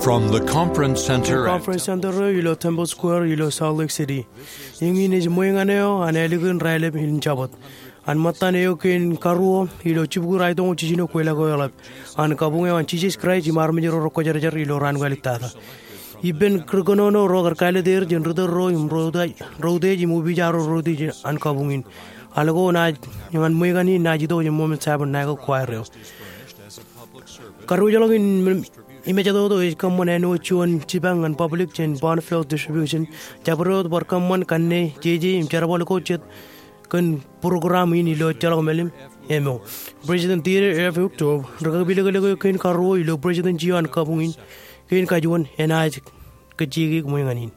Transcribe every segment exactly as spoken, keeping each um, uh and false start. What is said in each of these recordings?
From the Conference Center at Conference Center eo ilo Temple Square ilo Salt Lake City. Eñin ej ṃweeñan eo an ālikin raelep in Jabōt. An ṃōttan eo kein karuo ilo jibukwi raedoñ jiljino kweilọk eo eḷap an kabuñ eo an Jisōs Kraist im armej ro rekwōjarjar ilo raan ko āliktata. Ippān ri kōnono ro kar kāālōt er jān ri tōl ro im ro utiej im opiij ro ro utiej an kabuñ in. Al ko ñan ṃweeñan in naaj itok jān Mormon Tabernacle Choir eo. Kadiwōjḷọk in mejatoto ej kōṃṃan āinwōt juon jipañ ñan public jān Bonneville Distribution. Jabdewōt bar kōṃṃan kanne jeje im jerbal ko jet kōn program in ilo ejjeḷọk mālim eo. President Dieter F. Uchtdorf, ri kapilōklōk eo kein karuo ilo president eo an kabuñ in, kein kajuon enaaj kajjioñ ṃweeñan in.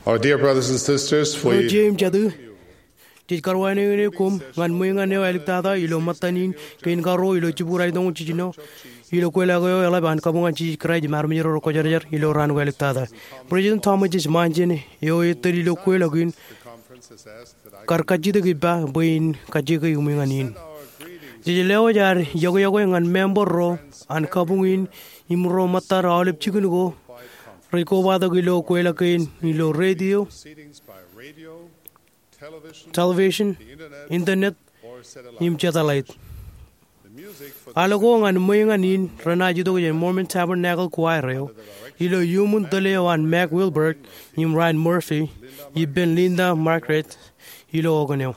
Our dear brothers and sisters, we Ro jeiū im jatū, jej karuwainene koṃ ñan ṃweeñan eo āliktata ilo ṃōttan in kein karuo ilo jibukwi raedoñ jiljino ilo kweilọk eo eḷap an kabuñ an Jisōs Kraist im armej ro rekwōjarjar ilo raan ko āliktata. President Thomas S. Monson eo ej tōl ilo kweilọk in kar kajjitōk ippa bwe in kajjioñ ṃweeñan in. Jej lewōj ad iọkwe iọkwe ñan member ro an kabuñ in im ro ṃōttad aolep jikin ko rej kobatok ilo kweilọk kein ilo radio, television, internet, im satellite. Al ko ñan ṃweeñan in renaaj itok jān Mormon Tabernacle Choir eo ilo iuṃwin tōl eo an Mac Wilberg im Ryan Murphy ippān Linda Margaret ilo okōn eo.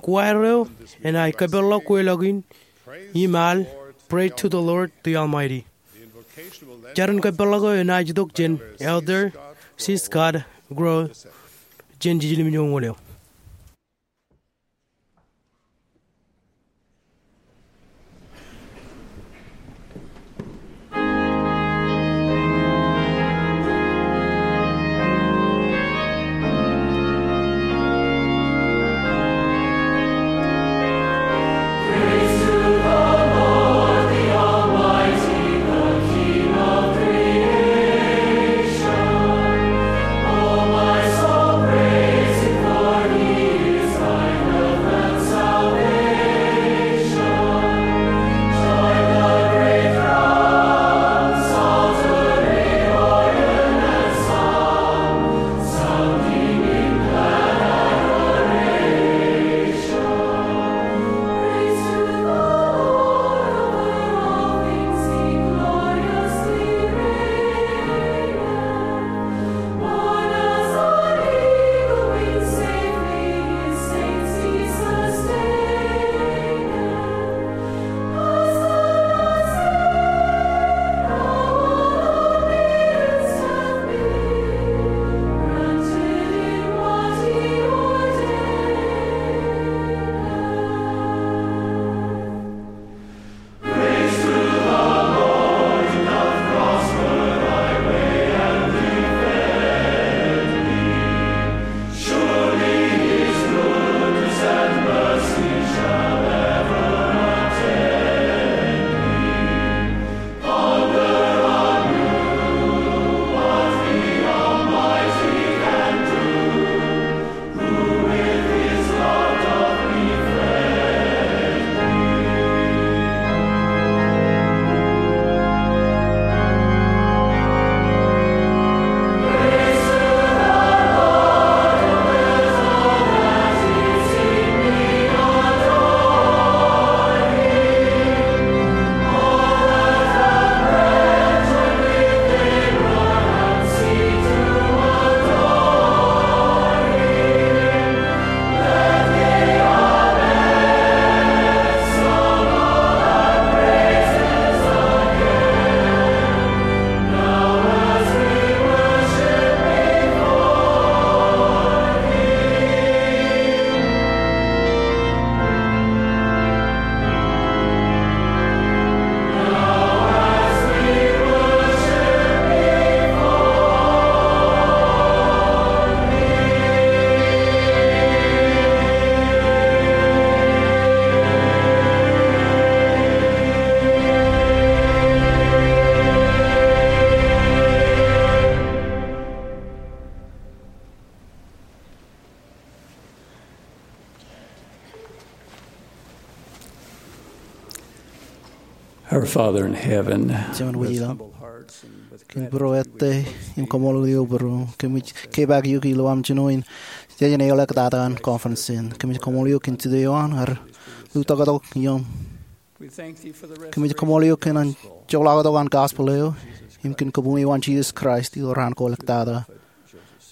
Choir eo enaaj kōpeḷḷọk kweilọk in im al Pray to the Lord the Almighty. Jar in kōpeḷḷọk eo enaaj itok jān Elder C. Scott Grow jān jiljilimjuonñoul eo. Our Father in heaven, Jemān wōj ilo, kōm būruō ettā im kaṃṃoolol eok bwe ro kōmij kepaak eok ilo aṃ jino in jān eoḷọk tata an conference in. Kōmij kaṃṃoolol eok kōn jete eo an ear lutōktok iōṃ. Kōmij kaṃṃoolol eok kōn an jepḷaaktok an gospel eo im kōn kabuñ eo an Jesus Christ ilo raan ko ḷọk tata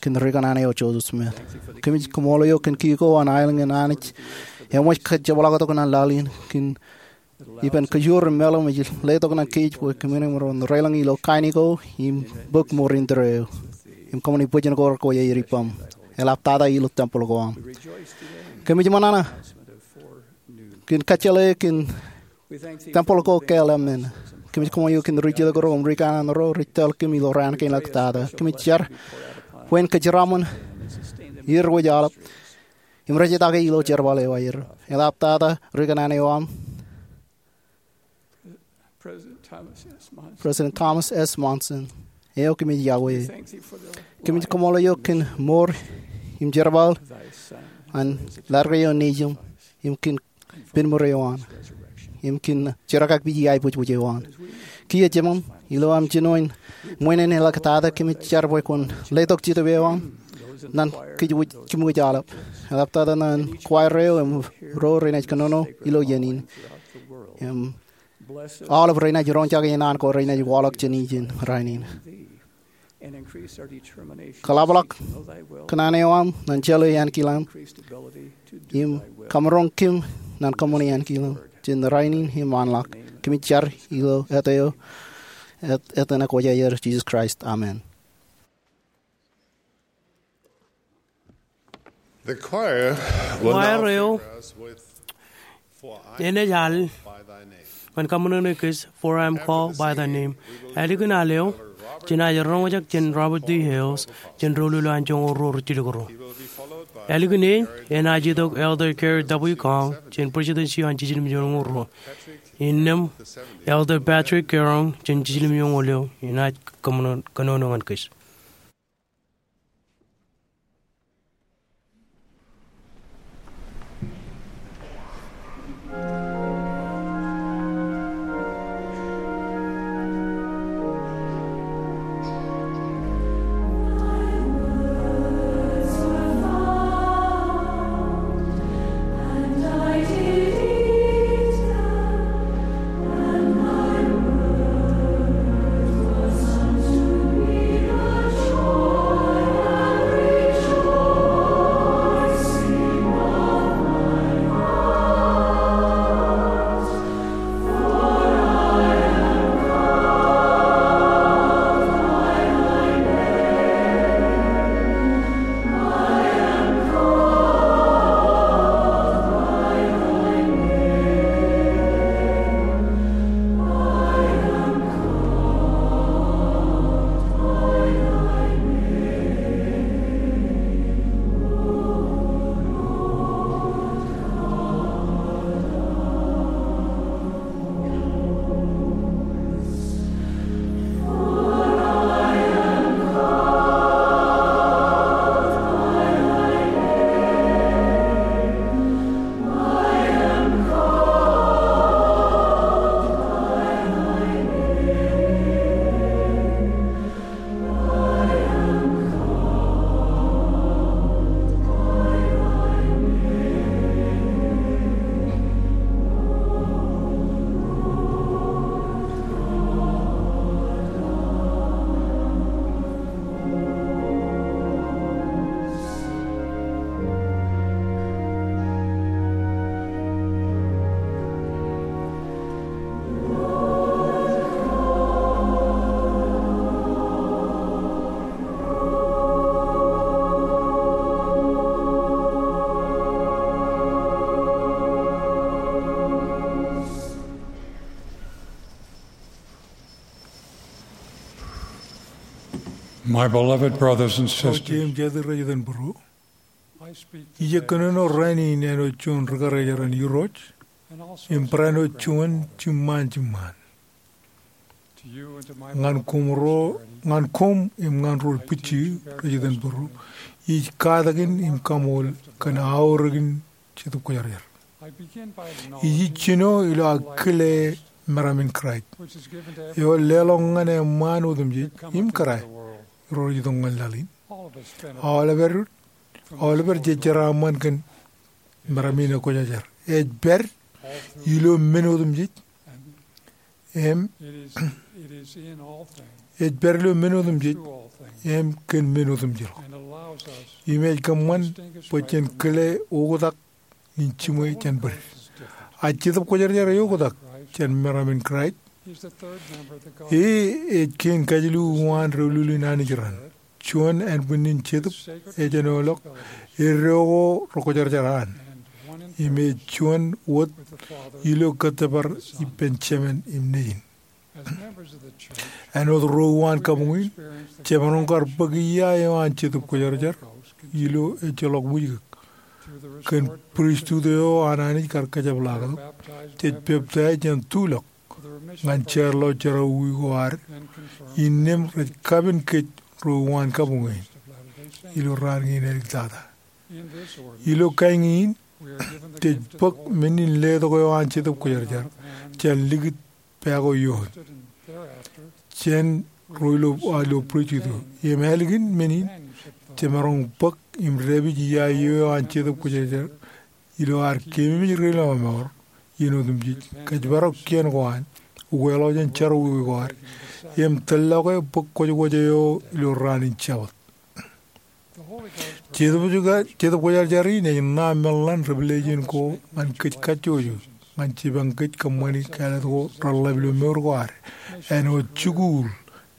kōn ri-kōṇaan eo Joseph Smith. Kōmij kaṃṃoolol eok kōn kiiō ko an aelōñ in Anij eṃōj kōjepḷaaktok ñan laḷ in kōn ippān kōjoor im meḷeḷe ej letok ñan kōj bwe kōmin emaroñ deḷọñ ilo kain ko im bōk ṃoor indeeo im kōṃṃani bōjjān ko rekwōj aer ippaṃ, eḷaptata ilo tempel ko aṃ. Kōmij ṃōṇōṇō kōn kōjjeḷā kōn tempel ko kāāl emān. Kōmij kaṃṃoolol eok kōn ri-jilkinḷọk ro im ri-kōṇaan ro rej tōl kōm ilo raan kein ḷọk tata. Kōmij jar bwe en kōjeraaṃṃan er wōj aolep im rej etake ilo jerbal eo aer, eḷaptata ri-kōṇaan eo aṃ, President Thomas S. Monson, eo kōmij iọkwe. Kōmij kaṃṃoolol eok kōn ṃoor im jerbal an laḷ eo nejūṃ im kōn penmūr eo an im kōn jerkakpeje aiboojoj eo an. Kiiō jemān, ilo aṃ jino in ṃwiin in ḷọk tata, kōmij jar bwe kwōn letok Jetōb eo aṃ ñan kōj wōj jimwōj aolep, eḷaptata ñan choir eo im ro renaaj kōnono ilo iien in, im aolep renaaj roñjake naan ko renaaj waḷọk jān ijin rainin. Kōḷapḷọk kōṇaan eo aṃ ñan jeḷā ānkilaṃ im kamaroñ kōm ñan kōṃṃani ānkilaṃ jān rainin im ṃaanḷọk. Kōmij jar ilo āt eo, āt, āt eo an Kwōjarjar Jesus Christ. Amen. The choir will now Choir eo favor us with "For I enaaj al by thy name." Ñan kaṃōṇōṇō kōj, "For I am called by thy name." Ālikin al eo, jenaaj roñjake jān Robert D. Hales, jān doulul eo an joñoul ruo rijjilōk ruo. Ālikin e, enaaj itok Elder Gary W. Gong, jān President eo an jiljilimjuonñoul ruo. Innām, Elder Patrick Gong, jān jiljilimjuonñoul eo, enaaj kōṃṃan kōnono ñan kōj. My beloved brothers and sisters, Jeiū im jatū rej iten būruō, ij kōnono rainin āinwōt juon ri-karijer an Irooj im barāinwōt juon jiṃṃaan jiṃṃaan. Ñan koṃ ro, ñan koṃ im ñan ro rej bwijjieō rej iten būruō, ij katakin im kaṃool kōn aorōkin Jetōb Kwōjarjar. Ij jino ilo aō kile meram in Kraist eo leḷọk ñan eṃṃaan otemjej im kōrā ro rej itok ñan laḷ in. Aoleper, aoleper jej jeraaṃṃan kōn meram in ekwōjarjar. Ej pād ilo men otemjej im ej pād ilo men otemjej im kōn men otemjej ḷọk. Im ej kōṃṃan bwe jen kile oktak in jiṃwe jān bōd. A Jetōb Kwōjarjar eoktak jān meram in Kraist. E ej kein kajilu uwaan doulul in Anij raṇ. Juon ānbwinnin jetōb ej āinwōt eddo ko rekwōjarjar an. Im ej juon wōt ilo kōttōpar ippān Jemān im Nejin. Āinwōt ro uwaan kabuñ in, jemaroñ kar bōk ia eo an Jetōb Kwōjarjar ilo ejjeḷọk wijkōk. Kōn pristut eo an Anij kar kajepḷaaktok, jej peptaij jān tulọk ñan jeorḷọk jerọwiwi ko ad, innām rej kapen kōj ro uwaan kabuñ in ilo raan kein āliktata. Ilo kain in, jej bōk men in letok eo an Jetōb Kwōjarjar jān likūt pā ko ioon jān ro ilo, a, ilo pristut eo. Im ālikin men in, jemaroñ bōk im dāpij ia eo an Jetōb Kwōjarjar ilo ad keememej ri lọmọọr iien otemjej, kōjparok kien ko an, ukeḷọk jān jerọwiwi ko ad, im tōllọke bōk kwōjkwōj eo ilo raan in Jabōt. Jetōb Kwōjarjar, Jetōb Kwōjarjar in ej ṇa meḷeḷein revelation ko ñan kōj kajjojo ñan jipañ kōj kōṃṃani kāālōt ko reḷḷap ilo mour ko ad. Āinwōt jikuuḷ,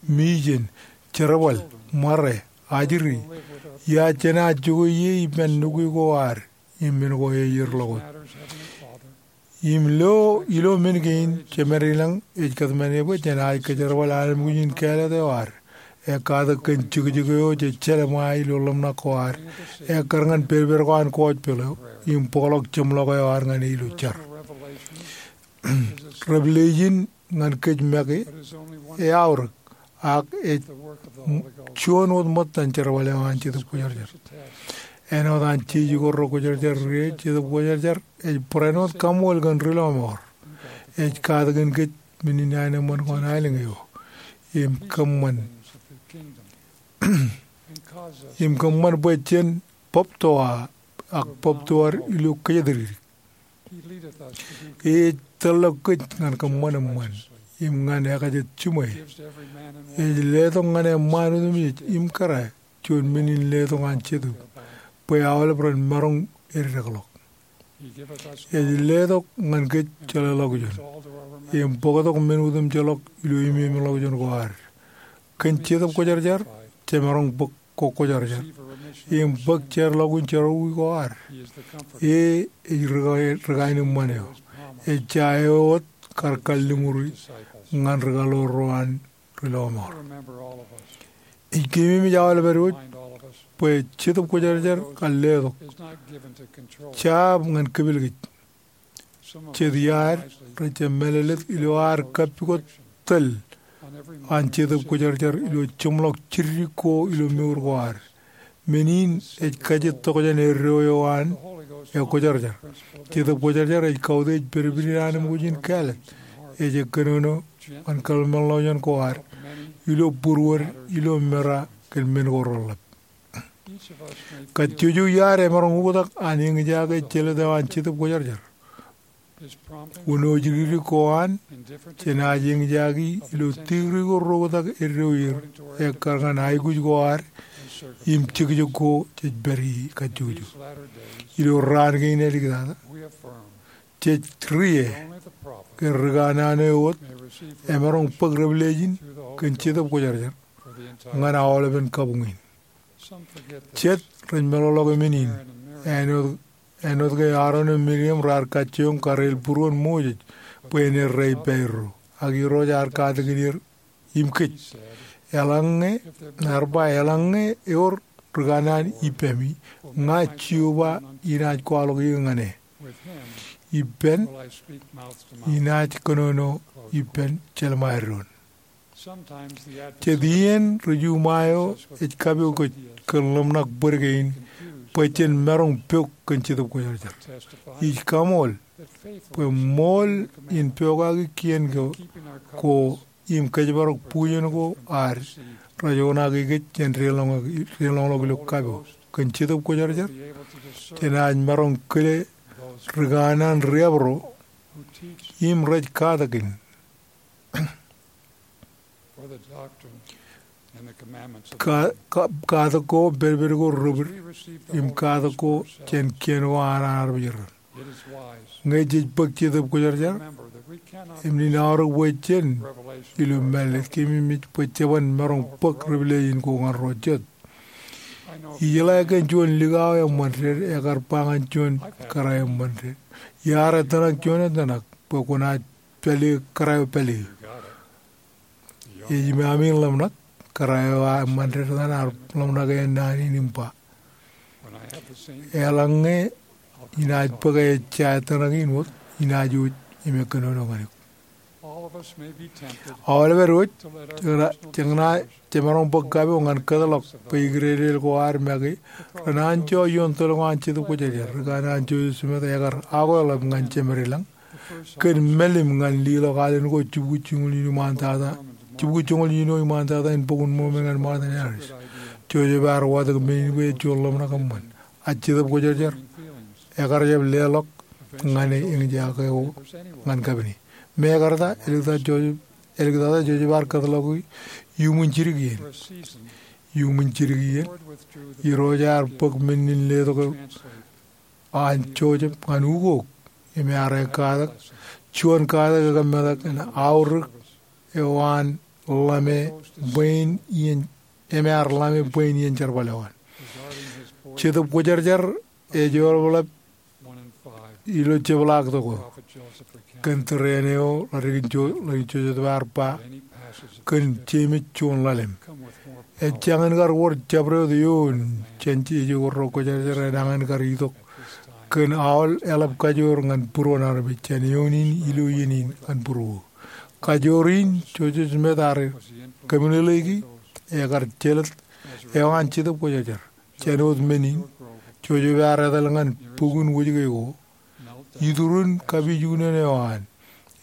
mijen, jerbal, ṃare, ajri, ia jenaaj jokwe ie ippān nukwi ko ad im men ko ej erḷọk wōt. Im lo, ilo men kein, Jemād ilañ ej kōtmāne bwe jenaaj kōjerbal anemkwōj in kāālōt eo ad. Ekkatak kōn jekjek eo jej jelṃae ilo ḷōmṇak ko ad. Ekkar ñan pedped ko an gospel eo im bōkḷọk jeṃḷọk eo ad ñan e ilo jar. Revelation ñan kōj make eaorōk, ak ej juon wōt ṃōttan jerbal eo an Jetōb Kwōjarjar. Āinwōt an jeje ko rekwōjarjar ie, Jetōb Kwōjarjar ej barāinwōt kaṃool kōn ri lọmọọr. Ej katakin kōj men in aenōṃṃan ko an aelōñ eo im kōṃṃan, im kōṃṃan bwe jen bōbtoa, ak bōbtoad ilo kōjatdikdik. Ej tōllọk kōj ñan kōṃṃan eṃṃan im ñan ekajet jiṃwe. Ej letok ñan eṃṃaan otemjej im kōrā juon men in letok an Jetōb bwe aolep ren maroñ eddekḷọk. Ej letok ñan kōj jeḷāḷọkjeṇ im bōktok men otemjeḷọk ilo imemeḷọkjeṇ ko ad. Kōn Jetōb Kwōjarjar, jemaroñ bōk kwōjarjar im bōk jeorḷọkin jerọwiwi ko ad. E ej ri, ri kaenōṃṃan eo. Ej ja eo wōt kar kalliṃuri ñan ri kaḷoor ro an ri lọmọọr. Ij keememej aolepen wōj bwe Jetōb Kwōjarjar kar letok jab ñan kepel kōj. Jet iaad rej jab mālōtlōt ilo ad kappukot tōl an Jetōb Kwōjarjar ilo jeṃḷọk jiddik ko ilo mour ko ad. Men in ej kajjitōk jān eddo eo an ekwōjarjar. Jetōb Kwōjarjar ej kautiej pedped in anemkwōj in kāālōt. Ej kōnono ñan kōḷmānḷọkjeṇ ko ad ilo būruod, ilo mera kōn men ko reḷḷap. Kajjojo iaad emaroñ oktak an eñjake jelōt eo an Jetōb Kwōjarjar. Wūnooj dikdik ko an, jenaaj eñjaki ilo tikdik ko reoktak eddo er, ekkar ñan aikuj ko ad im jekjek ko jej pād ie kajjojo. Ilo raan kein āliktata, jej rie ke ri kanaan eo wōt emaroñ bōk revelation kōn Jetōb Kwōjarjar ñan aolepen kabuñ in. Jet rej meḷọkḷọk men in, āinwōt, āinwōt ke Aaron im Miriam raar kajjioñ kareel būruon Moses bwe en errā ippāerro, ak Irooj ear katakin er im kōj. Eḷaññe, ear ba, eḷaññe ewōr ri kanaan ippemi, ña Jeova inaaj kwaḷọk eō ñan e. Ippān, inaaj kōnono ippān jelṃae doon. Jet iien ri juṃae eo ej kapo kōj kōn ḷōmṇak bōd kein bwe jen maroñ pok kōn Jetōb Kwōjarjar. Ij kaṃool bwe ṃool in pokake kien ko im kōjparok bujen ko ad rej oṇaake kōj jān deḷọñḷọk ilo kapo kōn Jetōb Kwōjarjar, jenaaj maroñ kile ri kanaan riab ro im rej katakin katak ko, pedped ko, ri-bwid im katak ko jān kien ko an armej ro. Ñe jej bōk Jetōb Kwōjarjar, im nin aorōk bwe jen ilo mālōtlōt, keememej bwe jeban maroñ bōk revelation ko ñan ro jet. Ijeḷā kōn juon likao eṃṃan ded, ekar ba ñan juon kōrā eṃṃan ded, iar ettōṇak juon ettōṇak bwe kwōnaaj pāle kōrā eo pāle. Ej imaami ḷōmṇak, kōrā eo eṃṃan ded etan ear ḷōmṇak āinwōt naan in im ba, eḷaññe inaaj bōk ejja ettōṇak in wōt, inaaj wōj im ekkōnono ñan eok. Aolep ad wōj, jeñin, jemaroñ bōk kapo ñan kōtḷọk bwe ikdedel ko ad make renanjo ioon tōl ko an Jetōb Kwōjarjar. Ri kanaan Joseph Smith ekar akweḷap ñan jemed ilañ kōn mālim ñan leḷọk alen ko jibukwi jiñoul iien iṃaan tata, jibukwi jiñoul iien iṃaan tata in Bok in Mormon ñan Martin Harris. Joseph ear watōk men in bwe ej juon ḷōmṇak eṃṃan. A Jetōb Kwōjarjar ekar jab leḷọk ñan e eñjake eo ñan kapin e. Mekarta, āliktata Joseph, āliktata Joseph ear kōtḷọk iuṃwin jidik iien. Iuṃwin jidik iien, Irooj ear bōk men in letok eo an Joseph ñan ukok im ear katak juon katak ekōmetak in aorōk eo an ḷame bwe in iien, im ear ḷame bwe in iien jerbal eo an. Jetōb Kwōjarjar ej eḷapḷap ilo jepḷaaktok eo kōn tōre eo ḷaddik in Jo-, ḷaddik in Joseph ear ba kōn Jemes juon ḷalem. Ejjañin kar wōr jabdewōt eoon jān ejjeḷọk ro kwōjarjar enañin kar itok kōn aolep eḷap kajoor ñan būruon armej jān eoon in ilo iien in ñan būruo. Kajoor in Joseph Smith ear kōmeḷeḷeiki ekar jelōt eo an Jetōb Kwōjarjar. Jān wōt men in, Joseph ear etal ñan bukun wōjke ko, iturin kapijuknen eo an,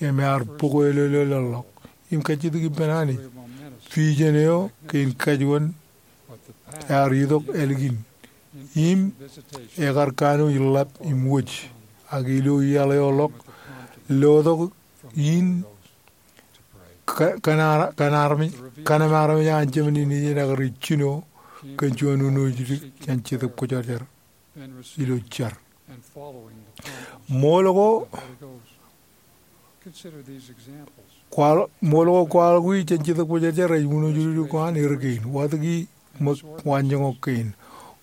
im ear bōk e lolọk im kajjitōk ippān Anij. Vision eo kein kajuon ear itok ālikin, im ekar kanooj ḷap im wōj, ak ilo iaḷ eo ḷọk, lotok in ka-, kaṇe-, kaṇe armej, kaṇe armej an Jemān in ej ekar ij jino kōn juon unooj dik jān Jetōb Kwōjarjar ilo jar. Ṃool ko kwaḷ-, ṃool ko kwaḷọk wi jān Jetōb Kwōjarjar ej unooj dik ko an er kein. Watōki ṃōk waanjoñak kein.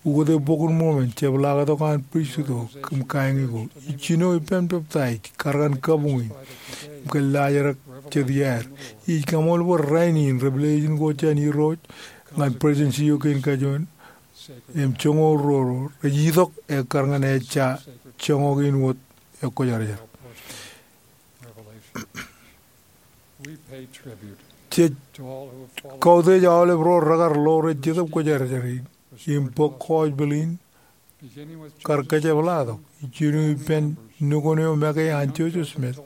Ukōte Bok in Mormon, jepḷaaktok an pristut ko im kaeñi ko, ij jino ippān peptaij, kar ñan kabuñ in, im kōllaajrak jet iaer. Ij kaṃool bwe rainin revelation ko jān Irooj ñan presidency eo kein kajuon im joñoul ruo ro rej itok ekkar ñan ejja joñak in wōt ekwōjarjar. Jej kautiej aolep ro rekar ḷoore Jetōb Kwōjarjar in im bōk gospel in kar kōjepḷaaktok, ij jino ippān nukun eo make an Joseph Smith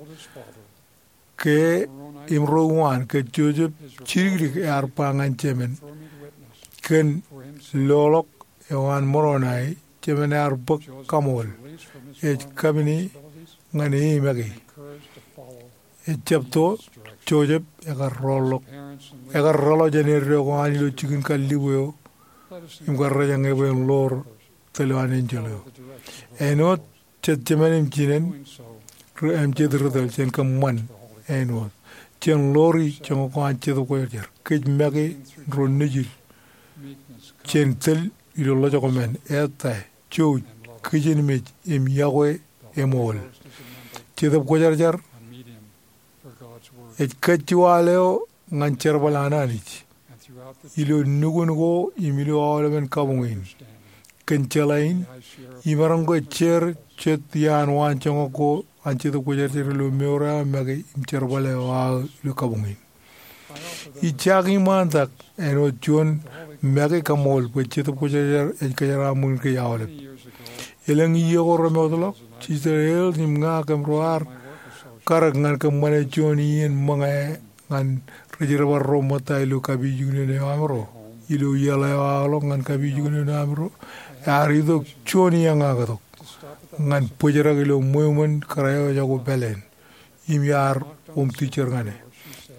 ke im ro uwaan ke Joseph jidikdik ear ba ñan Jemān kōn loḷọk eo an Moroni, Jemān ear bōk kaṃool ej kapin e ñan e make. Ejjab to, Joseph ekar roḷọk, ekar roḷọk jān eddo ko an ilo jikin kallibu eo im kar rejañe bwe en ḷoor tōl eo an enjeḷ eo. Āinwōt jet jemān im jinen, ri-, im jet ri tōl jān kōṃṃan āinwōt. Jen ḷoori joñak ko an Jetōb Kwōjarjar. Kōj make ro nejid jān tōl ilo ḷojak ko men, ettā, jouj, kijenmej, im iọkwe eṃool. Jetōb Kwōjarjar ej kajjiwaḷ eo ñan jerbal an Anij ilo nukun ko im ilo aolepen kabuñ in. Kōn jeḷā in, imaroñ ke jeer jet iaan waanjoñak ko an Jetōb Kwōjarjar ilo mour eo aō make im jerbal eo aō ilo kabuñ in. Ij jañin ṃaantak āinwōt juon make kaṃool bwe Jetōb Kwōjarjar ej kōjeraaṃṃan kōj aolep. Elōñ iiō ko remootḷọk, Sister Hales im ña kōm ro ar karōk ñan kōṃṃane juon iien ṃōñā ñan ri jerbal ro ṃōtta ilo kapijuknen eo amro ilo iaḷ eo aolep ñan kapijuknen eo amro. Ear itok juon iañaaktok ñan bōjrak ilo ṃweo ṃōn kōrā eo ejako pāleen im iar wōm teacher ñan e.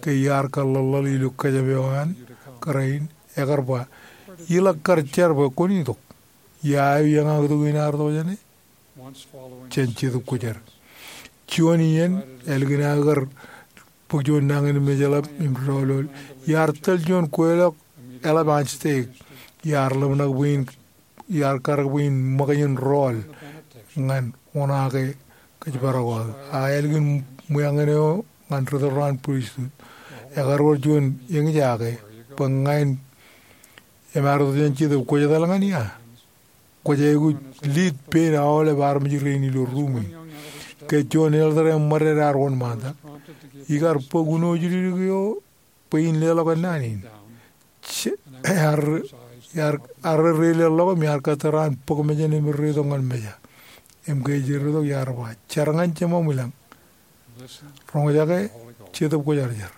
Ke iar kaḷḷaḷḷaḷ ilo kōjām eo an kōrā in, ekar ba, "Iḷak kar jar bwe kwōn itok. Ia eo iañaaktok in ear itok jāne?" Jān Jetōb Kwōjarjar. Juon iien ālikin aō kar bōk juon nañinmej eḷap im doulul, iar tōl juon kweilọk eḷap an stek. Iar ḷōmṇak bwe in, iar karōk bwe in ṃōkaj in rọọl ñan oṇaake kōjparok aō. A ālikin ṃwiañin eo ñan ri tōl ro an pristut, ekar wōr juon eñjake bwe ña in, im ear itok jān Jetōb, kwōj etal ñan ia? Kwōj aikuj lead pein aolep armej rein ilo ruum in. Ke juon elder eṃṃan ded ear wōnṃaantak, ikar bōk uno jidikdik eo bwe in leḷọk ennaan in. Ear, ear, ear reileḷọk im iar kōttar an bōk mejān im reitok ñan meja. Im ke ej reitok iar ba, "Jar ñan Jemām ilañ. Roñjake Jetōb Kwōjarjar.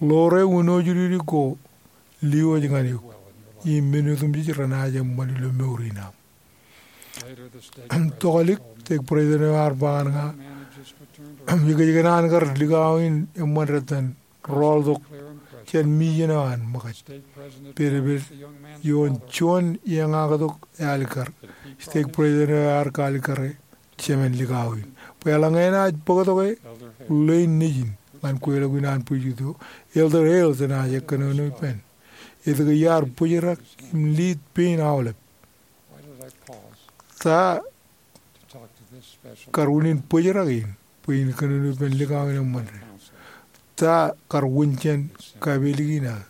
Ḷoore uno jidikdik ko, liwōj ñan eok, im men otemjej renaaj eṃṃan ilo mour in aṃ." Tokālik, stek president eo ear ba ñan ña, "Ikōjkan an kar likao in eṃṃan dettan rọọltok jān mission eo an ṃōkaj. Pedped ioon juon iañaaktok ealikkar." Stek president eo ear kaalikkare jemān likao in bwe eḷaññe enaaj bōktok e ḷein nejin ñan kweilọk in an pristut eo, Elder Hales enaaj kōnono ippān. Etke iar bōjrak im lead pein aolep? Ta kar unin bōjrak in bwe in kōnono ippān likao in eṃṃan ded? Ta kar wūn jān kapelek in aō?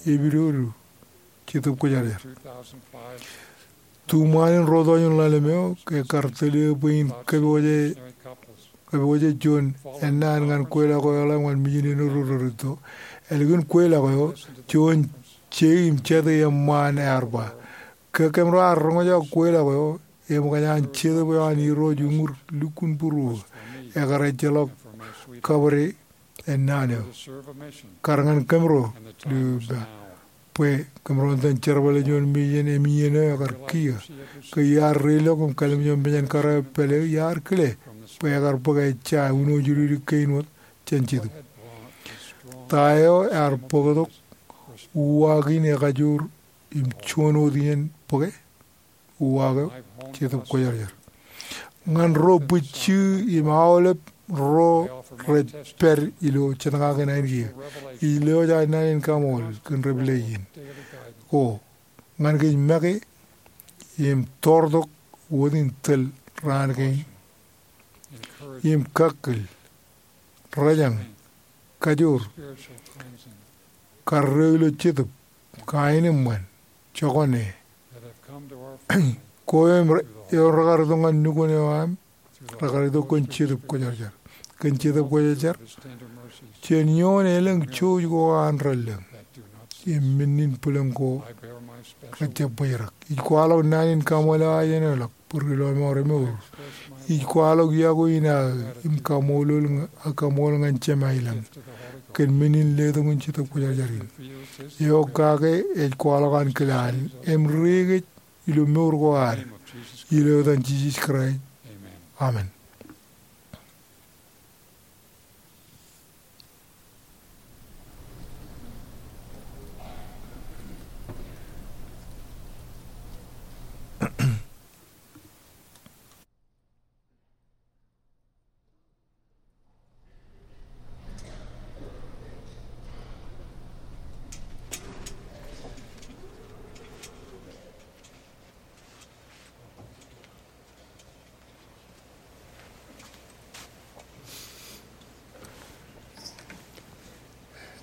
Epidodo Jetōb Kwōjarjar. Tuṃaan in ruo tọujin ḷalem eo, ke kar tōl eō bwe in kōpooje, kōpooje juon ennaan ñan kweilọk eo eḷap ñan mission in erro rerūtto. Ālikin kweilọk eo, juon je im jete eṃṃaan ear ba, "Ke kōm ro ar roñjake kweilọk eo, eṃōkaj an Jetōb eo an Irooj uñūr lukkuun būruō, ekar ejjeḷọk kabōde ennaan eo. Kar ñan kōm ro, ilo ippa, bwe kōm ro iten jerbale juon mission im iien eo ekar kiiō." Ke iar reilook im kallimjek mejān kōrā eo pāle, iar kile bwe ekar bōk ejja uno jidikdik kein wōt jān Jetōb. Ta eo ear bōktok uwaak in ekajoor im juon wōt iien bōke? Uwaak eo, Jetōb Kwōjarjar. Ñan ro bwijjū im aolep ro rej pād ilo jetñaak in ainikien, ij lewōj aō naan in kaṃool kōn ri pālle in ko ñan kōj make im toortok wōt in tōl raan kein im kakkōl, rōjañ, kajoor, karreo ilo Jetōb, kaenōṃṃan, jokwane. Ko eo im re-, eo rekar itok ñan nukun eo aṃ, rekar itok kōn Jetōb Kwōjarjar. Kōn Jetōb Kwōjarjar, jān ioon elōñ jouj ko an relōñ im men in bwilōñ ko rejjab bōjrak. Ij kwaḷọk naan in kaṃool eo aō jeṇe ḷọk bwe ri lọmọọr emour. Ij kwaḷọk iọkwe in aō im kaṃoolol ña-, kaṃool ñan Jema ilañ kōn men in letok in Jetōb Kwōjarjar in. Eo kake ej kwaḷọk an kile an im riik ej ilo mour ko ad, ilo etan Jisōs Kraist. Amen.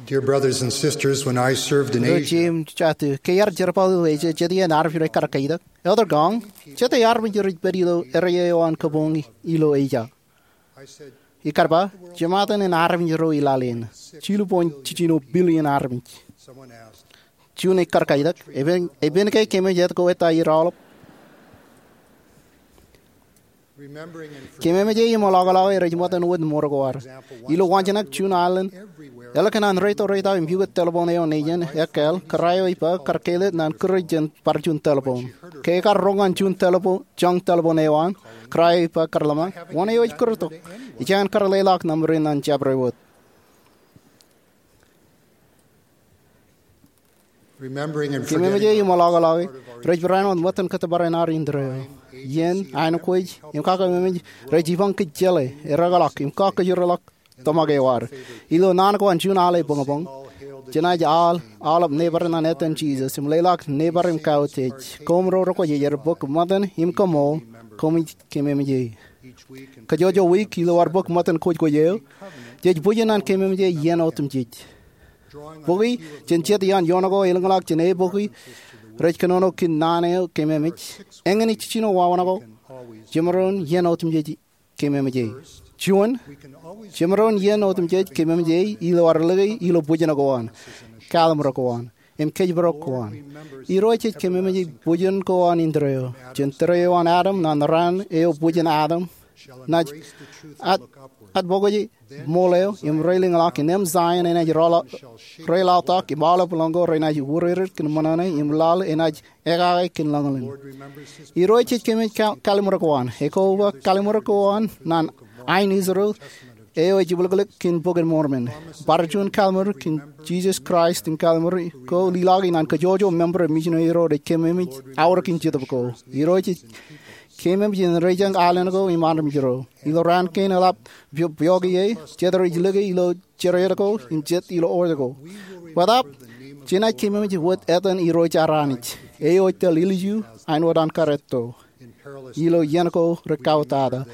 Dear brothers and sisters, when I served in Asia, Ro jeiū im jatū, ke iar jerbal ilo Asia, jet iien armej ro ekar kaitak, "Elder Gong, jete armej ro ej pād ilo area eo an kabuñ ilo Asia?" Ikar ba, "Jemāten in armej ro ilaḷ eṇ, jilu point jijino billion armej." Juon ekar kaitak, "Epen, epen ke kōmij etko ettā er aolep?" Kememeje im ḷọkḷọke rej ṃōttan wōt ṃōr ko ad. Ilo waanjoñak juon aelōñ, eḷak an reito reitau im pukot telephone eo nejin ekkāāl, kōrā eo ej ba kar kāālōt ñan kūr jān bar juon telephone. Ke ekar roñ ñan juon telephone, joñ telephone eo an, kōrā eo ej ba kar ḷōmṇak, wōn eo ej kūrtok? Ij jañin kar leḷọk nōṃba in ñan jabdewōt. Kememeje im ḷọkḷọke rej barāinwōt ṃōttan kōttōpar in ad indeeo. Iien, aenōkwōj, im kakememej rej jipañ kōj jeḷā, erōkḷọk, im kakōjorḷọk tōmak eo ad. Ilo naan ko an juon aḷ eo buñbuñ, jenaaj aolep neighbor ñan etan Jisōs im leḷọk neighbor im kautiej. Koṃro rekwōj ej aer bōk ṃōttan im kaṃool, koṃij kememeje. Kajjojo wiik ilo ad bōk ṃōttan kwōjkwōj eo, jej bwijin ñan kememeje iien otemjej. Bukwi jān jet iaan ioon ko elōñḷọk jān e bukwi rej kōnono kōn naan eo kememej, eñin ej jijino wāween ko, jemaroñ iien otemjej kememeje. Juon, jemaroñ iien otemjej kememeje ilo ad lōke ilo bwijin ko an, kallim̧ur ko an, im kōjparok ko an. Irooj ej kememeje bwijin ko an indeeo. Jān tōre eo an Adam ñan raan eo bwijin Adam, naaj ad, ad bōk ṃool eo im reilaḷḷọk, innem Zion enaaj reḷaḷtak, im aolep lọñiō renaaj urered kōn ṃōṇōṇō, im laḷ enaaj ekake kōn lōñlōñ. Irooj ej kememeej kal-, kallim̧ur ko an. Ekoba kallim̧ur ko an ñan ain Israel eo ej jibwilklik kōn Bok in Mormon. Bar juon kallim̧ur kōn Jisōs Kraist im kallim̧ur ko lelọki ñan kajjojo member im misineri ro rej kememeej aorōk in Jetōb ko. Irooj ej kememeej in rejañ aelōñ ko im armej ro. Ilo raan kein eḷap pio-, pioki e, jet rej lōke ilo jeriet ko im jet ilo oj ko. Bōtab, jenaaj kememeej wōt etan Irooj ad Anij, eo ej tōl ilju āinwōt an kar etto ilo iien ko rej kautata.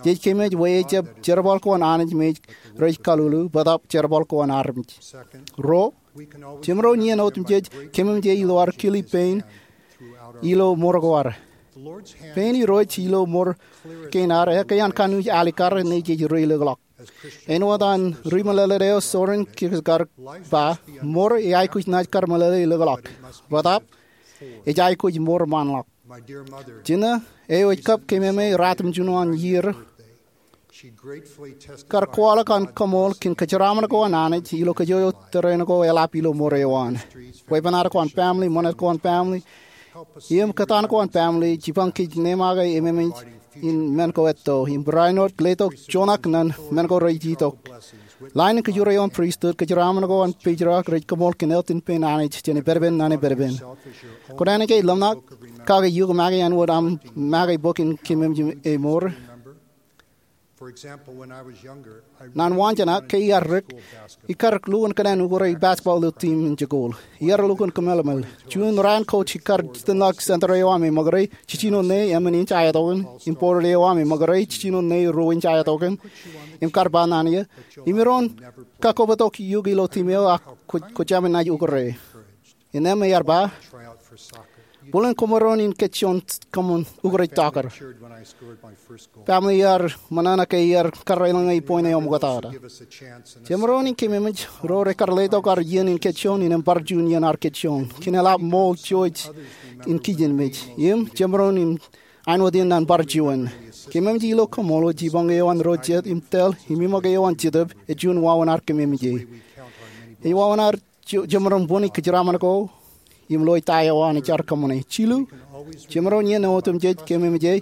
Jej kememeej bwe ejjab jerbal ko an Anij me rej kaḷuḷu, bōtab jerbal ko an armej. Ruo, jemaroñ iien otemjej kememeje ilo ad kili pein ilo ṃōr ko ad. Pein Irooj ilo ṃōr kein ad ekkā an kanooj alikkar ñe jej reilikḷọk. Āinwōt an rimeḷeḷeid eo Søren Kierkegaard ba, ṃōr ej aikuj naaj kar meḷeḷe likḷọk, bōtab ej aikuj ṃōr ṃaanḷọk. Jino, eo ej kab kememej ratimjuon an iiō, kar kwaḷọk an kaṃool kōn kōjeraaṃṃan ko an Anij ilo kōjwōj tōre ko eḷap ilo ṃōr eo an. Weeppān ad ko an family, ṃōṇōṇō ko an family, im kōtaan ko an family, jipañ kōj neeṃ aō ememej in men ko etto, im barāinwōt letok joñak ñan men ko rej itok. Line in kōjwōj eo an pristut, kōjeraaṃṃan ko an patriarch rej kaṃool kōn eltin pein Anij jān epedepen ñan epedepen. Kwōnaaj ke ḷōmṇak kake iuṃ make āinwōt aṃ make bok in kememeej e ṃōr? Ñan waanjoñak, ke iar rik, ikar lukkuun kōṇaan ukōrā basketball ilo team in jikuuḷ. Iar lukkuun kōmālmel. Juon raan coach ikar jitōñḷọk center eo aṃ e ṃōkare, jijino ṇe emān inch aetokan, im forward eo aṃ e ṃōkare, jijino ṇe ruo inch aetokan, im kar ba ñan eō, imaroñ kakkobtok eok ilo team eo ak kwō, kwō jab naaj ukōrā. Innām ear ba, bōlen kwōmaroñ in kajjioñ kōṃṃan ukōrā soccer. Family eo ar ṃōṇōṇō ke iar kar eḷaññe point eo ṃoktata. Jemaroñ in kememeej ro rekar letok ad iien in kajjioñ innām bar juon iien ad kajjioñ kōn eḷap ṃool jouj in kijenmej. Im jemaroñ in āinwōt in ñan bar juon. Kememeej ilo kaṃṃoolol jipañ eo an ro jet im tōl im iṃōk eo an Jetōb ej juon wāween ad kememeje. Ej wāween ad je-, jemaroñ bōni kōjeraaṃṃan ko im lo ta eo an ej ad kōṃṃane. Jilu, jemaroñ iien otemjej kememeje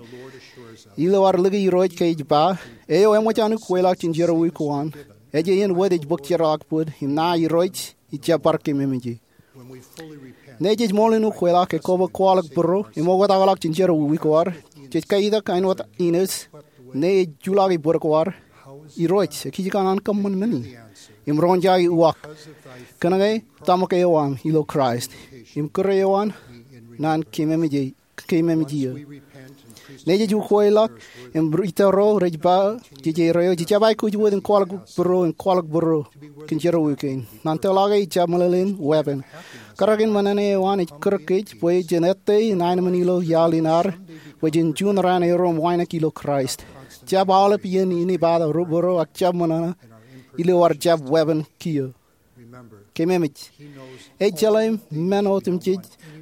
ilo ad lōke Irooj ke ej ba, eo eṃōj an ukweḷọk jān jerọwiwi ko an, ej iien wōt ej bōk jeorḷọk bōd, im ṇae Irooj ij jab bar kememeje. Ñe jej ṃool in ukweḷọk, ekwe kwaḷọk būruō im oktakḷọk jān jerọwiwi ko ad, jej kaitak āinwōt Enos, ñe ej juḷọki bōd ko ad, Irooj, ekijjeen an kōṃṃan men in? Im roñjake uwaak, kōnke tōmak eo an ilo Kraist, im kūr eo an ñan kememeje, kememeje eō. Ñe jej ukweḷọk im ri-, ri-tōro rej ba, jej erreo, jej jab aikuj wōt in kwaḷọk būruō, in kwaḷọk būruō kōn jerọwiwi kein. Ñan tōl eo ij jab meḷeḷein weeppān. Kōrā in ṃōṇōṇō eo an ej kūr kōj bwe jen ettā in aenōṃṃan ilo iaḷ in ad, bwe jen juon raan erom wānōk ilo Kraist. Jab aolep iien inepata būruō ak jab ṃōṇōṇō ilo ad jab weeppān kiiō. Kememeej. Ej jeḷā men otemjej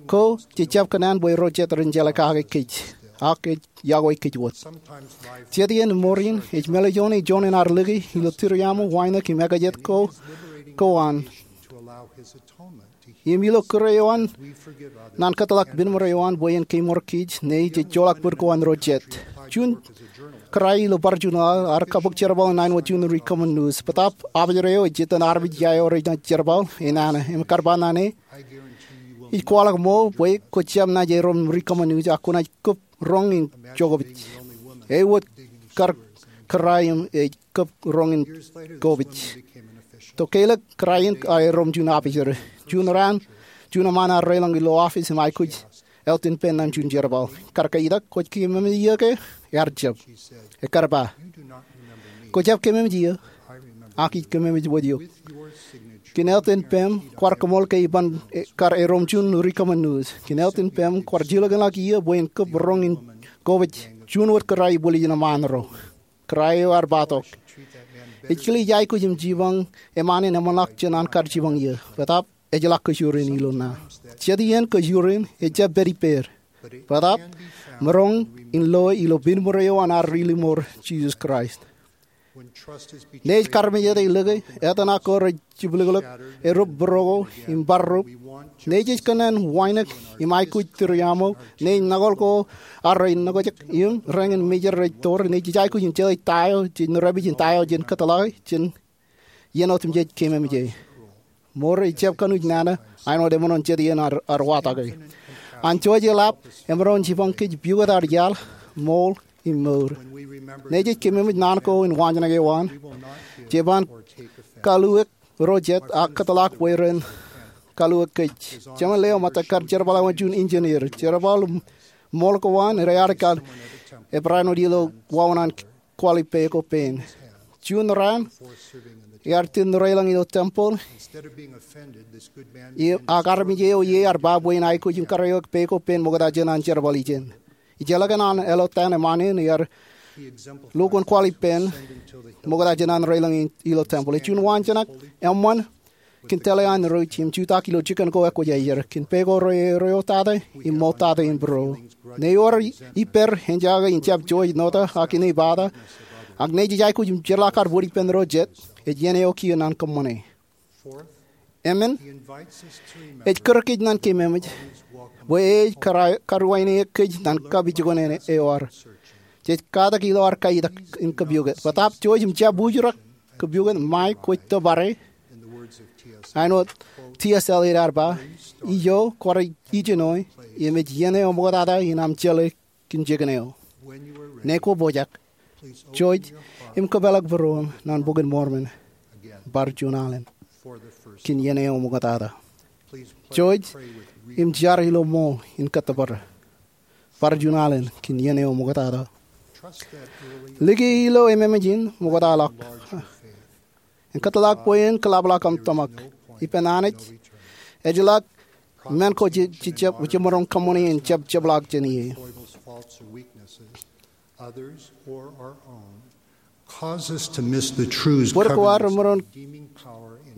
ko jej jab kōṇaan bwe ro jet ren jeḷā kake kōj. ak ej yokwe kōjwōj. Jet iien mour in ej mālejone juon in ad lōke ilo tūriaṃo, wānōk im ekajet ko, ko an im ilo kūr eo an naan kōtḷọk binmore eo an bwe en kemour kij ne ej ejjeḷọk bōd ko an ro jet. Juon kōrā ilo bar juon aḷ ear kabōk jerbal in nine one two in ri Common News. Bōtaab officer eo ej itōn armej ia eo rej jerbal enana im kar ba naan e, ij kwaḷọk ṃool bwe kwō jab naaj erom ri Common News ak kwō naaj kōb roñ in jokpej. Ewōr kar kōrā im ej kōb roñ in jokpej. To keilọk kōrā in ear erom juon officer. Juon raan, juon eṃṃaan ear deḷọñ ilo office im aikuj Elton Penn ṇe juon jerbal. Kar ke itak, kwōj kememej iiō ke? Ear jab. Ekar ba, kwō jab kememej iiō, ak ij kememej wōt eok. Kōn Elton Penn kwaar kōṃool ke iban kar erom juon ri Common News. Kōn Elton Penn kwaar jilkinḷọk iiō bwe en kōb roñ in jokpej juon wōt kōrā ibwiljin eṃṃaan ro. Kōrā eo ear ba tok, ij kile ij aikuj im jipañ eṃṃaan in eṃṃanḷọk jān an kar jipañ iiō. Bōtaab ejjeḷọk kōjurin ilo ṇa. Jet iien kōjurin ejjab pād ippāer. Bōtaab maroñ in loe ilo binmore eo an ad ri limour, Jisōs Kraist. Neij karmejāde lōke, etan ak ko rej jibliklik, erūp būruo ko im bar rūp. Neij ej kōṇaan wānōk im aikuj tūriaṃo. Neij kōṇaan ko ad rej nokjak im rein mejād rej toor. Neij ej aikuj in jeḷā ta eo jej nōrāpij in ta eo jen kōtḷọke jān iien otemjej kememej e. Mour ejjab kōnuuj nana āinwōt emaroñ jet iien ad watake. An Joseph Lap, emaroñ jipañ kōj pukot ad iaḷ, ṃool im mour. Neij ej kememej naan ko in waanjoñak eo an, jeban kaluwak ro jet ak kōtḷọk bwe ren kaluwak kōj. Jeṃaan leo ṃōttan kar jerbal wōt juon engineer. Jerbal ṃool ko an rej etal ebarāinwōt ilo wāween an kwaḷ ippāer ko pen. Juon raan, ear itōn deḷọñ ilo temple ak armej eo ie ear ba bwe en aikuj in kariwōj ippāer ko pen ṃokta jān an jerbal ijeṇ. Ijellọkin an āliktata eṃṃaan in, ear lukkuun kwaḷ ippān ṃokta jān an deḷọñ ilo temple. Ej juon waanjoñak eṃṃan kōn tōl eo an Irooj im jutak ilo jikin ko ekwōjarjar kōn peiṃ ko rej eootata im ṃoktata im būruo. Ṇe ewōr ippāer ejjañak in jab joij nota ak inepata, ak neij ej aikuj im jeorḷọk ad bōd ippān ro jet, ej iien eo kiiō naan kōṃṃane. Emān, ej kūr kōj naan kememej bwe ej karuwaineke kōj naan kapijuknen eo ad. Jej katak ilo ad kaitak in kōpukot. Bōtaab jouj im jab ujurak kōpukot ṃae kwōj tōpare. Āinwōt T S Eliot ear ba, ijo kwaar ijenoe, im ej iien eo ṃoktata in aṃ jeḷā kōn jikin eo. Ṇe kwō pojak, jouj im kōpeḷḷọk būruōṃ naan Bok in Mormon bar juon alen kōn iien eo ṃoktata. Jouj im jar ilo ṃool in kōttōpar bar juon alen kōn iien eo ṃoktata. Likūt ilo ememej in ṃoktaḷọk im kōtḷọk bwe en kōḷapḷọk aṃ tōmak ippān Anij. Ejjeḷọk men ko jejjab, jemaroñ kōṃṃane in jab jepḷaak jān ie. Bōd ko ad remaroñ,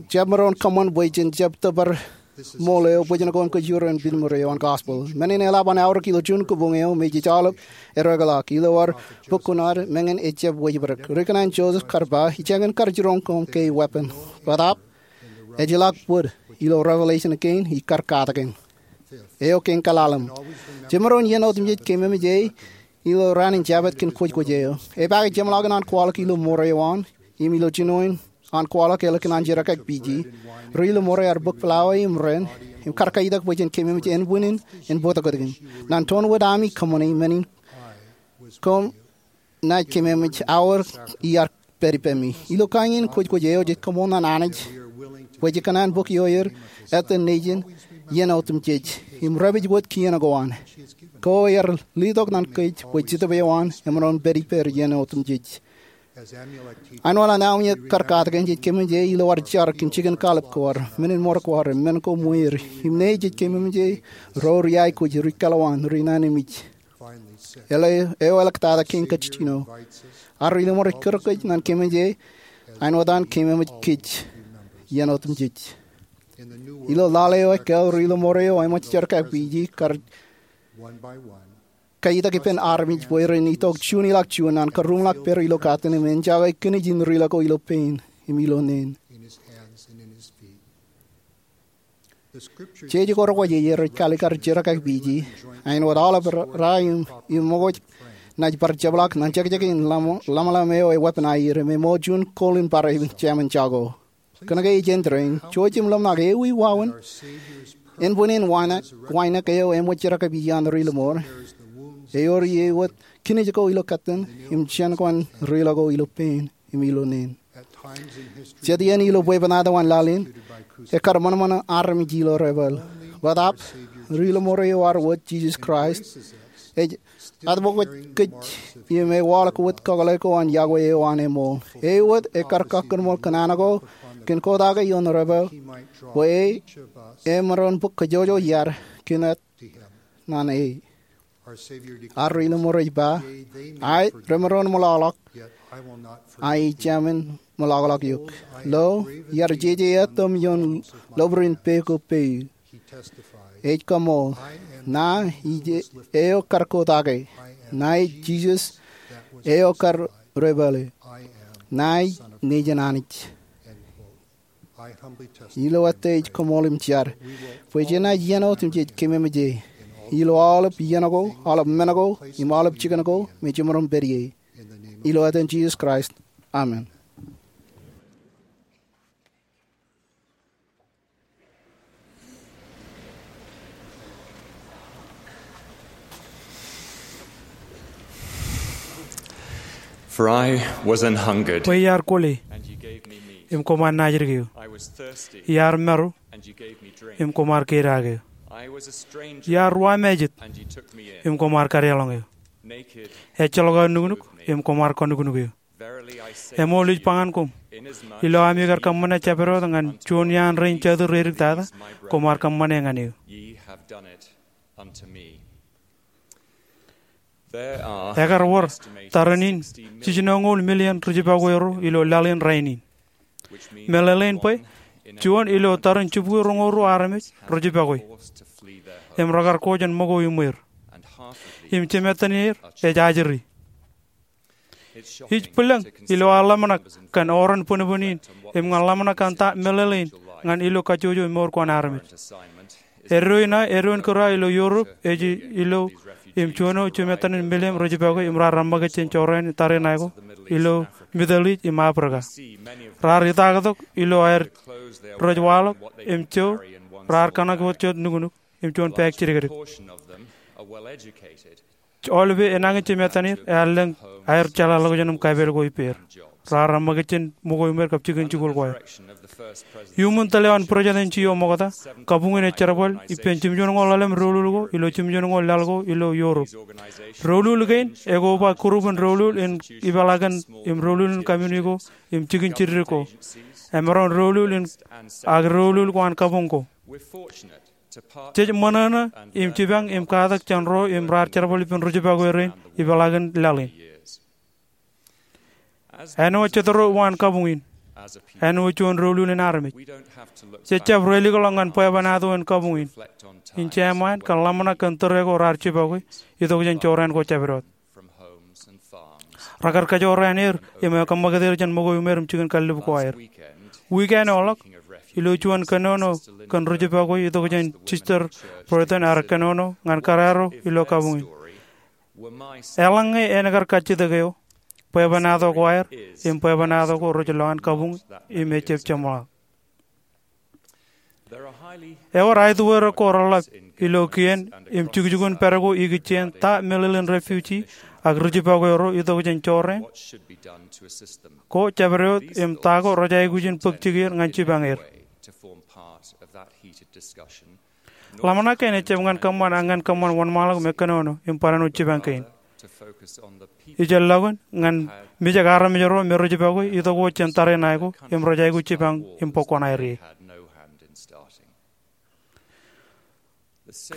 jab maroñ kōṃṃan bwe jen jab tōpar ṃool eo bwijin ko im kōjro in binmore eo an gospel. Men in eḷap an aorōk ilo juon kōbuñ eo me jej aolep ereokḷọk ilo ad bōk kuṇaad, meñe ejjab wejbedek. Ri-kōṇaan Joseph kar ba, ijeñin kar jiroñ koṃ ke weeppān, bōtaab ejjeḷọk bōd ilo revelation kein ikar katakin. Eo kein kaḷalem. Jemaroñ iien otemjej kememej e ilo raan in Jabōt kōn kwōjkwōj eo. Epaake jeṃḷọkin an kwaḷọk ilo ṃoor eo an im ilo jinoin an kwaḷọk ālikin an jerkakpeje, ri-limour ear bōk flawa im ren im kar kaitak bwe jen kememej ānbwinnin en bōktok kōtkin. Naan toon wōt ami kōṃṃane men in, koṃ naaj kememej aor iar pād ippemi. Ilo kain in kwōjkwōj eo jej koṃṃool naan Anij bwe jej kōṇaan bōk ioer ettōn Nejin iien otemjej im repej wōt kien ko an. Ko ear letok naan kōj bwe Jetōb eo an emaroñ pād ippāer iien otemjej. Āinwōt an Amulek kar katakin, jej kememej e ilo ad jar kōn jikin kallib ko ad, men in ṃor ko ad, men ko ṃweer, im ṇe jej kememej e ro ri aikuj, ri-kōḷmān, ri-naan im ij. Eo eḷḷọk tata kein kajjino. Ad ri-limour ej kūr kōj naan kememej e āinwōt an kememej kōj iien otemjej. Ilo laḷ eo ekāāl, ri-limour eo eṃōj jerkakpeje kar kajjitōk ippān armej bwe ren itok juon ilọk juon an karuṃḷọk pād ilo katten im enjake kinij in riḷọk ko ilo pein im ilo neen. Jeje ko rekwōj ej rej kaalikkar jerkakpeje, āinwōt aolep ra im, im ṃōkwōj naaj bar jepḷaak ñan jekjek in ḷōmṇak eo e weapon aer im ṃōk juon goal in bar jemān jako. Kōnke ej āindein, jouj im ḷōmṇak ewi wāween ānbwinnin wānōk eo eṃōj jerkakpeje an ri lōṃur. Ewōr ie wōt kinij ko ilo katten im jān kōn riḷọk ko ilo pein im ilo neen. Jet iien ilo bwebwenato an laḷ in, ekkar ṃōṇōṃōṇō armej ilo rebel. Bōtaab ri lōṃur eo ad wōj, Jisōs Kraist, ej atbōkōj kōj im ewaḷọk wōt kakōḷḷe ko an yokwe eo an eṃool. E wōt ekkar kakkōṃṃan kōn an ko kōn kōtaake ioon rebel, bwe e emaroñ bōk kōjwōjwōj iaad kōn āt ñan e. Ad ri lōṃur ej ba, aet, remaroñ ṃōḷaḷọk, ak ij jemān ṃōḷaḷọk eok. Lo, iar jeje ettōm ioon lobūrin peiṃ ko peiṃ. Ej kaṃool, ña ij eo kar kōtaake. Ña ij Jisōs eo kar rebel e. Ña ij Nejin Anij. Ilo ettā ij kaṃool im jar bwe jenaaj iien wōt im jej keememej e ilo aolep iien ko, aolep men ko, im aolep jikin ko me jemaroñ pād ie. Ilo etan Jisōs Kraist, amen. For I was an hungered, bwe iar kwōle, and ye gave me meat. Im koṃ ar naajdik eō. I was thirsty, iar maroñ, and ye gave me drink. Im koṃ ar kedaak eō. I was a stranger, iar ruwamājet, and ye took me in. Im koṃ ar kadeḷọñ eō. Naked, ejjeḷọk aō nuknuk, im koṃ ar kanuknuk eō. Verily I say, eṃool ij ba ñan koṃ, inasmuch, ilo ami kar kōṃṃane jabdewōt ñan juon iaan rein jatū reidiktata, koṃ ar kōṃṃane ñan eō. Ye have done it unto me. There are, ekar wōr, estimated, tarrin in jiljinoñoul million rijipakwe ro ilo laḷ in rainin. Meḷeḷein bwe juon ilo tarrin jibukwi roñoul ruo armej rijipakwe im rekar ko jān ṃōko iṃweir. Im jemāttan er ej ajri. Ij bwilōñ ilo aō ḷōmṇak kōn oran bōnbōn in im ñan ḷōmṇak kōn ta meḷeḷein ñan ilo kajjojo mour ko an armej. Eddo in aō, eddo in kūr aō ilo Europe ej ilo im juon eo jemāttan in million rijipakwe im raar reṃṃakūt jān jorrāān tariṇae ko ilo Middle East im Africa. Raar itaaktok ilo aer rej waḷọk im jo raar kōṇak wōt jet nuknuk im juon bag jidikdik. Aolepen enañin jemāttan er ear lōñ aer jeḷāḷọkjeṇ im kapeel ko ippāer. Raar reṃṃakūt jān ṃōko iṃweir kab jikin jikuuḷ ko aer. Iuṃwin tōl eo an President G. O. Ṃokta, kabuñ in ej jerbal ippān jimjuonñoul ḷalem doulul ko ilo jimjuonñoul laḷ ko ilo Europe. Doulul kein ekoba group in doulul in ipeḷaakin im doulul in community ko im jikin jidik ko. Emaroñ doulul in ak doulul ko an kabuñ ko. Jej ṃōṇōṇō im jipañ im katak jān ro im raar jerbal ippān rijipakwe rein ipeḷaakin laḷ in. Āinwōt jet ro uwaan kabuñ in, āinwōt juon doulul in armej, jej jab reilikḷọk ñan bwebwenato in kabuñ in, in jeṃaan kōn ḷōmṇak kōn tōre ko raar jipakwe itok jān jorrāān ko jabdewōt. Rekar kōjorrāān er im kōṃṃakūt er jān ṃōko iṃweir im jikin kallib ko aer. Wiik eo eḷap, ilo juon kōnono kōn rijipakwe itok jān Sister Burton ear kōnono ñan kōrā ro ilo kabuñ in. Eḷaññe en kar kajjitōk eo, bwebwenato ko aer im bwebwenato ko rej lo an kabuñ im ejab jeṃḷọk. Ewōr aetuerok ko reḷap ilo kien im jukjukun pād ko ikijjien ta meḷeḷein refugee ak rijipakwe ro itok jān jorrāān ko jabdewōt im ta ko rej aikuj in bōk jikier ñan jipañ er. Ḷōmṇak kein ejab ñan kōṃṃan ak ñan kōṃṃan wōnṃaanḷọk me kōnono im barāinwōt jipañ kein. Ij lọkun ñan mijak armej ro me rijipakwe itok wōt jān tariṇae ko im rej aikuj jipañ im bōk kuṇaer ie.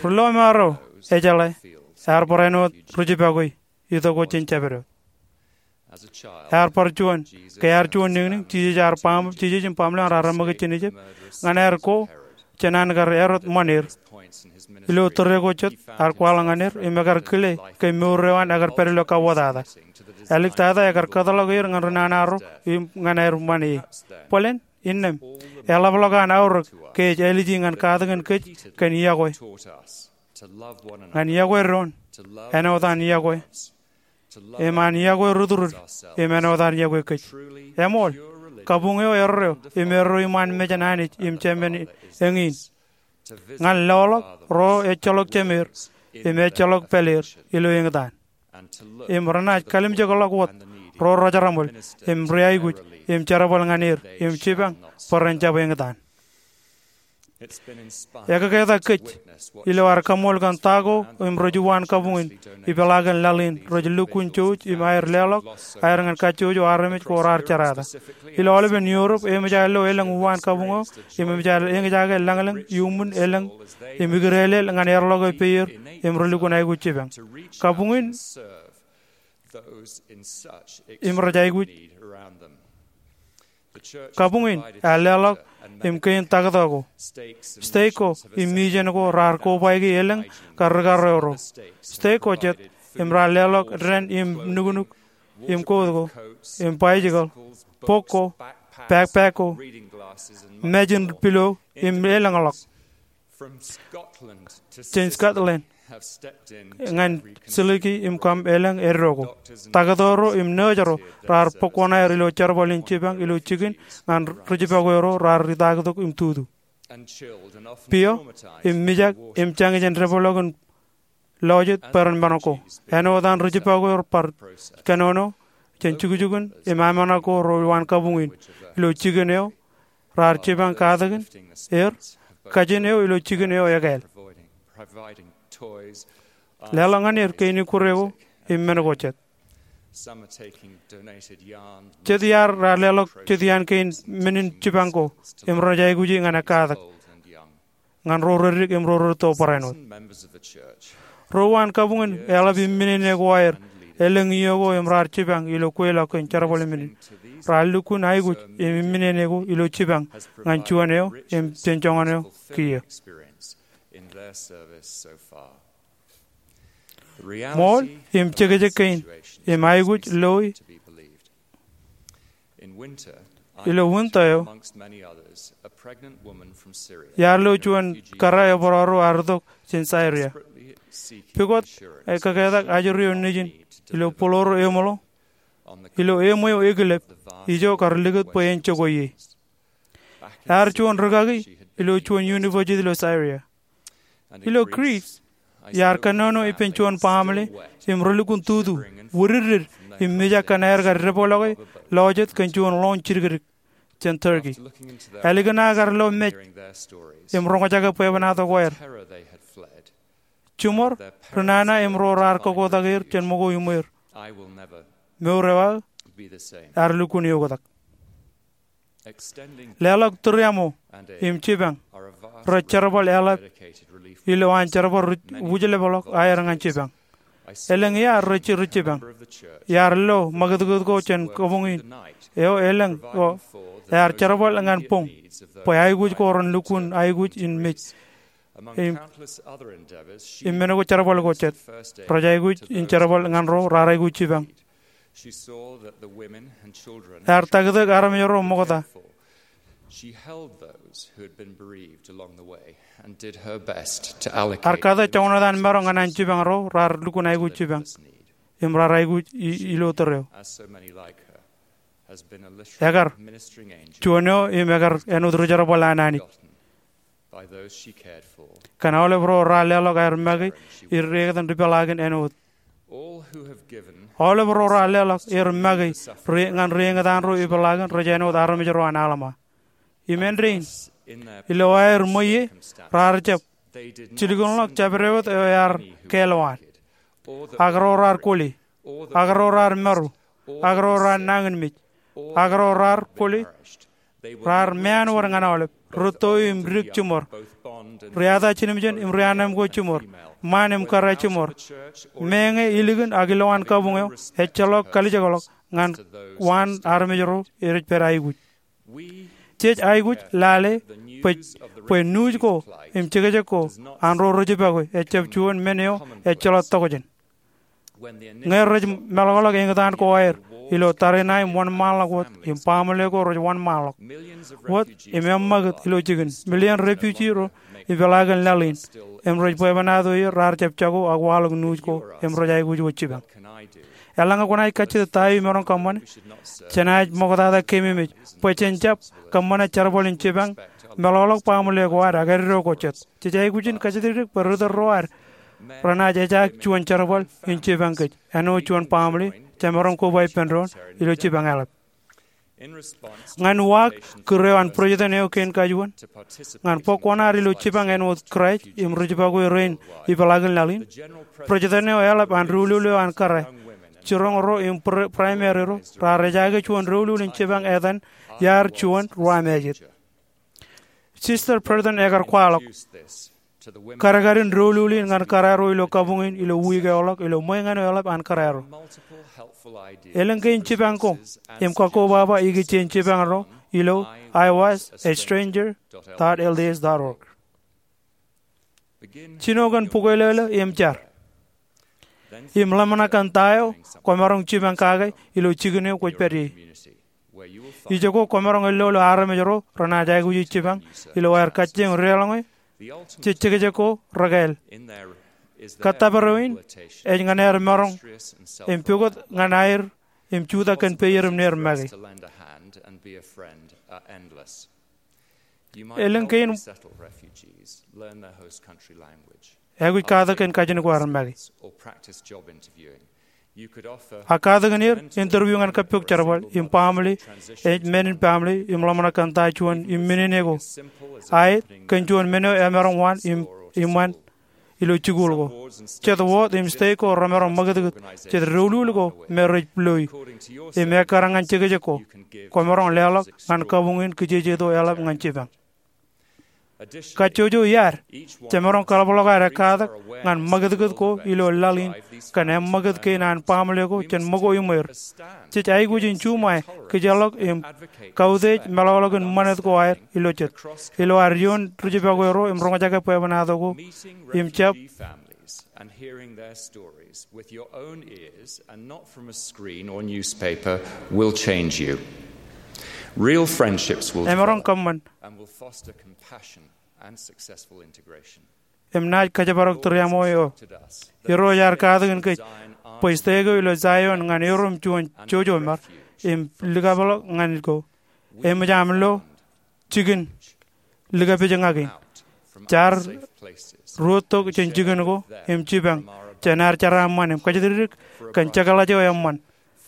Ri-lọmọọr eo ejeḷā ear barāinwōt rijipakwe itok wōt jān jabdewōt. Ear bar juon, ke ear juon niñniñ, Jisōs ear baaṃ, Jisōs im baaṃle eo an raar reṃṃakūt jān Ijipt, ñan aer ko jān an kar erot ṃan er. Ilo tōre ko jet ear kwaḷọk ñan er im ekar kile ke mour eo an ekar pād ilo kauwōtata. Āliktata ekar kōtḷọk er ñan ri nana ro im ñan aer ṃan e. Bōlen, innām, eḷapḷọk an aorōk ke ej āliji ñan katakin kōj kōn iọkwe, ñan iọkwe doon, āinwōt an iọkwe, im an iọkwe rūtdrūtd, im āinwōt an iọkwe kōj. Eṃool, kabuñ eo erreo im erreo iṃaan mejān Anij im Jemān eñin ñan loḷọk ro ejjeḷọk jemer im ejjeḷọk pāler ilo eñtaan, im renaaj kalimjekḷọk wōt ro rejeraṃōl im riaikuj im jerbal ñan er im jipañ bwe ren jab eñtaan. Ekōketak kōj ilo ad kaṃṃool kōn ta ko im rej uwaan kabuñ in ipeḷaakin laḷ in rej lukkuun jouj im aer leḷọk aer ñan kajjojo armej ko raar jerata. Ilo aolepen Europe eṃōj aer lo elōñ uwaan kabuñ eo im eṃōj aer eñjake lañlōñ iuṃwin elōñ im ikdeelel ñan earḷọke peier im relukkuun aikuj jipañ. Kabuñ in im rej aikuj Kabuñ in ear leḷọk im kein taktō ko. Stek ko im mijen ko raar kobaiki elōñ kar rikarreo ro. Stek ko jet im raar leḷọk dān im nuknuk im koot ko im baijikōḷ, bok ko, backpack ko, mājin pilo im elōñḷọk. Jān Scotland ñan Silici im Kam elōñ eddo ko. Taktō ro im nōōj ro raar bōk wōṇāān aer ilo jerbal in jipañ ilo jikin ñan ri jibọk ro raar itaaktok im tutu. Pio im mijak im jañin jān depḷọk in lọjet bwe ren men ko. Āinwōt an ri jibọk ro bar kōnono jān jukjukun im aṃ ṇa ko ro uwaan kabuñ in ilo jikin eo raar jipañ katakin er, kajin eo ilo jikin eo ekāāl. Leḷọk ñan er kein ikkure ko im men ko jet. Jet iar raar leḷọk jet iaan kein men in jipañ ko im rej aikuji ñan ekkatak ñan ro reddik im ro rūtto barāinwōt. Ro uwaan kabuñ in eḷap imminene ko aer elōñ iiō ko im raar jipañ ilo kweilọk kōn jerbal men in. Raar lukkuun aikuj im imminene ko ilo jipañ ñan juon eo im jān joñan eo kiiō. Ṃool im jekjek kein im aikuj loi ilo winter eo, iar lo juon kōrā ebarāro ear itok jān Syria. Pukot ekkakātak ajri eo nejin ilo būḷōro eṃōḷo, ilo eṃ eo ekilep, ijo kar likūt bwe en jokwe ie. Ear juon rūkaki ilo juon university ilo Syria. Ilo Greece, iar kōnono ippān juon baaṃle im relukkuun tutu, wididdid, im mijak kōn aer kar depḷọke lọjet kōn juon ḷoon jidikdik jān Turkey. Ālikin aō kar lo mej im roñjake bwebwenato ko aer, jiṃor, ri nana im ro raar kokkotak er jān ṃōko iṃweer, mour eo aō ear lukkuun eoktak. Leḷọk tūriaṃo im jipañ rej jerbal eḷap ilo an jerbal ri wūjlepḷọk aer ñan jipañ. Elōñ iaad rej jipañ. Iar lo ṃakūtkūt ko jān kabuñ in eo elōñ ko ear jerbal ñan boñ bwe aikuj ko ren lukkuun aikuj in mej im, im men ko jerbal ko jet. Rej aikuj in jerbal ñan ro raar aikuj jipañ. Ear taktok armej ro ṃokta. Ear kate joñan etan maro ñan an jipañ ro raar lukkuun aikuj jipañ im raar aikuj i-, ilo tōre eo. Ekar juon eo im ekar āinwōt ri jerbal an Anij kōn aolep ro raar leḷọk aer make er etan ri peḷaakin āinwōt. Aolep ro raar leḷọk er make ri-, ñan ri eñtaan ro ipeḷaakin rej āinwōt armej ro an Alma. Im āindein, ilo aer ṃweiie, raar jab jilkinḷọk jabdewōt eo ear kāālwaan, ak ro raar kwōle, ak ro raar maru, ak ro raar nañinmej, ak ro raar kwōle, raar meanwōd ñan aolep, rūtto im dik jiṃor, ri-ata jinimjin im ri-annemkwōj jiṃor, ṃaan im kōrā jiṃor, meñe ilikin ak ilowaan kabuñ eo, ejjeḷọk kalijekḷọk ñan waan armej ro rej pād aikuj. Jej aikuj lale bwe, bwe nuuj ko im jekjek ko an ro rijipọkwe ejjab juon men eo ejjeḷọk tokjān. Ñe rej meḷọkḷọk eñtaan ko aer ilo tariṇae im wōnṃaanḷọk wōt im baaṃle ko rej wōnṃaanḷọk wōt im eṃṃakūt ilo jikin, million refugee ro ipeḷaakin laḷ in im rej bwebwenato er raar jab jako ak waḷọk nuuj ko im rej aikuj wōt jipañ. Eḷaññe kwōnaaj kajjitōk ta eo imaroñ kōṃṃane, jenaaj ṃoktata keememej bwe jen jab kōṃṃane jerbal in jipañ meḷọkḷọk baaṃle ko ad ak eddo ko jet. Jej aikuj in kōjatdikdik bwe ri tōl ro ad renaaj ejaak juon jerbal in jipañ kōj, āinwōt juon baaṃle jemaroñ koba ippān doon ilo jipañ eḷap. Ñan uwaak kūr eo an bwidejin eo kein kajuon ñan bok kuṇaad ilo jipañ āinwōt Kraist im rijipọkwe rein ipeḷaakin laḷ in, bwidejin eo eḷap an doulul eo an kōrā, jiroñ ro im pra-, primary ro raar ejaake juon doulul in jipañ etan iaar juon ruwamājet. Sister Burton ekar kwaḷọk kadkadin doulul in ñan kōrā ro ilo kabuñ in ilo wiik eoḷọk ilo ṃweiñān eo eḷap an kōrā ro. Elōñ kein jipañ ko im kakkobaba ikijjien jipañ ro ilo I was a stranger dot L D S dot org. Jino kōn bukweilōḷō im jar im ḷōmṇak kōn ta eo kwōmaroñ jipañ kake ilo jikin eo kwōj pād ie. Ijoko kwōmaroñ ellolo armej ro renaaj aikuj jipañ ilo aer kajjioñ deḷọñe jej jekjek ko rekāāl. Kōttōpar eo in ej ñan aer maroñ im pukot ñan aer im jutak kōn peier im neer make. Elōñ kein aikuj katak kōn kajin ko aer make. Ak katak in er interview ñan kōppok jerbal im baaṃle, ej men in baaṃle im ḷōmṇak kōn ta juon im men in eko aet kōn juon men eo emaroñ waan im, im waan ilo jikuuḷ ko. Jet wōt im state ko remaroñ ṃakūtkūt jet doulul ko me rej loi im ekkar ñan jekjek ko kwōmaroñ leḷọk ñan kabuñ in kijejeto eḷap ñan jipañ. Kajjojo iaad jemaroñ kaḷapḷọk aer ekkatak ñan ṃakūtkūt ko ilo laḷ in kōn eṃṃakūt kein an baaṃle ko jān ṃōko iṃweer. Jej aikuj in juṃae kijeḷọk im kautiej meḷọkḷọk in ṃanit ko aer ilo jet ilo ad ioon rijipọkwe ro im roñjake bwebwenato ko im jab Emaroñ kōṃṃan im naaj kōjparok tūriaṃo eo. Irooj ear katakin kōj bwe state ko ilo Zion ñan erom juon jojo mar im likapḷọk ñan ko. Eṃōj aṃ lo jikin likapejñak in. Jaar ruo tok jān jikin ko im jipañ jān ad jeraaṃṃan im kōjatdikdik kōn jekḷaj eo eṃṃan.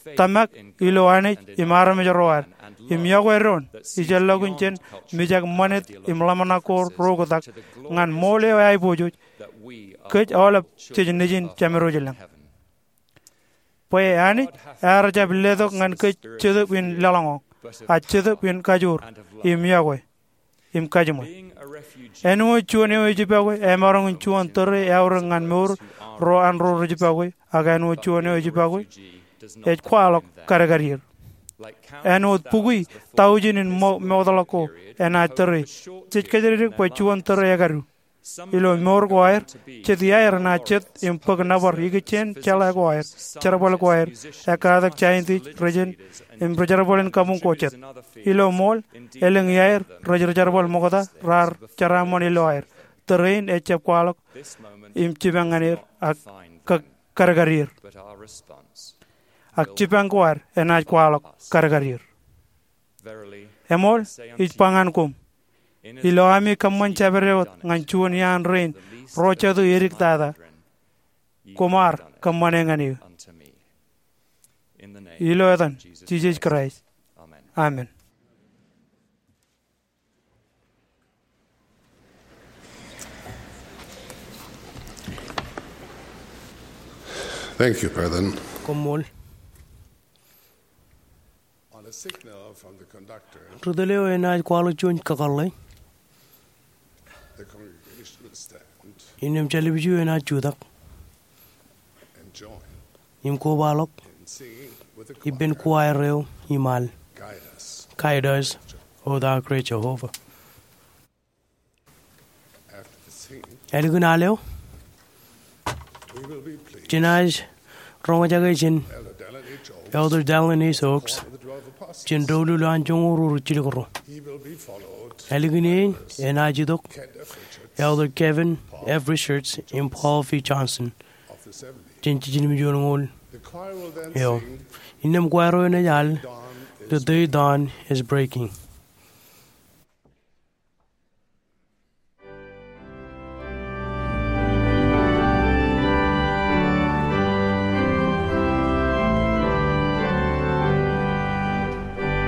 Tōmak ilo Anij im armej ro ad im iọkwe doon ijellọkin jān mijak ṃanit im ḷōmṇak ko ro oktak ñan ṃool eo eaiboojoj kōj aolep jej nejin Jemedwōj lañ. Bwe Anij ear jab letok ñan kōj Jetōb in leḷọñọñ, a Jetōb in kajoor im iọkwe im kajiṃwe. Āinwōt juon eo ejipọkwe emaroñ in juon tōre eaorōk ñan mour ro an ro rijipọkwe, ak āinwōt juon eo ejipọkwe ej kwaḷọk kadkad er. Āinwōt bukwi taujin in mo-, mootḷọk ko enaaj tōre, jej kōjatdikdik bwe juon tōre ekadu. Ilo mour ko aer, jet iaer enaaj jet im bōk nōbar ikijjien jeḷā ko aer, jerbal ko aer, ekkatak scientist rejān im ri jerbal in kabuñ ko jet. Ilo ṃool, elōñ iaer rej ri jerbal ṃokta raar jeraaṃṃan ilo aer. Tōre in ejjab kwaḷọk im jipañ ñan er ak ka-, kadkad er. Ak jipañ ko ad enaaj kwaḷọk kadkad er. Eṃool, ij ba ñan koṃ, ilo ami kōṃṃan jabdewōt ñan juon iaan rein ro jatū edik tata, koṃ ar kōṃṃane ñan eō. Ilo etan Jisōs Kraist, amen. Thank you, President. Koṃṃool. On a signal from the conductor, Ri tōl eo enaaj kwaḷọk juon kakōḷḷe. The congregation will stand im jab ḷapḷọk enaaj jutak and join im kobaḷọk in singing with the ippān choir. Choir eo im al. Guide us. Guide us. O thou great Jehovah. Ālikin al eo, jenaaj roñjake jān Elder Dallin H. Oaks jān doulul an joñoul ruo rijjilōk ruo. Ālikin e enaaj itok Elder Kevin F. Richards im Paul V. Johnson jān jiljilimjuonñoul eo. Innām kwaar eo enaaj al, The Day Dawn Is Breaking.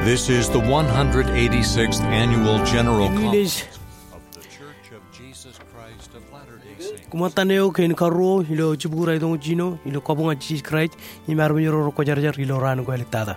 This is the one hundred eighty-sixth Annual General Conference of The Church of Jesus Christ of Latter-day Saints. Kōṃṃan eo kein karuo ilo jibukwi raelōñ jiljino ilo kabuñ an Jisōs Kraist im armej ro rekwōjarjar ilo raan ko āliktata.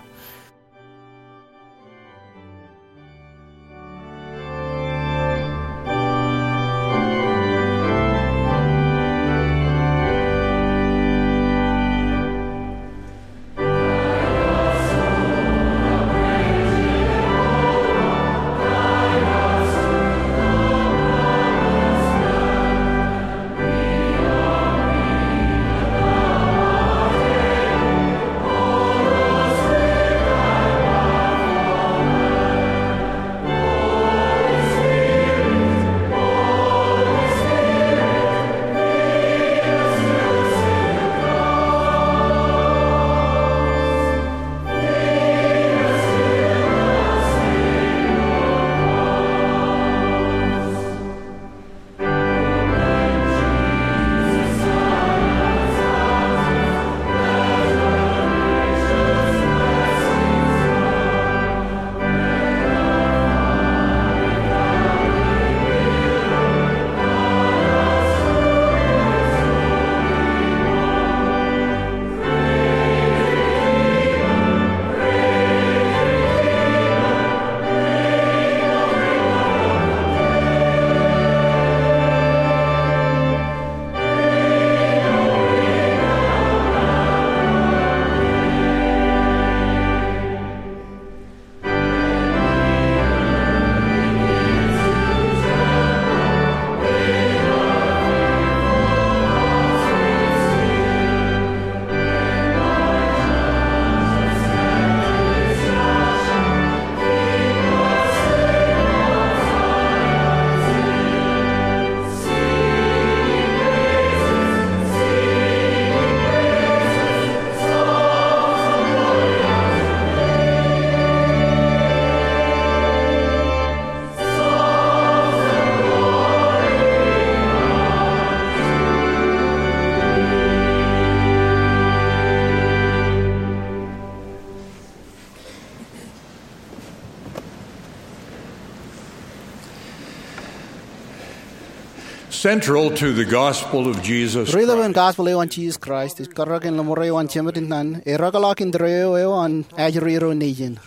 Central to the gospel of Jesus Christ. Ri-lōñ in gospel eo an Jisōs Kraist ej karōk in ḷōmṇak eo an Jemed in naan, erōkḷọk indeeo eo an ajri ro nejin.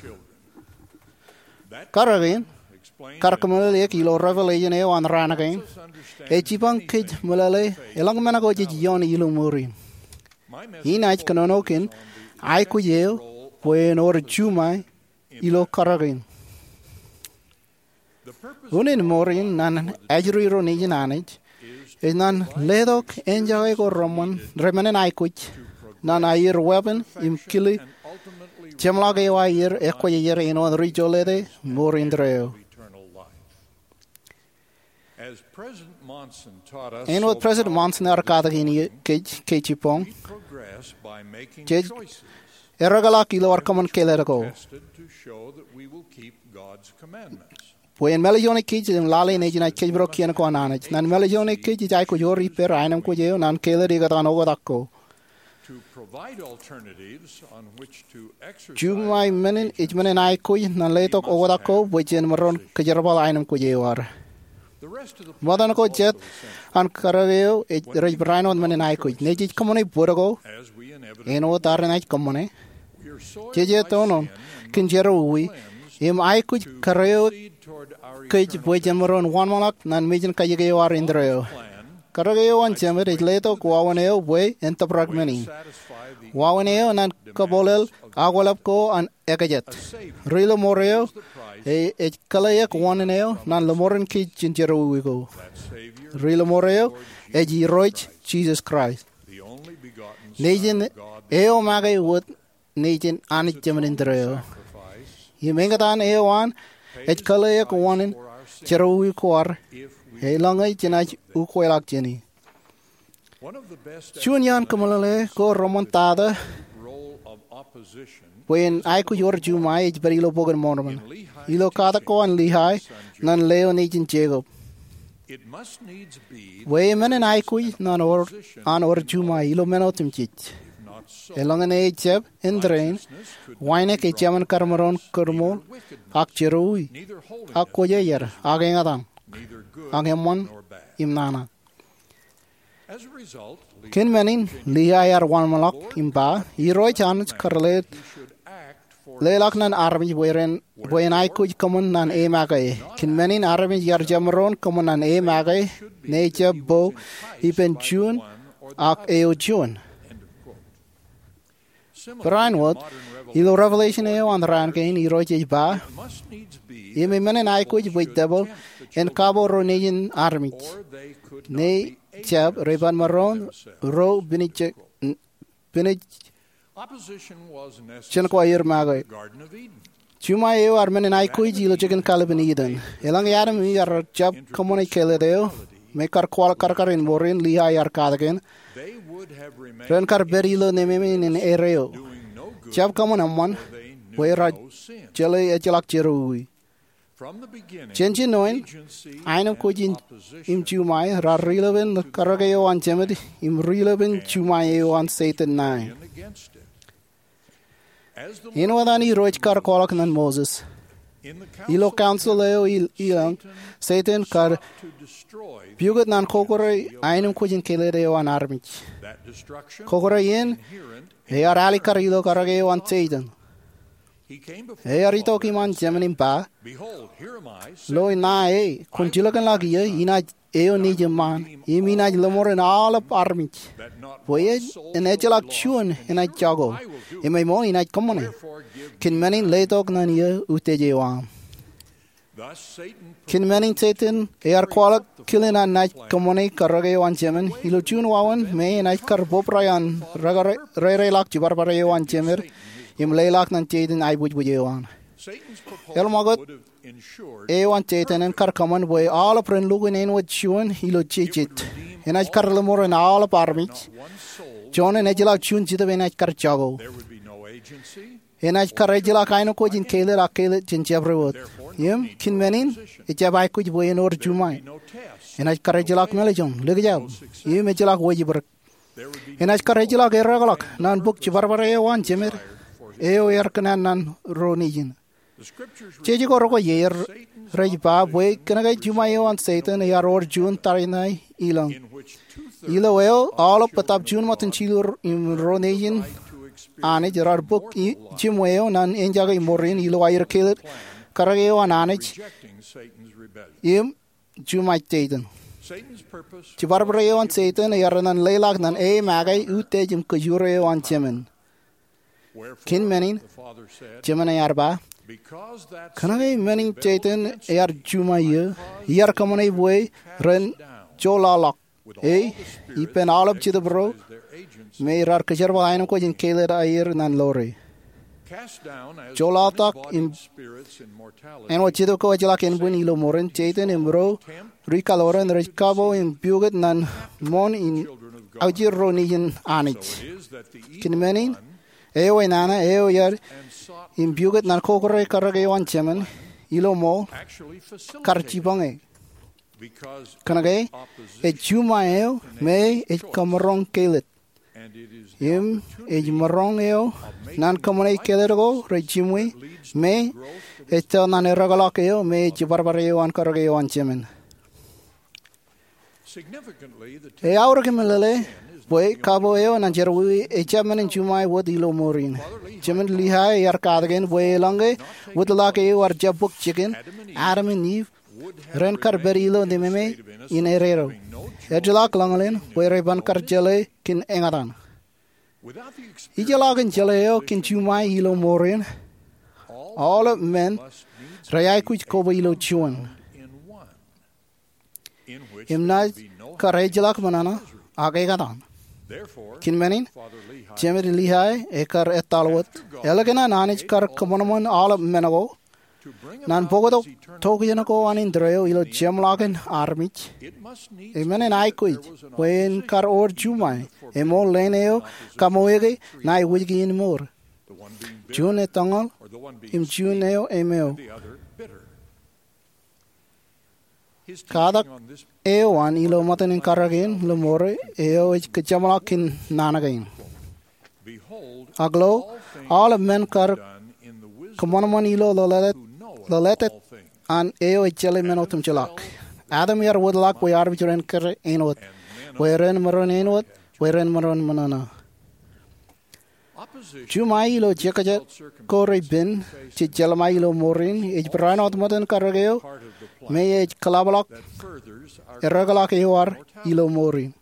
Karōk in, kar kōmeḷeḷeik ilo revelation eo an raan kein, ej jipañ kōj meḷeḷe eḷaññe men ko jej ioon ilo mour in. Inaaj kōnono kōn aikuj eo bwe en wōr juṃae ilo karōk in. Unin mour in ñan ajri ro nejin Anij ej ñan letok enjake ko reṃṃan, reṃṃan in aikuj, ñan aier weeppān im kile jeṃḷọk eo aer ekwōjarjar āinwōt ri jolete mour indeeo. Āinwōt President Monson ear katakin kōj ke jibboñ, jej erōkḷọk ilo ad kōṃṃan kāālōt ko bwe en mālejjoñe kōj im lale nejin aikuj kōjparok kien ko an Anij. Ñan mālejjoñe kōj, ej aikuj wōr ippāer aenōṃ kōj eo ñan kāālōt ikōtaan oktak ko. Juṃae men in ej men in aikuj ñan letok oktak ko bwe jen maroñ kōjerbal aenōṃ kōj eo ad. Ṃōttan ko jet an karōk eo ej rej barāinwōt men in aikuj. Nejej kōṃṃane bōd ko āinwōt ad enaaj kōṃṃane. Jej etono kōn jerọwiwi im aikuj karōk eo kōj bwe jen maroñ wōnṃaanḷọk ñan mejān kajjik eo ad indeeo. Karōk eo an Jemed ej letok wāween eo bwe en tōprak men in. Wāween eo ñan kabwilōñ akwōlep ko an ekajet. Ri-lōṃour eo Ej kōḷḷeik wōṇāān eo ñan lōṃorin kōj jān jerọwiwi ko. Ri-lōṃoor eo ej Irooj Jisōs Kraist, Nejin eo make wōt nejin Anij Jemān in tōre eo. Im eñtaan eo an ej kōḷḷeik wōṇāān jerọwiwi ko ad, eḷaññe jenaaj ukweḷọk jāne. Juon iaan kōmeḷeḷe ko reṃoṇ tata bwe en aikuj wōr juṃae ej pād ilo Bok in Mormon. Ilo katak ko an Lihae ñan leo nejin Jekob, bwe eṃṃan en aikuj ñan wōr, an wōr juṃae ilo men otemjej. Eḷaññe ejjab en tōre in, wānōk ej jemān kar maroñ kōrmool, ak jerọwiwi, ak kwōjarjar, ak eñtaan, ak eṃṃan im nana. Kōn men in, Lihae ear wōnṃaanḷọk im ba, Irooj Anij kar leḷọk ñan armej bwe ren, bwe en aikuj kōṃṃan ñan e make. Kōn men in armej ear jab maroñ kōṃṃan ñan e make, ñe ejjab bo ippān juon ak eo juon. Barāinwōt, ilo Revelation eo an raan kein, Irooj ej ba, im eṃṃan en aikuj bwe debwil en kabo ro nejin armej, ñe ejjab rej ban maroñ ro pinij, pinij jān ko aer make. Juṃae eo ear men in aikuj ilo jikin kallib in Iden. Eḷaññe Adam im Iv ear jab kōṃṃane kellet eo me kar kwaḷọk karkar in ṃoor in Lihae ear katakin, ren kar pād ilo nememej in erreo, jab kōṃṃan eṃṃan, bwe raar jeḷā ejjeḷọk jerọwiwi. Jān jinōin, aenōṃṃan kwōj im juṃae raar ri-lepen karōk eo an Jemān im ri-lepen juṃae eo an Setan ṇae. Āinwōt an Irooj kar kwaḷọk ñan Moses, ilo council eo i, ilōñ, Setan kar pukot ñan kokore aenōṃṃan kwōj im kellet eo an armej. Kokore in ear alikkar ilo karōk eo an Setan. Ear itok iṃaan Jemān im ba, Lo, ṇae, kwōn jilkinḷọk ie, inaaj eo nejūṃṃan, im inaaj lōṃoor in aolep armej, bwe en ejjeḷọk juon enaaj jako, im ṃōṇ inaaj kōṃṃane. Kōn men in letok ñan ie utiej eo aṃ. Kōn men in Setan ear kwaḷọk kile ñan naaj kōṃṃane karōk eo an Jemān ilo juon wāween me enaaj kar bōbrae an reireḷọk jibadbad eo an Jemān im leḷọk ñan Setan aiboojoj eo an. Eḷap ṃakūt eo an Setan en kar kōṃṃan bwe aolep ren lukkuun āinwōt juon ilo jejet. Enaaj kar lōṃoor in aolep armej. Juon en ejjeḷọk juon Jetōb enaaj kar jako. Enaaj kar ejjeḷọk aenōṃṃan kwōj im kellet ak kellet jān jabdewōt. Im kōn men in, ejjab aikuj bwe en wōr juṃae. Enaaj kar ejjeḷọk mālejjoñ, likjab, im ejjeḷọk wōjibdik. Enaaj kar ejjeḷọk erreḷọk ñan bōk jibadbad eo an Jemān eo ear kōṇaan ñan ro nejin. Jeje ko rekwojarjar rej ba bwe kōnke juṃae eo an Setan ear wōr juon tariṇae ilōñ, ilo eo aolep bōtab juon ṃōttan jilur im ro nejin Anij raar bōk jiṃwe eo ñan enjake ṃoor in ilo aer kellet karōk eo an Anij im juṃae Setan. Jibadbad eo an Setan ear ñan leḷọk ñan e make utiej im kōjro eo an Jemān. Kōn men in, Jemān ear ba, kōnke men in Setan ear juṃae ie, iar kōṃṃane bwe ren joḷọḷọk e ippān aolep jetōb ro me raar kōjerbal aenōṃṃan kwōj im kellet aer ñan lore. Joḷọḷọk im āinwōt jetōb ko ejjeḷọk ānbwin ilo ṃoor in, Setan im ro ri-kaloran rej kabo im pukot ñan ṃoṇ in aujir ro nejin Anij. Kōn men in, eo enana eo ear im pukot ñan kokore karōk eo an Jemān ilo ṃool kar jipañ e. Kōnke ej juṃae eo me ej kōmaroñ kellet. Im ej maroñ eo ñan kōṃṃane kellet ko rej jiṃwe me ej tōl ñan erreḷọk eo me ej jibadbad eo an karōk eo an Jemān. Eaorōk im meḷeḷe bwe kabo eo ñan jerọwiwi ejjab men in juṃae wōt ilo ṃoor in. Jemān Lihae ear katakin bwe eḷaññe wōtlọk eo ear jab bōk jikin, Adam im Iv ren kar pād ilo nememej in erreo. Ejjeḷọk ḷōñḷōñ bwe rej ban kar jeḷā kōn eñtaan. Ijeḷọkin jeḷā eo kōn juṃae ilo ṃoor in, aolep men Rej aikuj koba ilo juon. Im naaj kar ejjeḷọk men ṇe ak ekōṇaan. Kōn men in, Jemād Lehi ekar etal wōt, ālikin an Anij kar kōṃanṃan aolep men ko, ñan bōktok tokjān ko an indeeo ilo jeṃḷọkin armej, e men in aikuj bwe en kar wōr juṃae, eṃool leen eo kaṃōj ke ṇae wōjke in mour. Juon etōñal, im juon eo emeo. Katak eo an ilo ṃōttan in karōk in ilo mour eo ej kōjeṃḷọk kōn naan kein. Ak lo, aolep men kar kōṃanṃan ilo lōḷātāt, lōḷātāt an eo ej jeḷā men otemjeḷọk. Adam ear wōtlọk bwe armej ren kōrā āinwōt, bwe ren maroñ āinwōt, bwe ren maroñ ṃōṇōṇō. Juṃae ilo jekjek ko rej pen, jej jeḷā ṃae ilo mour in, ej barāinwōt ṃōttan karōk eo me ej kōḷapḷọk ereḷọk eo ad ilo mour in.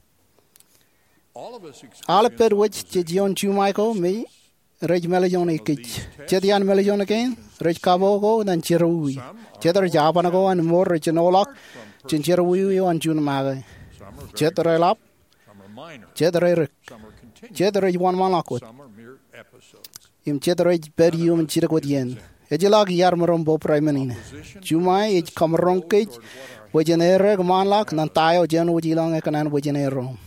Aolep pād wōj jej ioon juṃae ko me rej mālejone kōj. Jet iaan mālejone kein rej kaboko ñan jerọwiwi. Jet rej aban ko an mour rej jinoḷọk jān jerọwiwi eo an juon make. Jet reḷap, jet rerik, jet rej wōnṃaanḷọk wōt, im jet rej pād iuṃwin jidik wōt iien. Ejjeḷọk iar maroñ bōbrae men in. Juṃae ej kamaroñ kōj bwe jen erōk ṃaanḷọk ñan ta eo Jemād Lehi ekōṇaan bwe jen erom.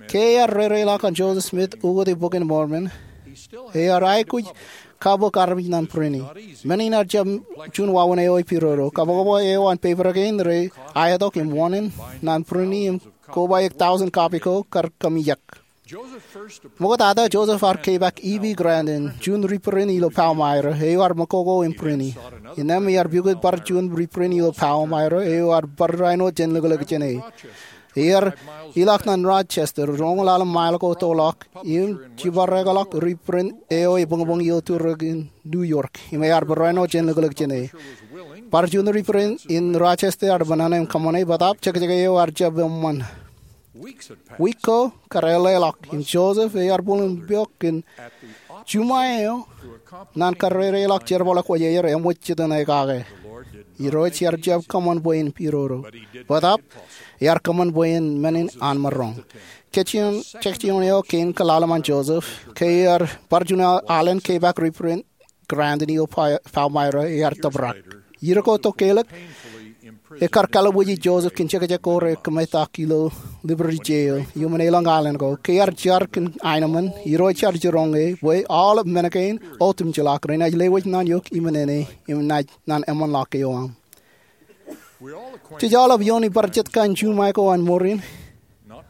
Ke ear reireḷọk an Joseph Smith ukōte Bok in Mormon, ear aikuj kabok armej ñan būrini. Men in ear jab juon wāween eo epidodo. Kabokbok eo an peper kein rej aetok im wōṇāān ñan būrini im kobaik tọujin copy ko kar kōmijak. Ṃoktata Joseph ear kepaak E B Grandin, juon ri-būrin ilo Palmyra, eo ear mokoko im būrini. Innām ear pukot bar juon ri-būrin ilo Palmyra, eo ear bar āinwōt jān lōklōk jāne. Ear ilọk ñan Rochester, roñoul ḷalem mile ko toḷọk, im jipareḷọk ri-būrin eo ebuñbuñ ilo turōk in New York, im ear bar āinwōt jān lōklōk jāne. Bar juon ri-būrin in Rochester ear bōnōṇō im kōṃṃane, bōtaab jekjek eo ear jab eṃṃan. Wiik ko kar eḷḷāḷọk, im Joseph ear bōlen peok kōn juṃae eo ñan kar reireḷọk jerbal eo kwōj aer eṃōj jitōñ kake. Irooj ear jab kōṃṃan bwe en pidodo. Bōtaab, ear kōṃṃan bwe en men in an maroñ. Jekjek eo kein kōḷḷāḷṃan Joseph, ke ear bar juon alen kepaak ri-būrin Grandin ilo Palmyra, ear tōprak. Ier ko tokālik, ekar kalbwiji Joseph kōn jekjek ko rekōmetak ilo Liberty Jail, iuṃwin elōñ alen ko. Ke ear jar kōn aenōṃṃan, Irooj ear jiroñ e bwe aolep men kein otemjeḷọk renaaj lewōj ñan eok iṃōṇōṇō im naaj ñan eṃṃanḷọk eo aṃ. Jej aolep iooni bar jet kain juṃae ko an mour in,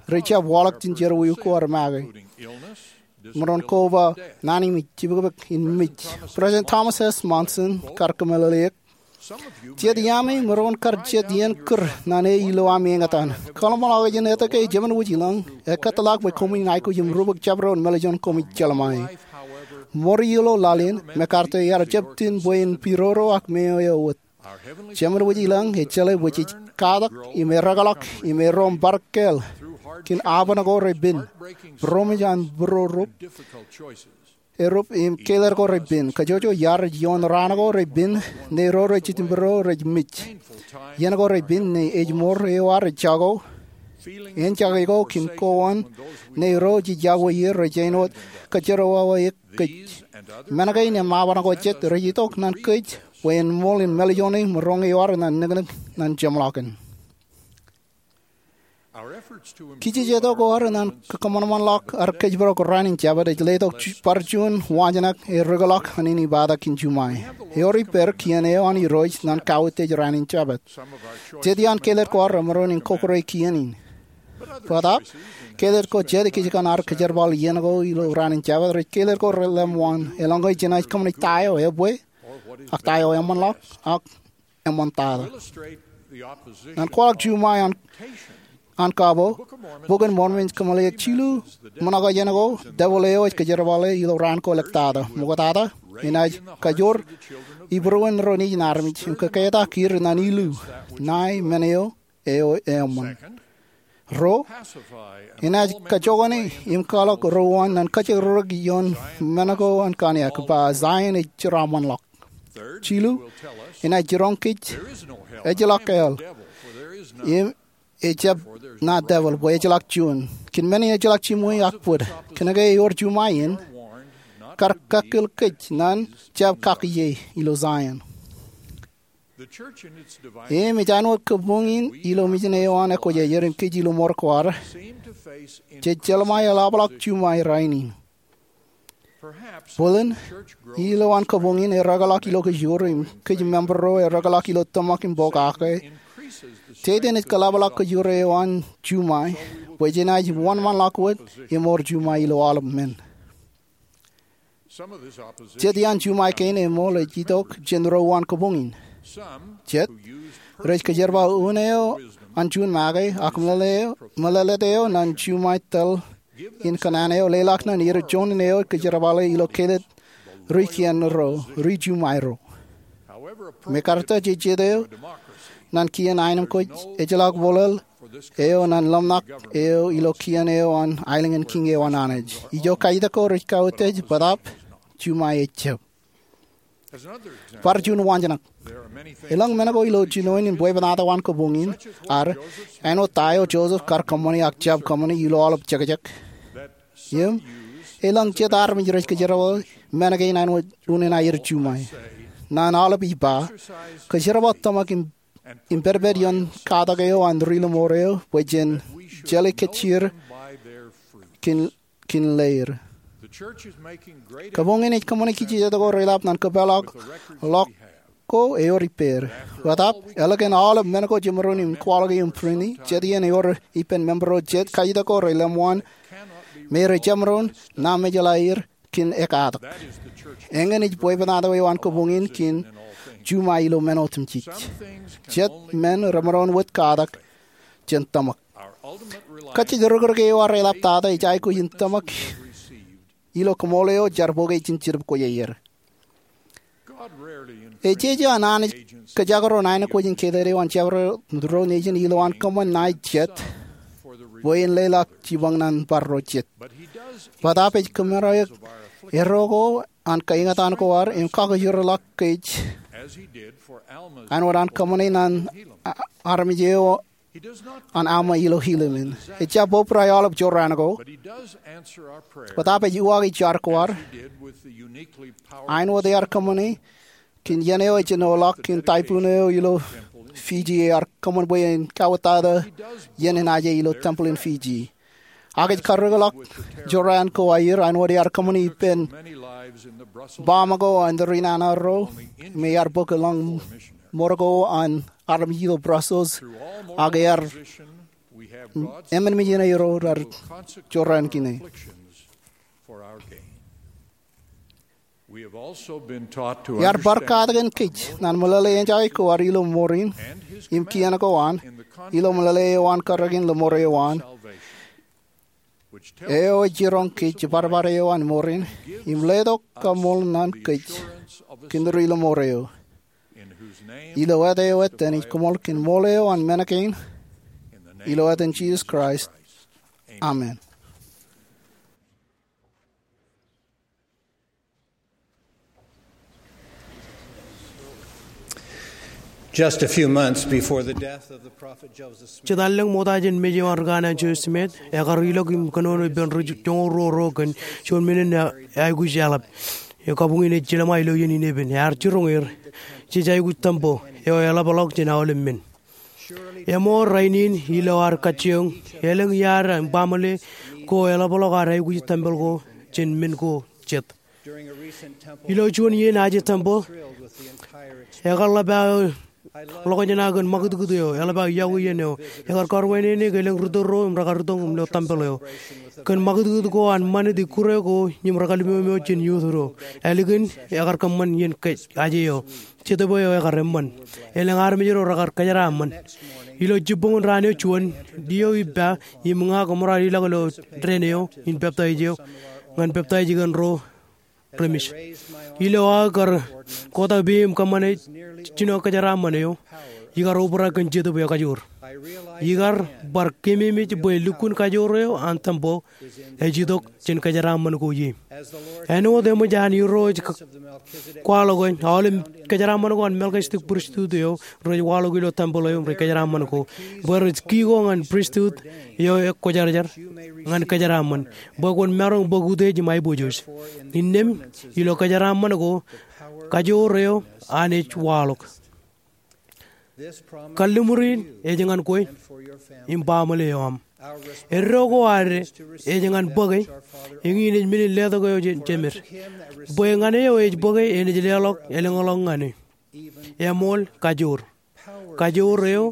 rej jab waḷọk jān jerọwiwi ko ad make. Maroñ koba naan im jibukbuk in mej. President Thomas S. Monson kar kōmeḷeḷeik, jet iaami maroñ kar jet iien kūr ñan e ilo ami eñtaan. Kōḷmānḷọkjeṇ etke Jemān Wōj Ilōñ ekōtḷọk bwe koṃwin aikuj im rubak jabdewōt mālejān koṃij jeḷā ṃae. Mour ilo laḷ in, MacArthur ear jab iten bwe en pidodo ak meo eo wōt. Jemān Wōj Ilōñ ej jeḷā bwe jej katak im ereḷọk im erom bar kāāl kōn aban ko repen, būroṃōj an būrorup, erup im kāālōt ko repen. Kajjojo iar ioon raan ko repen, ñe ro rej jitōnbōro rej mej. Iien ko repen ñe ej mour eo ad rej jako, en jako kōn kowaan, ñe ro jej yokwe er rej āinwōt kōjerawawe eok kōj. Men kein im aban ko jet rej itok ñan kōj bwe en ṃool in mālejone maroñ eo ad ñan niknik ñan jeṃḷọkin. Kijejeto ko ad ñan kōṃanṃanḷọk ad kōjparok raan in Jabōt ej letok bar juon waanjoñak ereḷọk an inepata kōn juṃae. Eor ippād kien eo an Irooj ñan kautiej raan in Jabōt. Jet iaan kāālōt ko ad remaroñ in kọkkure kien in. Bōtaab, kāālōt ko jet ikijjien ad kōjerbal iien ko ilo raan in Jabōt rej kāālōt ko relemwaan, eḷaññe jenaaj kōṃṃane ta eo ebwe, ak ta eo eṃṃanḷọk, ak eṃṃantata. Ñan kwaḷọk juṃae an, an kabo, Bok in Mormon ej kōmeḷeḷeik jilu ṃōṇōṇō jān ko devil eo ej kōjerbale ilo raan ko ḷọk tata. Ṃoktata, enaaj kajoor ibūruon ro nejin armej im kōketak er ñan ilu, ṇae men eo eo eṃṃan. Ruo, enaaj kajjoñan im kwaḷọk ro wōn ñan kajjirorok ioon men ko an kōṇaan, ba Zion ej jeraaṃṃanḷọk. Jilu, enaaj jiroñ kōj, ejjeḷọk hell, im ejab ṇa devil bwe ejjeḷọk juon. Kōn men in ejjeḷọk jiṃwe ak bōd, kōnke ewōr juṃae in, kar kakkōl kōj ñan jab kakiiō ilo Zion. Im ej āinwōt kabuñ in ilo mejān eo an ekwōjarjar im kōj ilo mour ko ad, jej jeḷā ṃae eḷapḷọk juṃae rainin. Bōlen, ilo an kabuñ in erōkḷọk ilo kōjro im kōj member ro erōkḷọk ilo tōmak im pokake, jete enaaj kōḷapḷọk kōjro eo an juṃae bwe jenaaj wōnṃaanḷọk wōt im ewōr juṃae ilo aolep men. Jet iaan juṃae kein eṃool ej itok jān ro uwaan kabuñ in. Jet, rej kōjerbal unin eo an juon make, ak meḷeḷe eo, meḷeḷeet eo ñan juṃae tōl in kōṇaan eo, leḷọk ñan er juon in eo kōjerbale ilo kōtōt ri kien ro, ri juṃae ro. Mekarta, jej jet eo ñan kien aenōṃ ko ejjeḷọk bōlōl eo ñan ḷōmṇak eo ilo kien eo an aelōñ in kiiñ eo an Anij. Ijo kajitak ko rej kautiej bōtaab juṃae ejab. Bar juon waanjoñak. Elōñ men ko ilo jinoin in bwebwenato an kabuñ in ad, āinwōt ta eo Joseph kar kōṃṃani ak jab kōṃṃani ilo aolep jekjek. Im, elōñ jet armej rej kōjerbale men kein āinwōt unin aer juṃae. Ñan aolep ij ba, kōjerbal tōmak im, im pedped ioon katak eo an ri lọmọọr eo, bwe jen jelly kōjjier kōn, kōn leer. Kabuñ in ej kōṃṃane kijejet ko reḷap ñan kōpeḷḷọk ḷọk ko ewōr ippāer. Bōtaab, ālikin aolep men ko jemaroñ in kwaḷọk im print, jet iien ewōr ippān member ro jet kajitak ko rej ḷōmṇak me rej jemaroñ ṇa mejeḷā er kōn ekatak. Eñin ej bwebwenato eo an kabuñ in kōn juṃae ilo men otemjej. Jet men remaroñ wōt katak jān tōmak. Kajjitōk rūkrūk eo an reḷaptata ej aikuj in tōmak ilo koṃṃool eo jaar bōke jān Jetōb Kwōjarjar. Ejeje an Anij kōjekdọọn aenōṃ ko jān kōtōt eo an jabdewōt ro nejin ilo an kōṃṃan ṇae jet bwe en leḷọk jipañ ñan bar ro jet. Bōtaab ej kōmāer erro ko an kaeñtaan ko ad im kakōjro ḷọk kōj āinwōt an kōṃṃane ñan a-, armej eo an Alma ilo Helaman. Ejjab obrak aolep jorrāān ko. Bōtaab ej uwaake jar ko ad āinwōt ear kōṃṃane kōn iien eo ejenoḷọk kōn typhoon eo ilo Fiji ear kōṃṃan bwe en kawōtata iien enaaj ilo tempel in Fiji. Ak ej karreoḷọk jorrāān ko aer āinwōt ear kōṃṃane ippān bomb ko an ri nana ro me ear bōk lōñ ṃor ko an armej ilo Brussels, ak ear emān mejān aer ro raar jorrāān kine. Ear bar katakin kōj ñan meḷeḷe enjeḷ ko ad ilo ṃorin im kien ko an ilo meḷeḷe eo an karreoin lọmọọr eo an, eo ej jiroñ kōj jibadbad eo an ṃorin im letok kaṃṃoolol ñan kōj kōn ri lọmọọr eo. Ilo āt eo etan ij koṃṃool kōn ṃool eo an men kein, ilo etan Jisōs Kraist, amen. Just a few months before the death of the prophet Joseph Smith, jet allōñ ṃokta jān mej eo an ri kanaan Joseph Smith, ekar ilọk im kōnono ippān ri joñoul ruo ro kōn juon men in aikuj eḷap. Eo kabuñ in ej jelṃae ilo iien in epen. Ear jiroñ er, jej aikuj tempeḷ eo eḷapḷọk jān aolep men. Eṃool rainin ilo ad kajjioñ, elōñ iaad im baaṃle ko eḷapḷọk ad aikuj tempel ko jān men ko jet. Ilo juon iien aje tempel, ekar ḷap aō ḷọkjeṇa kōn ṃakūtkūt eo, eḷap aō iọkwe iien eo. Ekar kọrwānene ke elōñ ritōl ro im rekar itok im lo tempel eo. Kōn ṃakūtkūt ko an ṃanit ikkure ko im rekalimemeo jān youth ro. Ālikin ekar kōṃṃan iien kōjatdikdik eo. Jetōb eo ekar eṃṃan. Elōñ armej ro rekar kōjeraaṃṃan. Ilo jibboñōn raan eo juon, Leo ippa im ña koṃro ar ilọk ilo dān eo in peptaij eo ñan peptaij kōn ro reṃōj. Ilo aō kar kotak peiṃ im kōṃṃane jino kōjeraaṃṃan eo, ikar obrak kōn Jetōb eo Kajoor. Ikar bar keememej bwe lukkuun kajoor eo an tempeḷ ej itok jān kōjeraaṃṃan ko ie. Āinwōt eṃōj an Irooj kwaḷọk e, aolep kōjeraaṃṃan ko an Melkisetek pristut eo rej waḷọk ilo tempeḷ eo im rej kōjeraaṃṃan ko, bwe rej kiko ñan pristut eo ekwōjarjar ñan kōjeraaṃṃan, bwe kwōn maroñ bōk utiej im aiboojoj. Innām, ilo kōjeraaṃṃan ko, kajoor eo an ej waḷọk. Kalliṃur in ej ñan kwe im baaṃle eo aṃ. Eddo ko ad ej ñan bōke, eñin ej men in letok eo jān Jemed. Bwe ñan eo ej bōke enaaj leḷọk elōñḷọk ñan e. Eṃool kajoor. Kajoor eo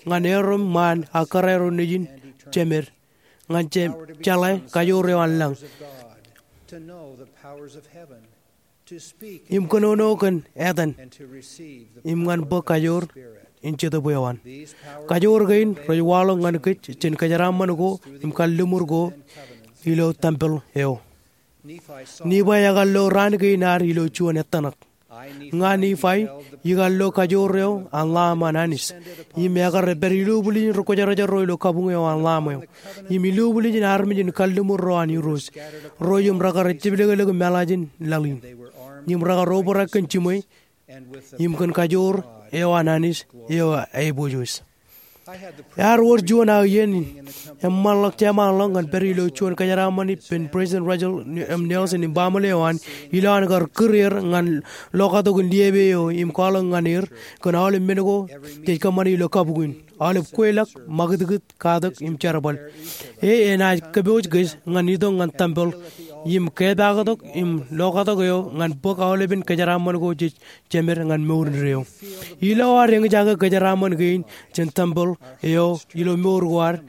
ñan erom ṃaan ak kōrā ro nejin Jemed, ñan je-, jeḷā kajoor eo an lañ, im kōnono kōn etan, im ñan bōk kajoor in Jetōb eo an. Kajoor kein rej waḷọk ñan kōj jān kōjeraaṃṃan ko im kalliṃur ko ilo tempeḷ eo. Nifai ekar lo raan kein ad ilo juon ettōṇak. Ña Nifai ikar lo kajoor eo an Lamb an Anij, im ekar pād ilubwiljin rikwōjarjar ro ilo kabuñ eo an Lamb eo, im ilubwiljin armej in kalliṃur ro an Irooj, ro im rekar jepḷōklōk meḷaajin laḷ in, im rekar obrak kōn jiṃwe, im kōn kajoor eo an Anij eo aiboojoj. Ear wōr juon aō iien eṃṃanḷọk jeṃaanḷọk ñan pād ilo juon kōjeraaṃṃan ippān President Russell M. Nelson im baaṃle eo an, ilo an kar kūr er ñan lokatok in liepe eo im kwaḷọk ñan er kōn aolep men ko jej kōṃṃane ilo kabuñ in, aolep kweilọk, ṃakūtkūt, katak im jerbal. E enaaj kōpooj kōj ñan itok ñan tempeḷ im kepaaktok im lokatok eo ñan bōk aolepen kōjeraaṃṃan ko jej jemed ñan mour indeeo. Ilo ad eñjake kōjeraaṃṃan kein jān tempeḷ eo ilo mour ko ad,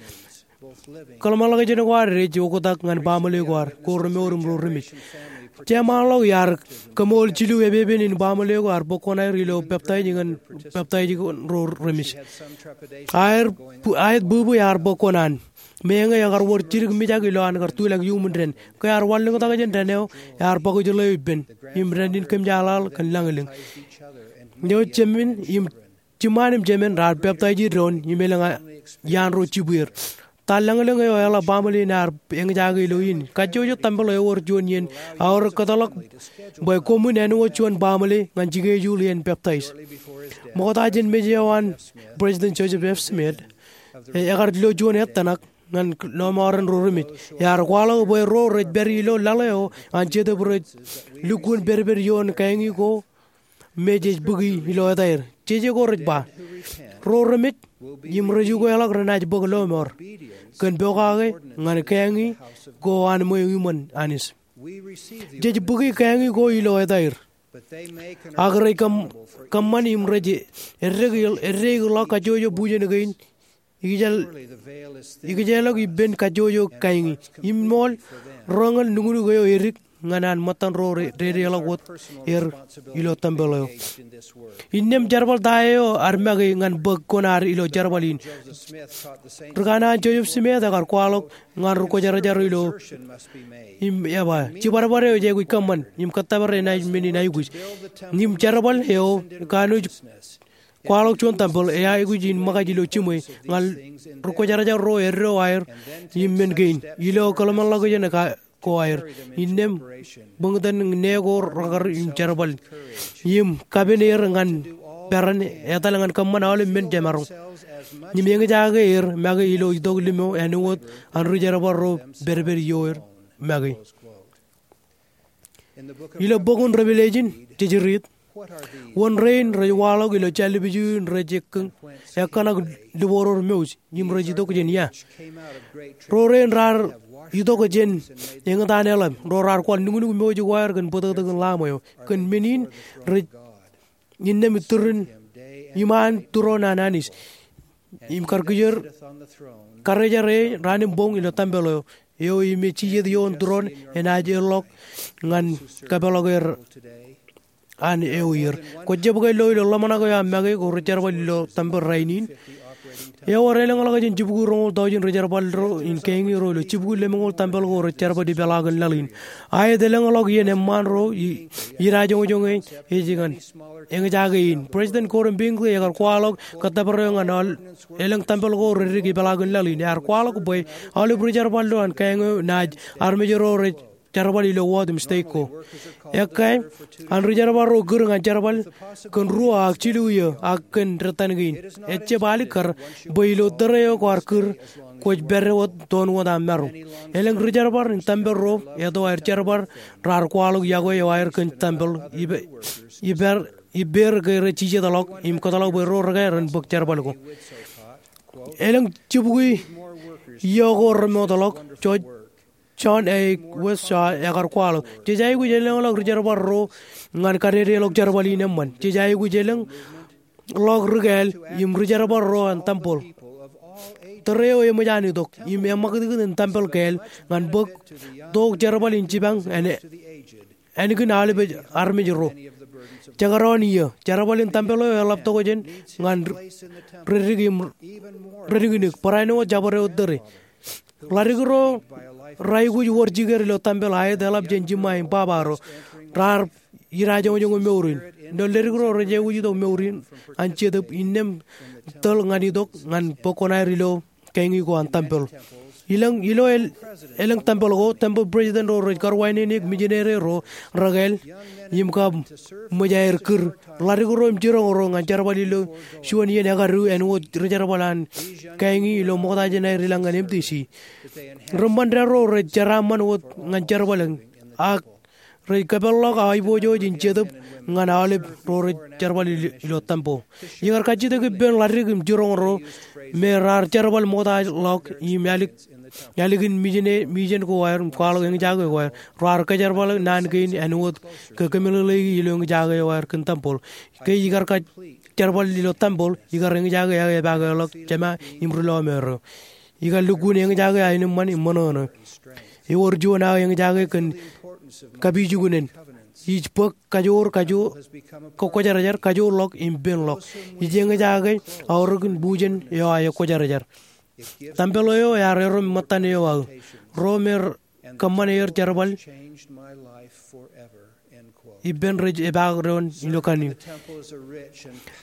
kōḷmānḷọkjeṇ ko ad ej oktak ñan baaṃle ko ad, ko remour im ro remej. Jeṃaanḷọk iar kōṃool jilu epepen in baaṃle ko ear bōk kuṇaer ilo peptaij ñan, peptaij ñan ro remej. Aet bu-, aet bwibwi ear bōk kuṇaan. Meñe ekar wōr jidik mijak ilo an kar tulak iuṃwin dān. Ke ear wanlōñtak jān dān eo, ear bōk ijjeḷ eo ippān, im dān in kōmjaaḷaḷ kōn lañlōñ. Eo jemān im, jiṃṃaan im jemān raar peptaij doon im elōñ iaan ro jibwier. Ta lañlōñ eo eḷap baaṃle in ear eñjake ilo in? Kajjojo tempeḷ ewōr juon iien aorōk kōtḷọk bwe koṃwin āinwōt juon baaṃle ñan schedule iien peptaij. Ṃokta jān mej eo an President Joseph F. Smith, e, ekar lo juon ettōṇak ñan lọmọọren ro remej. Ear kwaḷọk bwe ro rej pād ilo laḷ eo an Jetōb rej lukkuun pedped ioon kāiñi ko me jej bōki ilo etaer. Jeje ko rej ba, ro remej im rej ukeḷọk renaaj bōk lọmọọr kōn pokake ñan kāiñi ko an ṃweo iṃōn Anij. Jej bōki kāiñi ko ilo etaer. Ak rej kōm-, kōṃṃan im rej eddeik-, eddeikḷọk kajjojo bujen kein ikijel-, ikijālọk ippān kajjojo kāiñi. Iṃool, roñin nuknuk eo edik ñan an ṃōttan ro re-, redeḷọk wōt er ilo tempeḷ eo. Innām jerbal ta eo ad make ñan bōk kuṇaad ilo jerbal in? Ri-kanaan Joseph Smith ekar kwaḷọk ñan ri-kwōjarjar ilo, im eba, jibadbad eo ej aikuj kōṃṃan, im kōttōpar enaaj men in aikuj. Im jerbal eo kanooj kwaḷọk juon tempeḷ, e aikuj in ṃōkaj ilo jiṃwe, ñan ri-kwōjarjar ro eddo aer, im men kein, ilo kōḷmānḷọkjeṇ ko aer. Innām, bōñtōn ṇe ko rekar im jerbal, im kapen er ñan peran etal ñan kōṃṃan aolep men jemaroñ. Im eñjake er make ilo itok limo āinwōt an ri-jerbal ro pedped ioer make. Ilo bok in Revelation, jej riit, wōn rein rej waḷọk ilo jallepju in rej ekkōn-, ekkōṇak liboor mouj, im rej itok jān ia? Ro rein raar itok jān eñtaan eḷap, ro raar kwaḷ nuknuk mouj ko aer kōn bōtōktōkin Lamb eo, kōn men in rej innām itūrin iṃaan tūroon an Anij, im kar kijer, karijer e raan im boñ ilo tempeḷ eo, eo im ej jijet ioon tūroon enaaj erḷọk ñan kapeḷḷọk er an eo iier. Kwō jab ke lo ilo ḷōmṇak eo aō make ko ri jerbal ilo tempel rainin? Ewōr elōñḷọk jān jibukwi roñoul taujin ri jerbal ro in keeñi ro ilo jibukwi lemñoul tempel ko rej jerbal ipeḷaakin laḷ in. Aet elōñḷọk iien eṃṃaan ro i, idajoñjoñ ej ñan eñjake in. President Gordon B. Hinckley ekar kwaḷọk kōttōpar eo ñan aolep elōñ tempel ko reddik ipeḷaakin laḷ in. Ear kwaḷọk bwe aolep ri jerbal ro an kaeñ eo naaj armej ro rej jerbal ilo wōt im stek ko. Ekkā an ri jerbal ro kūr ñan jerbal kōn ruo ak jilu iiō ak kōn dettan kein. Ejjab alikkar bwe ilo tōre eo kwaar kūr kwōj pād wōt toon wōt aṃ maroñ. Elōñ ri jerbal in tempel ro eto aer jerbal raar kwaḷọk yokwe eo aer kōn tempel ipe, ipeer, ipeer ke rej jijetḷọk im kōtḷọk bwe ro rekā ren bōk jerbal ko. Elōñ jibukwi iiō ko remootḷọk, George John A. West ekar kwaḷọk, jej aikuj elōñḷọk ri jerbal ro ñan kadedeḷọk jerbal in eṃṃan. Jej aikuj elōñḷọk ri kāāl im ri jerbal ro an tempel. Tōre eo eṃōj an itok im eṃakūtkūt in tempel kāāl ñan bōk tok jerbal in jipañ āne ānkin aolep armej ro. Jekdọọn iiō, jerbal in tempel eo eḷap tokjān ñan reddik im redikdik, barāinwōt jabdewōt tōre. Ḷadik ro raikuj wōr jikier ilo tempel aet eḷap jān jiṃṃa im baba ro. Raar idajoñjoñ mour in. Ilo ḷadik ro rej aikuj itok mour in an Jetōb innām tōl ñan itok ñan bōk kuṇaer ilo keeñi ko an tempel. Elōñ, ilo el, elōñ tempel ko, tempel president ro rej karuwainene mijinere ro rekāāl im kab ṃōj aer kūr. Ḷadik ro im jiroñ ro ñan jerbal ilo juon iien ekadu āinwōt ri jerbal an keeñi ilo ṃokta jān aer ilañ ñan M T C. Ri ṃōnda ro rej jeraaṃṃan wōt ñan jerbal eñ ak rej kōpeḷḷọk aiboojoj in Jetōb ñan aolep ro rej jerbal ilo, ilo tempel. Ikar kajjitōk ippān ḷadik im jiroñ ro me raar jerbal ṃoktaḷọk im ālik, ālikin mijin, mijen ko aer im kwaḷọk eñjake ko aer. Raar kōjerbal naan kein āinwōt ke kōmeḷeḷeiki ilo eñjake eo aer kōn tempel. Ke ikar kōjerbal ilo tempel, ikar eñjake aō epakeḷọk Jema im ri lọmọọr eo. Ikar lukkuun eñjake aō eṃṃan im ṃōṇōṇō. Ewōr juon aō eñjake kōn kapijuknen. Ij bōk kajoor, kajoor, kwōjarjar, kajoorḷọk im penḷọk. Ij eñjake aorōkin bujen eo aō kwōjarjar. Tempel eo ear erom ṃōttan eo aō. Ro me kōṃṃan er jerbal ippān rej epaak doon ilo kanniō.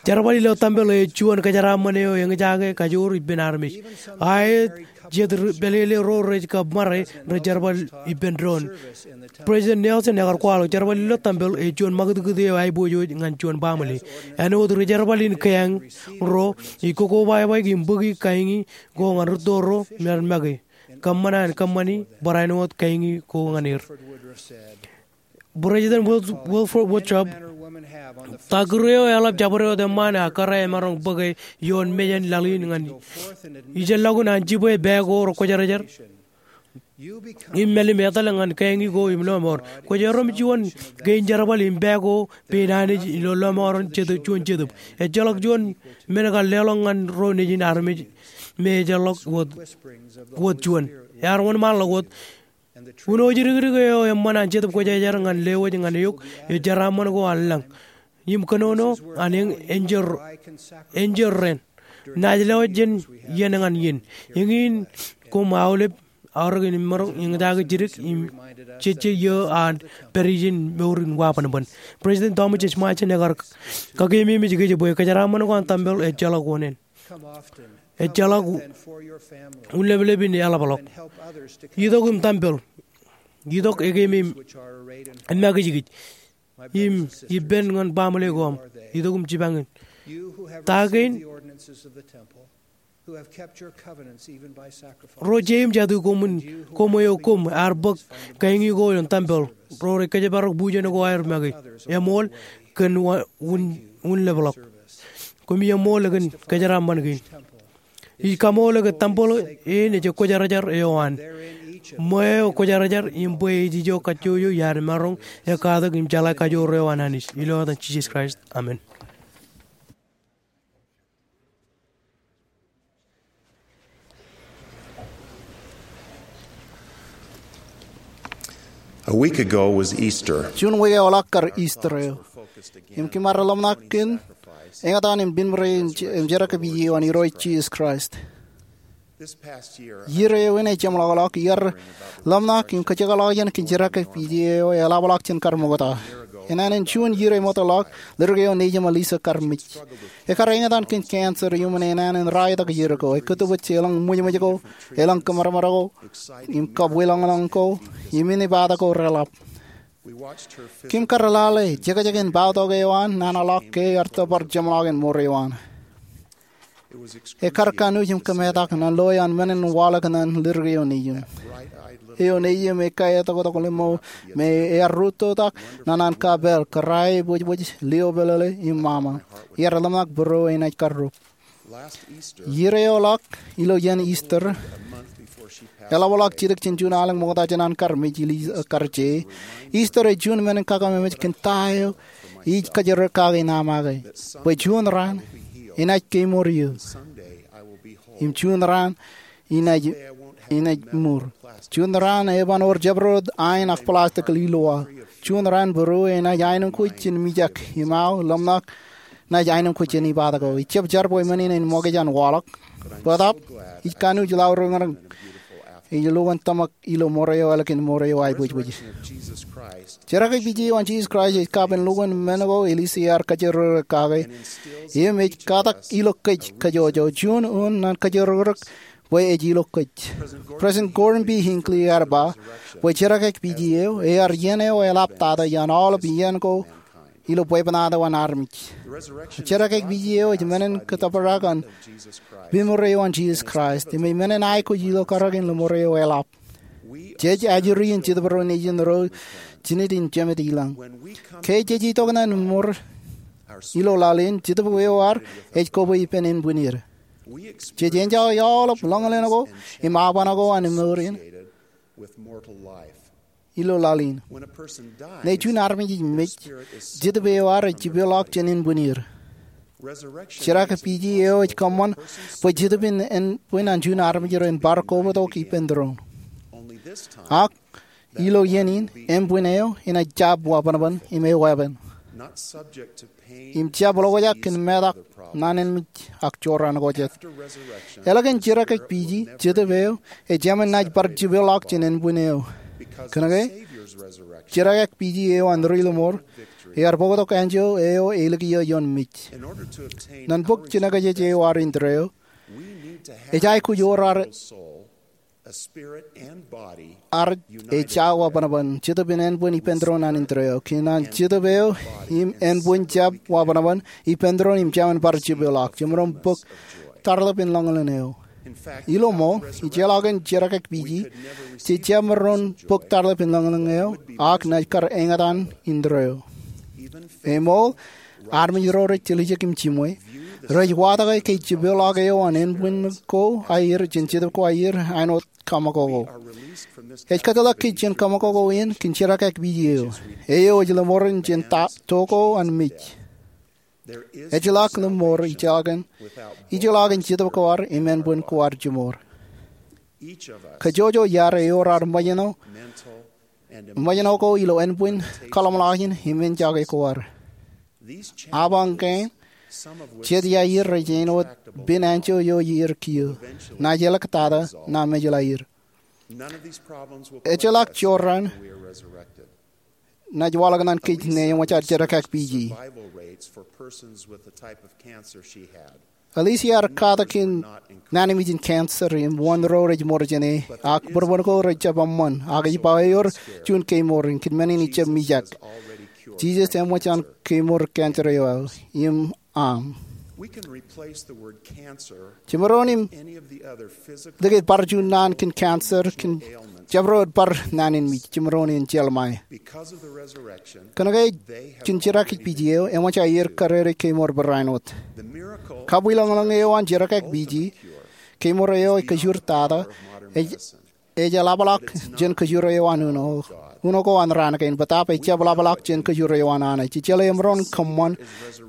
Jerbal ilo tempel ej juon kōjeraaṃṃan eo eñjake kajoor ippān armej. Aet jet ri pālele ro rej kab ṃare rej jerbal ippān doon. President Nelson ekar kwaḷọk jerbal ilo tempel ej juon ṃakūtkūt eo aiboojoj ñan juon baaṃle. Āinwōt ri jerbal in keañ ro, ij kokobaik im bōki keeñi ko ñan rūtto ro me ren make. Kōṃṃan an kōṃṃani barāinwōt keeñi ko ñan er. President Wil-, Wilford Woodruff, ta kūr eo eḷap jabdewōt eṃṃaan ak kōrā emaroñ bōke ioon mejān laḷ in ñan ijellọkun an jibwe pā ko rekwōjarjar im mālim etal ñan keeñi ko im lọmọọr. Kwōj erom juon kein jerbal im pā ko pein Anij ilo lọmọọren Jetōb, juon Jetōb. Ejjeḷọk juon men kar leḷọk ñan ro nejin armej me ejjeḷọk wōt, wōt juon. Ear wōnṃaanḷọk wōt Uno jidikdik eo eṃṃan an Jetōb Kwōjarjar ñan lewōj ñan eok ej jeraaṃṃan ko an lañ im kōnono an eñ, enjeḷ, enjeḷ ren. Naaj lewōj jān iien ñan iien. Eñin koṃ aolep aorōk in maroñ eñjake jidik im jejje iiō an pād ijin mour in wabanban. President Thomas S. Monson ekar kakeememej kōj bwe kōjeraaṃṃan ko an tempel ejjeḷọk oṇāān. Ejjeḷọk unleplep in eḷapḷọk. Itok im tempel. Itok ekeem im emakijkij. Im ippān ñan baaṃle ko aṃ. Itok im jipañ in. Ta kein ro jeim jatū koṃwin, koṃ eo koṃ ear bōk keeñi ko ilo tempel, ro rej kōjparok bujen ko aer make, eṃool kōn wa-, un-, unleplep. Koṃi eṃool kōn kōjeraaṃṃan kein. Ij kaṃool ke tempel in ej ekwōjarjar eo an. Ṃweo eo ekwōjarjar im bwe ej ijo kajjojo iar maroñ ekkatak im jeḷā kajoor eo an Anij. Ilo etan Jisōs Kraist. Amen. A week ago was Easter. Juon wiik eoḷọk kar Easter eo. Im kōm ar ḷōmṇak kōn eñtaan im limro im jerkakpij eo an Irooj Jisōs Kraist. Iiō eo in ej jeṃḷọkḷọk iar ḷōmṇak im kōjekḷọk jān kōn jerkakpij eo eḷapḷọk jān kar ṃokta. Enānen juon iiō rej ṃootḷọk, lutōk eo nejiṃ Alisa kar mej. Ekar eñtaan kōn cancer iuṃwin enānen ralitōk iiō ko. Ekōttōpoj elōñ ṃwijṃwij ko, elōñ kōmāmara ko, im kab wiḷọñḷọñ ko, im inepata ko reḷap. Kōm kar lale jekjek in bautok eo an naan ḷọk ke ear tōpar jeṃḷọkin ṃor eo an. Ekar kanooj im kōmetak ñan loe an men in waḷọk ñan lutōk eo nejiṃ. Eo nejiṃ ej kaetoktok lemñoul me ear rūttotak ñan an kapeel, kōrā e bōjbōj, lio pālele im ṃaṃa. Iar ḷōmṇak būruō enaaj karrup. Iiō eo ḷọk ilo iien Easter, eḷapḷọk jidik jān juon alen ṃokta jān an kar mej, Alisa kar je. Easter ej juon men in kakememej kōn ta eo ij kajorōk kake ṇa make, bwe juon raan enaaj kemour eō, im juon raan enaaj, enaaj mour. Juon raan eban wōr jabdewōt ain ak plastik ilo wa. Juon raan būruō enaaj aenōṃ kōj jān mijak, im aō ḷōmṇak naaj aenōṃ kōj jān ipatako. Ij jab jar bwe men in en ṃōkaj an waḷọk. Bōtaab, ij kanooj laurōñrōñ ej lukkuun tōmak ilo ṃor eo ālikin ṃor eo aebōjbōj. Jerkakpij eo an Jisōs Kraist ej kapen lukkuun men ko Alisa ear kajorōkrōk kake. Im ej katak ilo kōj kajjojo, juon wōn ñan kajorōkrōk bwe ej ilo kōj. President Gordon B. Hinckley ear ba bwe jerkakpij eo ear iien eo eḷaptata iaan aolep iien ko ilo bwebwenato an armej. Jerkakpij eo ej men in kōttōprak an limro eo an Jisōs Kraist, im ej men in aikuj ilo kōrā in limro eo eḷap. Jej ajri in Jetōb ro nejin ro jined im jemed ilañ. Ke jej itok ñan ṃor ilo laḷ in, Jetōb eo ad ej kobwe ippān ānbwinnier. Jej enjoy aolep ḷōñḷōñ ko im aban ko an mour in ilo laḷ in. Ñe juon armej ej mej, Jetōb eo ad ej jipeḷọk jān ānbwinnier. Jerkakpij eo ej kōṃṃan bwe Jetōb in ānbwin an juon armej ren bar kobatok ippān tūroon. Ak ilo iien in, ānbwin eo enaaj jab wabōnbōn im eweeppān. Im jab ḷokjak kōn metak, naan in mej, ak jorrāān ko jet. Ālikin jerkakpij, Jetōb eo ej jāmin naaj bar jipeḷọk jān ānbwin eo. Kōnke jerkakpij eo an ri-limour ear bōktok anjọ eo elikiiō ioon mej. Ñan bōk jinōkjeje eo ad indeeo, ej aikuj wōr ad, ad ej jab wabōnbōn, Jetōb im ānbwin ippān tūroon an indeeo. Kōn an Jetōb eo im ānbwin jab wabōnbōn ippān tūroon im jāmin bar jipeḷọk, jemaroñ bōk tarḷọk in ḷōñḷōñ eo. Ilo ṃool, ijellọkin jerkakpij, jej jab maroñ bōk tarḷọk in ḷōñḷōñ eo, ak naaj kar eñtaan indeeo. Eṃool, armej ro rej tiljek im jiṃwe, rej watōke ke jipeḷọk eo an ānbwin ko aer jān Jetōb ko aer āinwōt kaṃakoko. Ej kōtḷọk kōj jān kaṃakoko in kōn jerkakpij eo. Eo ej limour in jān ta, to ko an mej. Ejjeḷọk limour ijellọkin, ijellọkin Jetōb ko ad im ānbwin ko ad jimour. Kajjojo iar ewōr ad ṃōjṇọ, ṃōjṇọ ko ilo ānbwin, kaḷṃḷọkjeṇ im enjake ko ad. Apañ kein, jet iaer rej āinwōt pen anjọ eo iar kiiō. Naaj āliktata, naaj mejḷọk iaer. Ejjeḷọk jorrāān naaj waḷọk ñan kōj ñe eṃōj ad jerkakpij. Alisa ear katak kōn naan in mej in cancer im wōn ro rej mour jāne, ak būrbūn ko rej jab eṃṃan, ak ej ba ewōr juon kemour in kōn men in ejab mijak. Jisōs eṃōj an kemour cancer eo aō, im aṃ. Jemaroñ in likūt bar juon naan kōn cancer, kōn jabdewōt bar naan in mej, jemaroñ in jeḷā ṃae. Kōnke kōn jerkakpij eo, eṃōj aer kadedeik kemour barāinwōt. Kabwilōñlōñ eo an jerkakpij, kemour eo ej kajoor tata, ej, ej eḷapḷọk jān kajoor eo an uno, uno ko an raan kein, bōtaab ejab ḷapḷọk jān kajoor eo an Anij. Ejjeḷọk emaroñ kōṃṃan,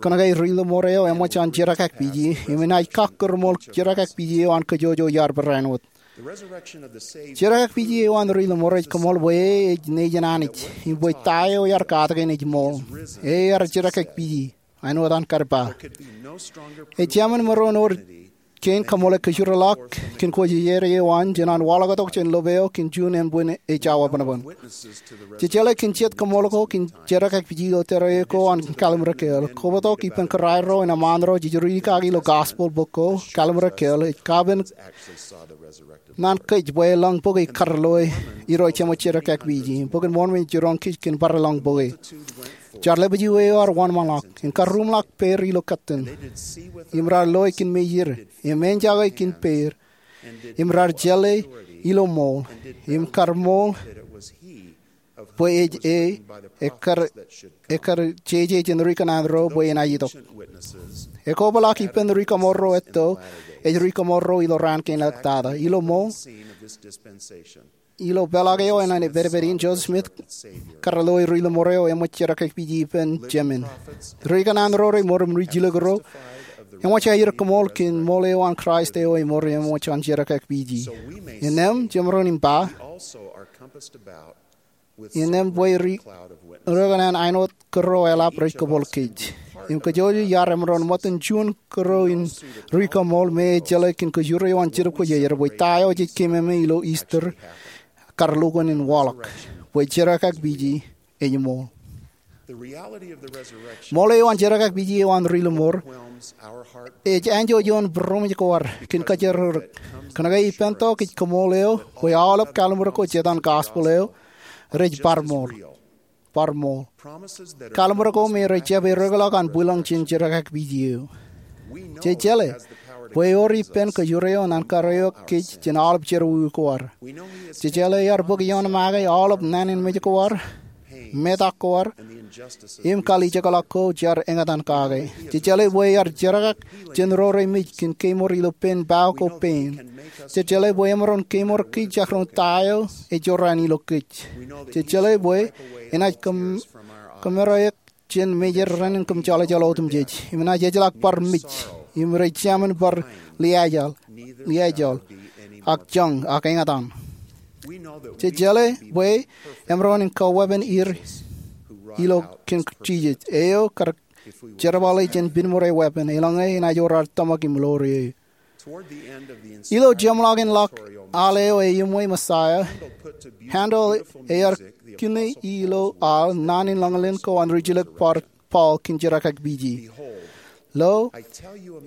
kōnke ri-limour eo eṃōj an jerkakpij, im enaaj kakkōrṃool jerkakpij eo an kajjojo iar barāinwōt. Jerkakpiji eo an Ri Ḷōṃor ej koṃṃool bwe E ej nejin Anij im bwe ta eo iar katakin ej ṃool. E ear jerkakpiji, āinwōt an karpa. Ejāmin maroñ ewōr kein kaṃool kōjro ḷọk kōn kwōjarjar eo an jān an waḷọktok jān lop eo kōn juon ānbwin ejja webanban. Jejeḷā kōn jet kaṃool ko kōn jerkakpiji ilo tōre eo an Kallim̧ur Kāāl, kobatok ippān kōrā ro im eṃṃaan ro jej riikaki ilo gospel bok ko, Kallim̧ur Kāāl ej kapen ñan kōj bwe elōñ bōke kar loe Irooj eṃōj jerkakpiji. Bok in Mormon ej jiroñ kōj kōn bar lōñ bōke. Jar lepḷọk eo ear wōnṃaanḷọk im karruumḷọk peid ilo kōttan, im raar loe kōn mejād im ejjake kōn peid, im raar jeḷā ilo ṃool, im kar ṃool bwe ej E, ekkar, ekkar jeje jān ri kōṇaan ro bwe enaaj itok. Ekobrak ippān ri kaṃool ro etto, ej ri kaṃool ro ilo raan kein eḷaptata. Ilo ṃool, ilo peḷḷọk eo an epedped in, Joseph Smith kar loe Ri Ḷōṃor eo eṃōj jerkakpiji ippān Jemān. Ri kōṇaan ro reṃool im ri jilkinro eṃōj aer koṃṃool kōn ṃool eo an Kraist eo eṃool im eṃōj an jerkakpiji. Innām, jemaroñ in ba, innām bwe ri, ri kōṇaan āinwōt kōrā eḷap rej kōpooḷ kōj. Im kōjwōj iar emaroñ ṃōttan juon kōrā in ri kaṃool me ej jeḷā kōn kōjwōj eo an Jetōb Kwōjarjar bwe ta eo jej keememej ilo Easter kar lukkuun in waḷọk, bwe jerkakpiji ej ṃool. Ṃool eo an jerkakpiji eo an Ri Ḷōṃor ej anjọ ioon būroṃōj ko ad kōn kōjatdikdik. Kōnke ippān tok ej kaṃool eo bwe aolep kalliṃur ko jet an gospel eo rej bar ṃool. Bar ṃool. Kalliṃur ko me rej jab eddekḷọk an bwilōñ jān jerkakpiji eo. Jej jeḷā bwe ewōr ippān kōjwōj eo an kōrā eo kōj jān aolep jerọwiwi ko ad. Jej jeḷā ear bōk ioon make aolep naan in mej ko ad, metak ko ad, im kalijekḷọk ko jaar eñtaan kake. Jej jeḷā bwe ear jerkak jān ro remej kōn kemour ilo pen bao ko pein. Jej jeḷā bwe emaroñ kemour kōj jekdọọn ta eo ej jorrāān ilo kōj. Jej jeḷā bwe enaaj kōm, kōmmereik jān mejād renaaj kōmjeḷājeḷ otemjej. Im enaaj ejjeḷọk bar mej. Im rej jāmin bar liaajal, liaajal, ak joñ, ak eñtaan. Jej jeḷā bwe emaroñ in kaweeppān er ilo kōn Jisōs eo kar jerbale jān pinemour eo weeppān, eḷaññe enaaj wōr ad tōmak im ḷoor eō. Ilo jeṃḷọkin ḷọk al eo eṃṃan Messiah, Handel ear kine ilo al naan in ḷōñlōñ ko an rijjilōk bar Paul kōn jerkakpiji. Lo,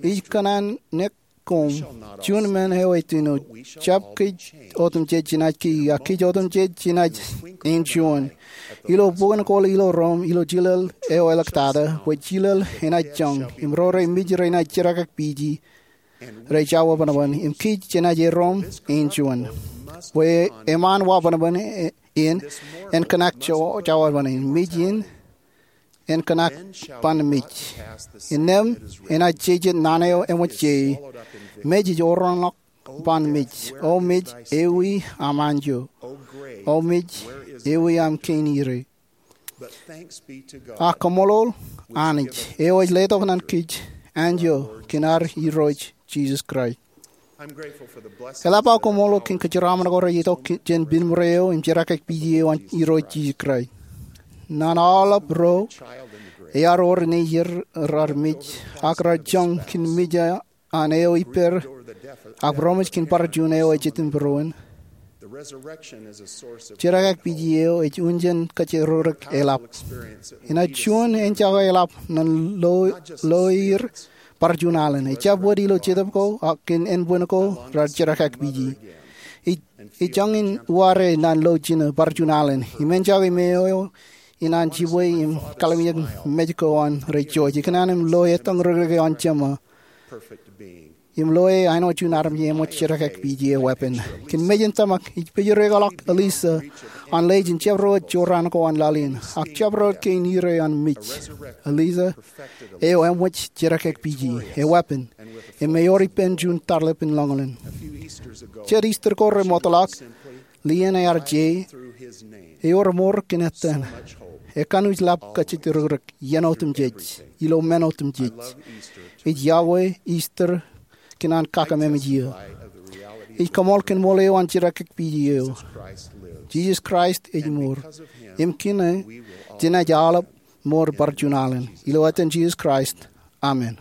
ij kōnnaan ṇe koṃ, juon men eo ej āinwōt, jab kōj otemjej jenaaj kiiō, ak kōj otemjej jenaaj āinjuon. Ilo bok in kōḷ ilo Rom, ilo jilel eo eḷaptata, bwe jilel enaaj joñ, im ro remej renaaj jerkakpiji, rej jawebanban, im kōj jenaaj erom āinjuon. Bwe eṃṃan webanban in, en kōṇak jawebanban in, mej in, en kōṇak ban mej. Innām enaaj jejet naan eo eṃōj jān e, mej ej orōnḷọk ban mej. O mej, ewi aṃ anjọ? O mej, ewi aṃ kein ire? Ak kaṃṃoolol Anij eo ej letok ñan kōj anjọ kōn ad Irooj Jisōs Kraist. Eḷap aō kaṃṃoolol kōn kōjeraaṃṃan ko rej itok jān pinemour eo im jerkakpiji eo an Irooj Jisōs Kraist. Ñan aolep ro ear wōr nejid raar mej, ak raar joñ kōn mej an eo ippād, ak būroṃōj kōn bar juon eo ejjetin būruon. Jerkakpiji eo ej unin kōjatdikdik eḷap. Enaaj juon eñjake eḷap ñan lo, loer bar juon alen. Ejjab wōt ilo jetōb ko, ak kōn ānbwin ko raar jerkakpiji. Ej, ej joñan uwaade ñan lo jinō bar juon alen. Im eñjake me eo in an jibwe im kalimjek mej ko an rej joj. Ikōṇaan im loe ettōñ ri kōrā eo an Jema. Im loe āinwōt juon armej eṃōj jerkakpiji eweeppān. Kōn mej in tōmak, ij pejirikḷọk Elisa an lejin jabdewōt jorrāān ko an laḷ in, ak jabdewōt kein ire an mej. Elisa eo eṃōj jerkakpiji eweeppān, im ewōr ippān juon tarlepin ḷōñlōñ. Jet Easter ko remootḷọk, Lian ear je, ewōr mour kōn ettōn. Ekanooj ḷap kōjatdikdik iien otemjej, ilo men otemjej. Ij iọkwe Easter kōn an kakememej eō. Ij kaṃool kōn ṃool eo an jidik eo. Jisōs Kraist ej mour. Im kōn e, jenaaj aolep mour bar juon alen. Ilo etan Jisōs Kraist, amen.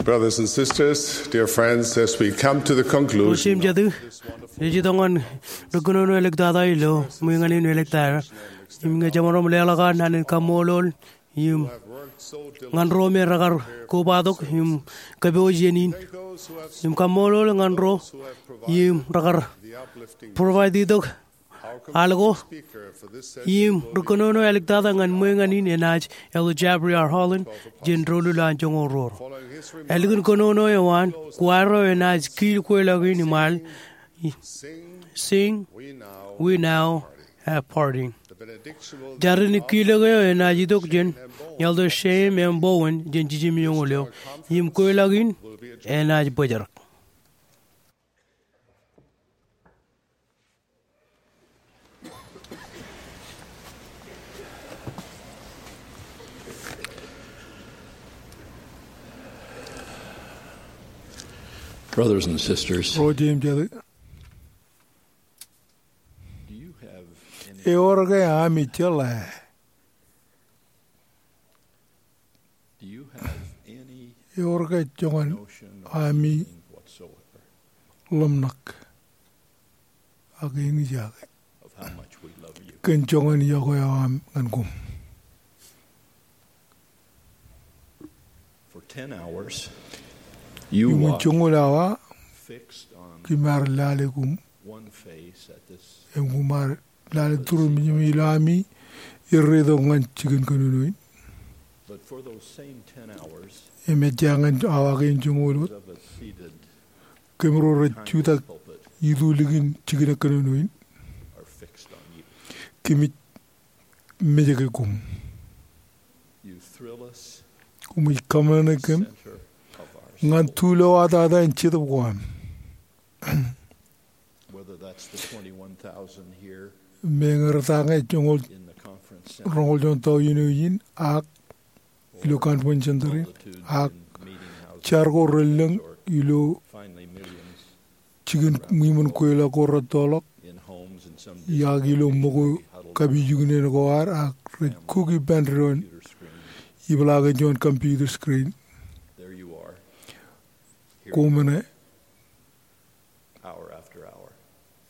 Brothers and sisters, dear friends, as we come to the conclusion, ro jeiū im jatū, ej itok ñan ri kōnono āliktata ilo ṃweiñān in āliktata, im ñe jemaroñ leḷọk an naan in kaṃṃoolol im ñan ro me rekar kobatok im kōpooj iien in, im kaṃṃoolol ñan ro im rekar provide itok al ko. Im ri kōnono āliktata ñan ṃweiñān in enaaj Elder Jeffrey R. Holland jān doulul an joñoul ruo. Ālikin kōnono eo an, kwaar eo enaaj kiil kweilọk in im al, "Sing, we now have parting." Jar in kiilōk eo enaaj itok jān Elder Shem M. Bowen jān jiljino eo, im kweilọk in enaaj bōjrak. Brothers and sisters, ro jeiū im jatū, do you have any, ewōr ke ami jeḷā? Do you have any, ewōr ke joñan, notion of, ami, anything whatsoever, ḷōmṇak ak eñjake of how much we love you? Kōn joñan iọkwe eo aṃ ñan koṃ. For ten hours, you, iṃōn, watched, joñoul awa, fixed on, kōm ar lale koṃ, one face at this, im koṃ ar lale turuṃ im ilo ami erretok ñan jikin kōnono in. But for those same ten hours, im ejja ñan awa kein joñoul wōt, of a seated, kōmro rej jutak, pulpit, itu likin jikin kōnono in, are fixed on you. Kōmij mejeke koṃ. You thrill us. Koṃij kōṃṃane kōm. Center of our, ñan soul, tulowatata in Jetōb ko am. Whether that's the twenty-one thousand here, meñe retañe joñoul, in the conference center, roñoul joñoul tọujin eo in, ak ilo conference center in, ak jar ko relōñ ilo jikin ṃwiṃōn kweilọk ko rettoḷọk, ak ilo ṃōko kapijuknen ko ad, ak rej kuk ippān doon, ipeḷaakin juon computer screen. Koṃ ṇe. Hour after hour.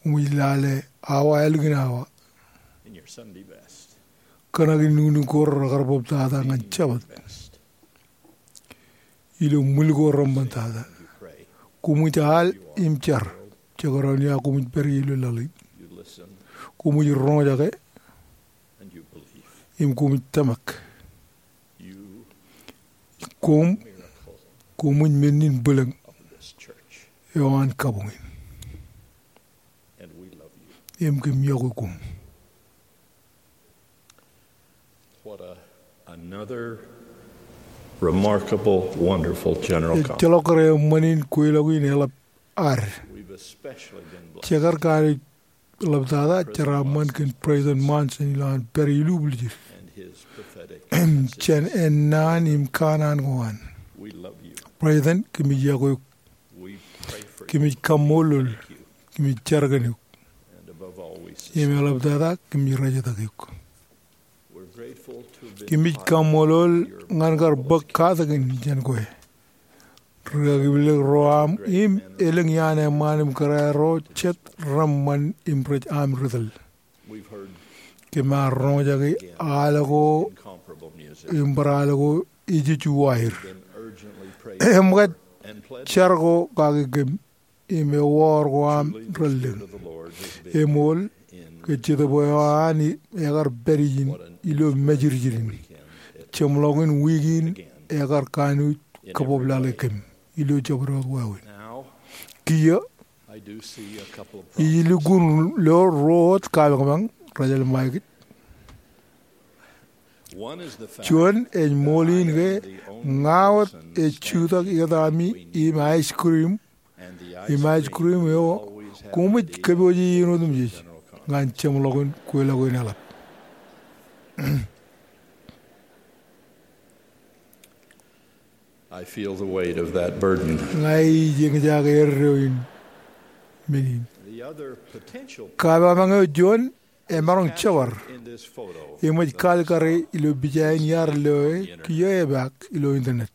Koṃij lale awa ālikin awa. In your Sunday best. Kōṇakin nuknuk ko rekar bōktata ñan Jabōt. Best. Ilo ṃwil ko reṃṃantata. You pray. Koṃij al im jar. Jekdọọn ia koṃij pād ie ilo laḷ in. You listen. Koṃij roñjake. And you believe. Im koṃij tōmak. You, koṃ, miracle, koṃij men in bwilōñ, of this church, eo an kabuñ in. And we love you. Im kōm iọkwe koṃ. What a, another remarkable, wonderful general conference. Ejjeḷọk kōrā eṃṃan in kweilọk in eḷap ad. We've especially been blessed. Jekar kanooj ḷaptata jeraaṃṃan kōn President Monson ilo an pād ilubwiljid jān ennaan im kanaan ko an. President, kōmij iọkwe eok. Kōmij kaṃṃoolol. Kōmij jar kōn eok. Im eḷaptata kōmij rejtak eok. Kōmij kaṃṃoolol ñan kar bōk katakin jān kwe. Ri-akipilōk ro aṃ im elōñ iaan eṃṃaan im kōrā ro jet reṃṃan im rej aṃ ri tōl. Kōm ar roñjake al ko im bar al ko ejej uwaer. Im kōj jar ko kake kōm im ewaor ko aṃ relōñ. Eṃool ke Jetōb eo an ekar pād ijin ilo mājirjir in. Jeṃḷọkin wiik in ekar kanooj kōbōb lale kōm ilo jabdewōt wāween. Kiiō, ij lukkuun lo ruo wōt kapañpañ rej jelṃae kōj. Juon ej ṃool in ke ña wōt ej jutak ikōtaami im ice cream. Im ice cream eo, koṃij kōpooje iien otemjej ñan jeṃḷọkin kweilọk in eḷap. I feel the weight of that burden. Ña ij eñjake erreo in men in. The other potential, kapañpañ eo juon, emaroñ jebar. In this photo, im ej kalikkare ilo pija in iar loe, kiiō epaak ilo internet.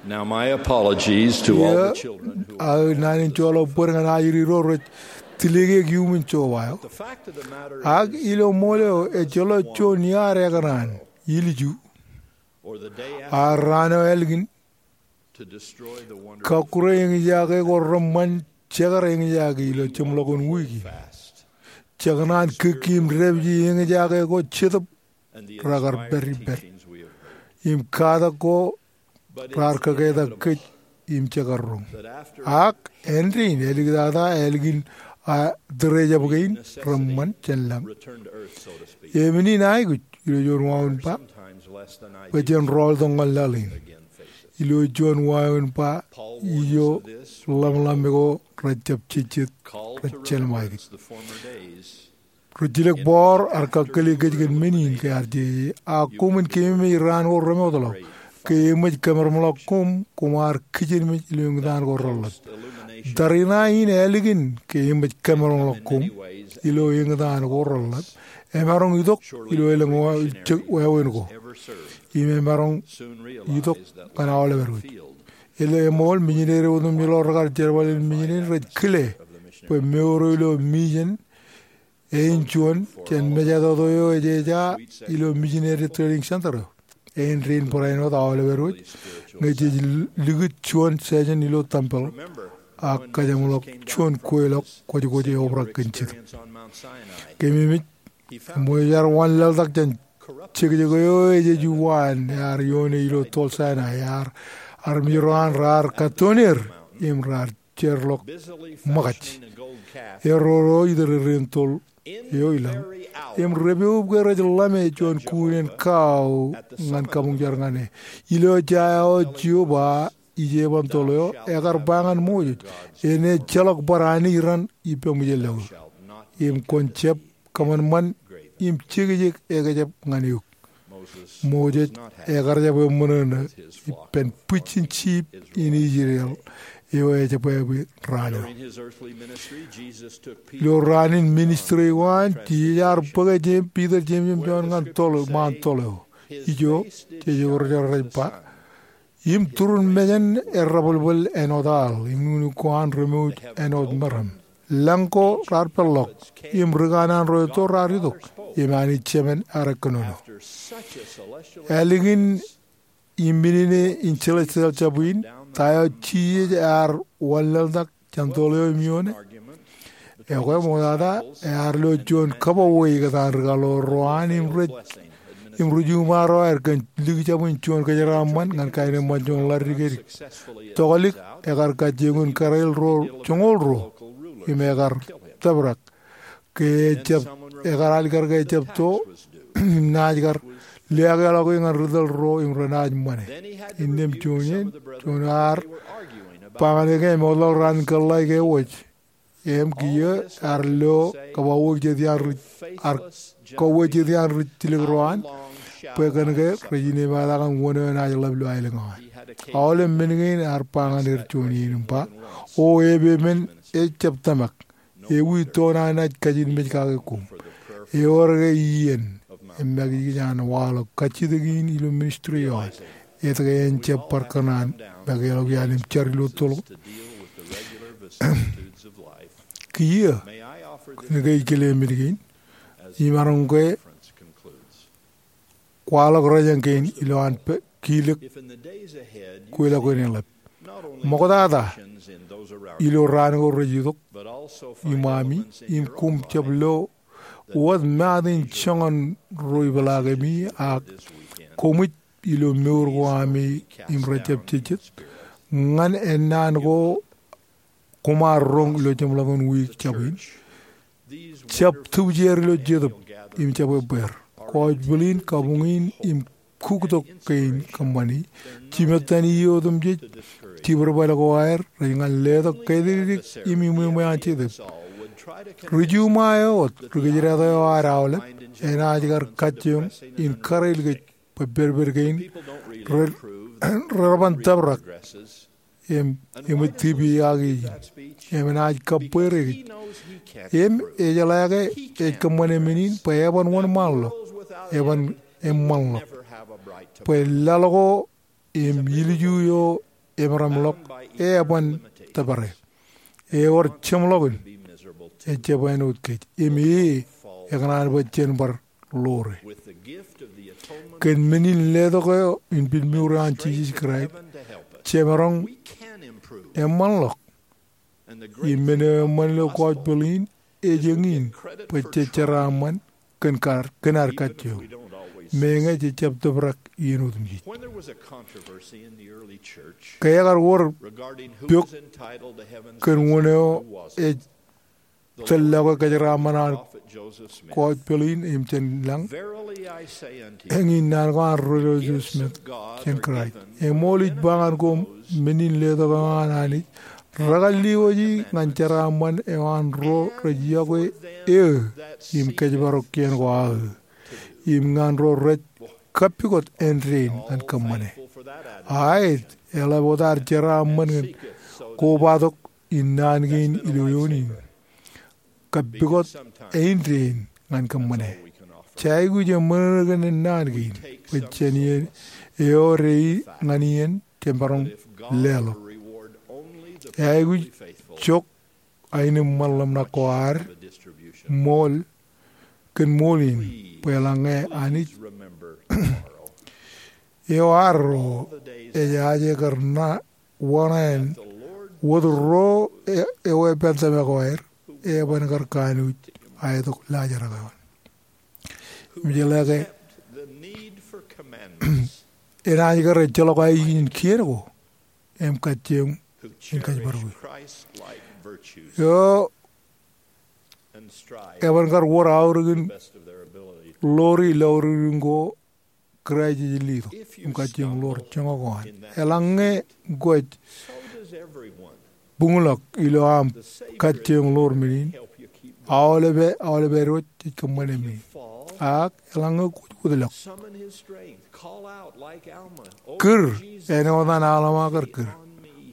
Now, my apologies to all the children who are... Aō naan in joḷọk bōd ñan ajri ro rej tilikiek iuṃwin joba eo. The fact of the matter is, ak ilo ṃool eo, ejjeḷọk juon iaad ekōṇaan, ilju, or the day after, ar raan eo ālikin, to destroy the wonder, kakkure eñjake ko reṃṃan jekar eñjake ilo jeṃḷọkin wiik in. Fast. Jekōṇaan kōkki im dāpiji eñjake ko Jetōb rekar pād ippād. Im katak ko raar kōketak kōj im jekar roñ. Ak āindein āliktata ālikin a tōre jab kein reṃṃan jān lañ. Im in aikuj ilo juon wāween ba, bwe jen rọọltok ñan laḷ in. Ilo juon wāween ba ijo, ḷōmṇak eo rej jab jejjet, rej jelṃae kōj. Rijjilōk bọọr ar kakkōle kōj kōn men in ke ear jeje, ak koṃwin keememej raan ko remootḷọk, ke eṃōj kōmereṃḷọk koṃ, koṃ ar kijenmej ilo eñtaan ko reḷap. Tariṇae in ālikin ke eṃōj kōmereṃḷọk koṃ ilo eñtaan ko reḷap, emaroñ itok ilo elōñ wāween ko, im emaroñ itok ñan aolep edwōj. Ilo eṃool, mijinede otemjeḷọk rekar jerbal in mijinede rej kile bwe mour eo ilo mijen eo in juon jān mejatoto eo ej eja ilo Missionary Training Center eo. Āindein barāinwōt aolep edwōj ñe jej likūt juon session ilo tempel ak kajeṃḷọk juon kweilọk kwōjkwōj eobrak kōn Jetōb. Keememej, eṃōj ar wanlaḷtak jān jekjek eo ejej uwaan ear ioone ilo Toḷ Sainai, ear armej ro an raar kattoon er im raar jeorḷọk ṃōkaj. Erreo ro itōrereen toḷ eo ilaḷ. Im repoub ke rej ḷame juon kuunen kao ñan kabuñjar ñan e. Ilo ejja eo Jeova ijeban toḷ eo, ekar ba ñan Moses, enaaj ejjeḷọk bar anij raṇ ippemwōj e lọke. Im kwōn jab kōṃanṃan im jekjek ekjab ñan eok. Moses ekar jab eṃṃōṇōṇō ippān bwijin sheep in Israel eo ejebwābwe raan eo. Ilo raan in ministry eo an, Jisōs ear bōk e Peter, Jemes im Jon ñan toḷ, ṃaan toḷ eo. Ijo, jej ewōr jar rej ba, im turun mejān errabwilbwil āinwōt aḷ, im nuknuk ko an remooj āinwōt meram. Lañ ko raar peḷḷọk, im ri kanaan ro etto raar itok, im Anij Jemān ear kōnono. Ālikin iminene in celestial jab in, ta eo Jisōs ear wanlaḷtak jān toḷ eo im ioone? Ekwe ṃoktata, ear lo juon kabbokbok ikōtaan ri kaḷoor ro an im rej, im ri juṃae ro aer kōn likjab in juon kōjeraaṃṃan ñan kaenōṃṃan juon ḷaddik edik. Toklik ekar kajjioñ in kōrā ro joñoul ruo im ekar tōprak. Ke ejab, ekar alikkar ke ejab to, im naaj kar liaakḷọk e ñan ri tōl ro im renaaj ṃane. Innām juon iien, juon ear ba ñan e ke eṃootḷọk raan in kōḷḷā ke ewōj. Im kiiō ear lo kōbabok jet iaan ri, ear kōwōj jet iaan ri jilkinḷọk ro an, bwe kōn ke rej inepata kōn wōn eo enaaj ḷap ilo aelōñ eo an. Aolep men kein ear ba ñan er juon iien im ba, O epepen, ejab tōmak. Ewi to ṇa enaaj kajinmej kake koṃ? Ewōr ke iien im make kōj an waḷọk kajjitōk in ilo ministry eo an. Etke en jab bar kōṇaan make ḷọk iaan im jar ilo toḷ? Kiiō, kōnke ij kile men kein, imaroñ ke kwaḷọk rōjañ kein ilowaan kilōk kweilọk in eḷap. Ṃoktata, ilo raan ko rej itok iṃaami, im koṃ jab lo wōt maat in joñan ro ipeḷaakemi, ak koṃij ilo mour ko ami im rej jab jejjet, ñan ennaan ko koṃ ar roñ ilo jeṃḷọkin wiik jab in. Jab tūbjeer ilo Jetōb im jab ebbeer. Kōjbwilin, kabuñ in, im kuktok kein kōṃṃani. Jimettan iiō otemjej, jibwidbad ko aer, rej ñan letok kōtidikdik im iṃweṃwe an Jetōb. Ri juṃae eo wōt, ri kōjdat eo ad aolep, enaaj kar kajjioñ in kōrā kōj bwe pedped kein rej, rej bar tōprak im, im eṃōj tipiaki ijin, im enaaj kabbweer kōj. Im ejeḷā ke ej kōṃṃane men in bwe eban wōnṃaanḷọk, eban eṃṃanḷọk, bwe laḷ ko im ilju eo emeramḷọk, eban tōpare. Ewōr jeṃḷọkin, ejjab āinwōt kōj. Im e, ekōṇaan bwe jen bar ḷoore. Kōn men in letok eo in pilmour eo an Jisōs Kraist, jemaroñ eṃṃanḷọk. Im men eo eṃṃan ilo gospel in, ej eñin bwe jej jeraaṃṃan kōn kar, kōn ad kajjioñ. Meñe jej jab tōprak iien otemjej. Ke ekar wōr pok kōn wōn eo ej tōllọke kōjeraaṃṃan an gospel in im jān lañ, eñin naan ko an Rūtōl Joseph Smith jān Kraist. Eṃool ij ba ñan koṃ, men in letok eo an Anij rekar lewōji ñan jeraaṃṃan eo an ro rej yokwe eō im kōjparok kien ko aō, im ñan ro rej kappukot āindein ñan kōṃṃane. Aet, eḷap wōt ad jeraaṃṃan ñan kobatok in naan kein ilo eoon in. Kappukot āindein ñan kōṃṃane. Jej aikuj eṃṃan kōn naan kein, bwe jān iien eo rej ñan iien, jemaroñ leḷọk. Jej aikuj jok aenōṃṃan ḷōmṇak ko ad ṃool, kōn ṃool in, bwe eḷaññe Anij eo arro ej aje kar ṇa wōṇāān, wōt ro e, eo eban tōmak ko aer, eban kar kanooj aetok laajrak eo an. Im jeḷā ke enaaj kar ejjeḷọk aikuj in kien ko im kajjioñ in kōjparok e. Eo eban kar wōr aorōk in ḷoori lọurūkūtun ko Kraist ej letok im kajjioñ ḷoor joñak ko an. Eḷaññe kwōj buñḷọk ilo aṃ kajjioñ ḷoor men in, aolepen, aolepen Irooj ej kōṃṃane men in. Ak eḷaññe kwōj wōtlọk, kūr āinwōt an Alma kar kūr,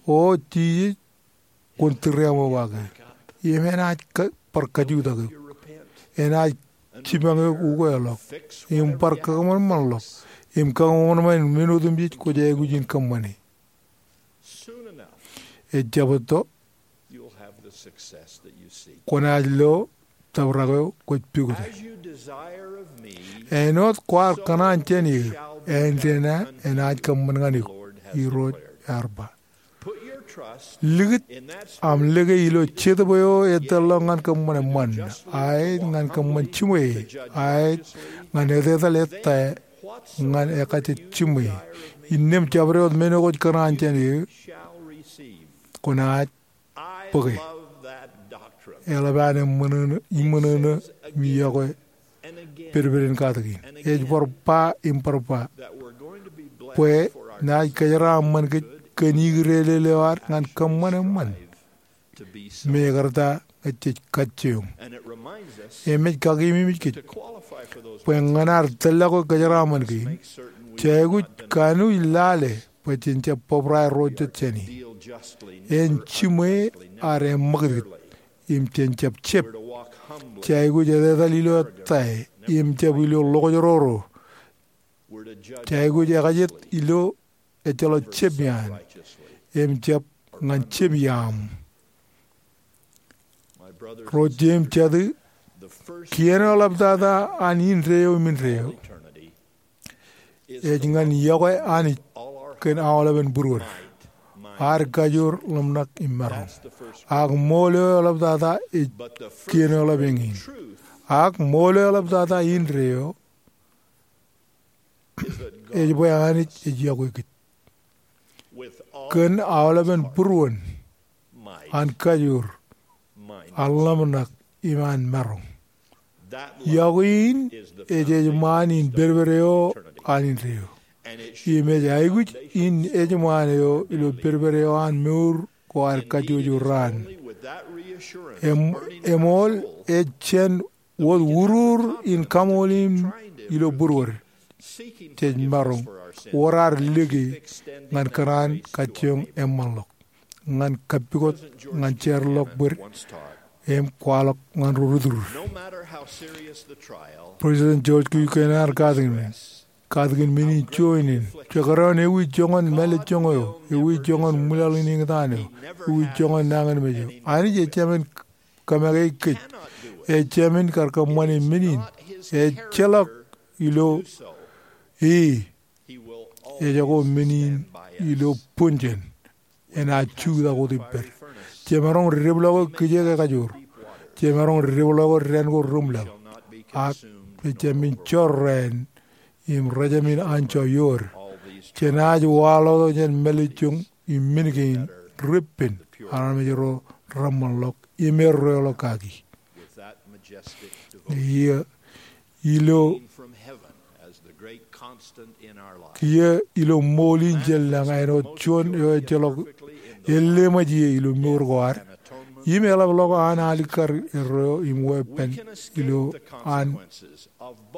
O Jisōs, kwōn tūriaṃo bake. Im enaaj kō, bar kajutak eok. Enaaj jipañ eok ukeḷọk. Im bar kōṃanṃanḷọk. Im kōṃanṃan men otemjej kwōj aikuj in kōṃṃane. Ejjab etto, kwōnaaj lo tōprak eo kwōj pukot e. Āinwōt kwaar kōṇaan jān eō, āindein aō enaaj kōṃṃan ñan eok, Irooj ear ba. Likūt aṃ lōke ilo Jetōb eo etōllọk ñan kōṃṃan eṃṃan, aet ñan kōṃṃan jiṃwe, aet ñan etetal ettā ñan ekajjitōk jiṃwe. Innām jabdewōt men eo kwōj kōṇaan jān eō, kwōnaaj bōke. Eḷap an eṃṃanṃōṇōṇō, eṃṃanṃōṇōṇō im yokwe pedped in katak in. Ej bar ba im bar ba bwe naaj kōjeraaṃṃan kōj kōn ikdōḷ eo ad ñan kōṃṃan eṃṃan. Mekarta ñe jej kajjioñ. Im ej kakememej kōj bwe ñan ad tōllọke kōjeraaṃṃan kein, jej aikuj kanooj lale bwe jen jab bōbrae ro jet jāne. En jiṃwe ad eṃṃakūtkūt im jen jab jab. Jej aikuj etetal ilo ettā im jab ilo ḷokjroro. Jej aikuj ekajet ilo ejjeḷọk jab iaan im jab ñan jab iaṃ. Ro jeiū im jatū, kien eo eḷaptata an indeeo im indeeo ej ñan iọkwe Anij kōn aolepen būruod, ad kajoor, ḷōmṇak im maroñ. Ak ṃool eo eḷaptata ej kien eo eḷap eñin. Ak ṃool eo eḷaptata indeeo ej bwe Anij ej iọkwe kōj kōn aolepen būruon, an kajoor, an ḷōmṇak im an maroñ. Iọkwe in ej ejṃaan in pedped eo an indeeo. Im ej aikuj in ejṃaan eo ilo pedped eo an mour ko ad kajjojo raan. Em, eṃool ej jān wōt urur in kaṃool in ilo būruod. Jej maroñ wōr ad lōke ñan kōṇaan kajjioñ eṃṃanḷọk, ñan kappukot, ñan jeorḷọk bōd, im kwaḷọk ñan ro ri-tūrūd. President George Q. Kennard ear katakin, katakin men in juon in. Jekdọọn ewi joñan mālejjoñ eo, ewi joñan ṃwilaḷ in eñtaan eo, ewi joñan nañinmej eo. Anij ejāmin kōmāke kōj. Ejāmin kar kōṃṃane men in. Ejjeḷọk ilo e. Ejako men in ilo bōn jān. Enaaj jutak wōt ippād. Jemaroñ deblọke kijeek ekajoor. Jemaroñ deblọke dān ko reṃwilaḷ. Ak ejāmin jorrāān im rejāmin anjọ iood. Jenaaj waḷọktok jān mālejjoñ im men kein reppen armej ro reṃṃanḷọk im erreoḷọk kaki. Iiō, ilo, kiiō ilo ṃool in jān lañ āinwōt juon eo ejjeḷọk elleṃōj ie ilo mour ko ad. Im eḷapḷọk an alikkar erreo im weeppān ilo an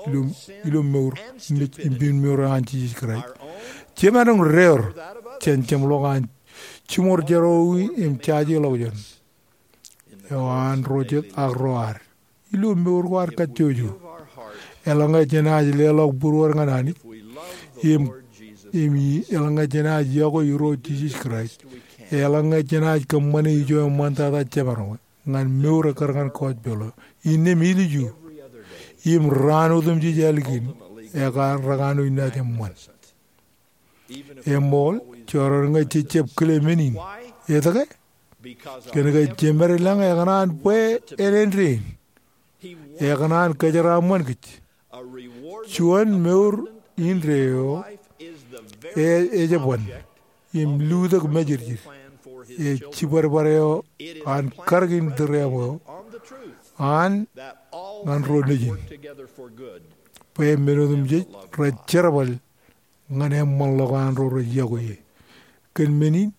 ilo, ilo mour im, im mour eo an Jisōs Kraist. Jemaroñ deor jān jeṃḷọk an jiṃor jerọwiwi im jajeḷọkjeṇ eo an ro jet ak ro ad. Ilo mour ko ad kajjojo, eḷaññe jenaaj leḷọk būruod ñan Anij im, im eḷaññe jenaaj yokwe Irooj Jisōs Kraist, eḷaññe jenaaj kōṃṃane ijo eṃṃantata jemaroñ ñan mour ekkar ñan kọjpeḷ eo. Innām ilju im raan otemjej ālikin ekar rekanooj naaj eṃṃan. Eṃool, jorrāān ñe jejjab kile men in. Etke? Kōnke jemed lañ ekōṇaan bwe en āindein. Ekōṇaan kōjeraaṃṃan kōj. Juon mour indeeo e, ejebwan im lutōk mājirjir. Ej jibadbad eo an karōk in tūreaṃ eo an ñan ro nejin, bwe men otemjej rej jerbal ñan eṃṃanḷọk an ro rej yokwe e. Kōn men in,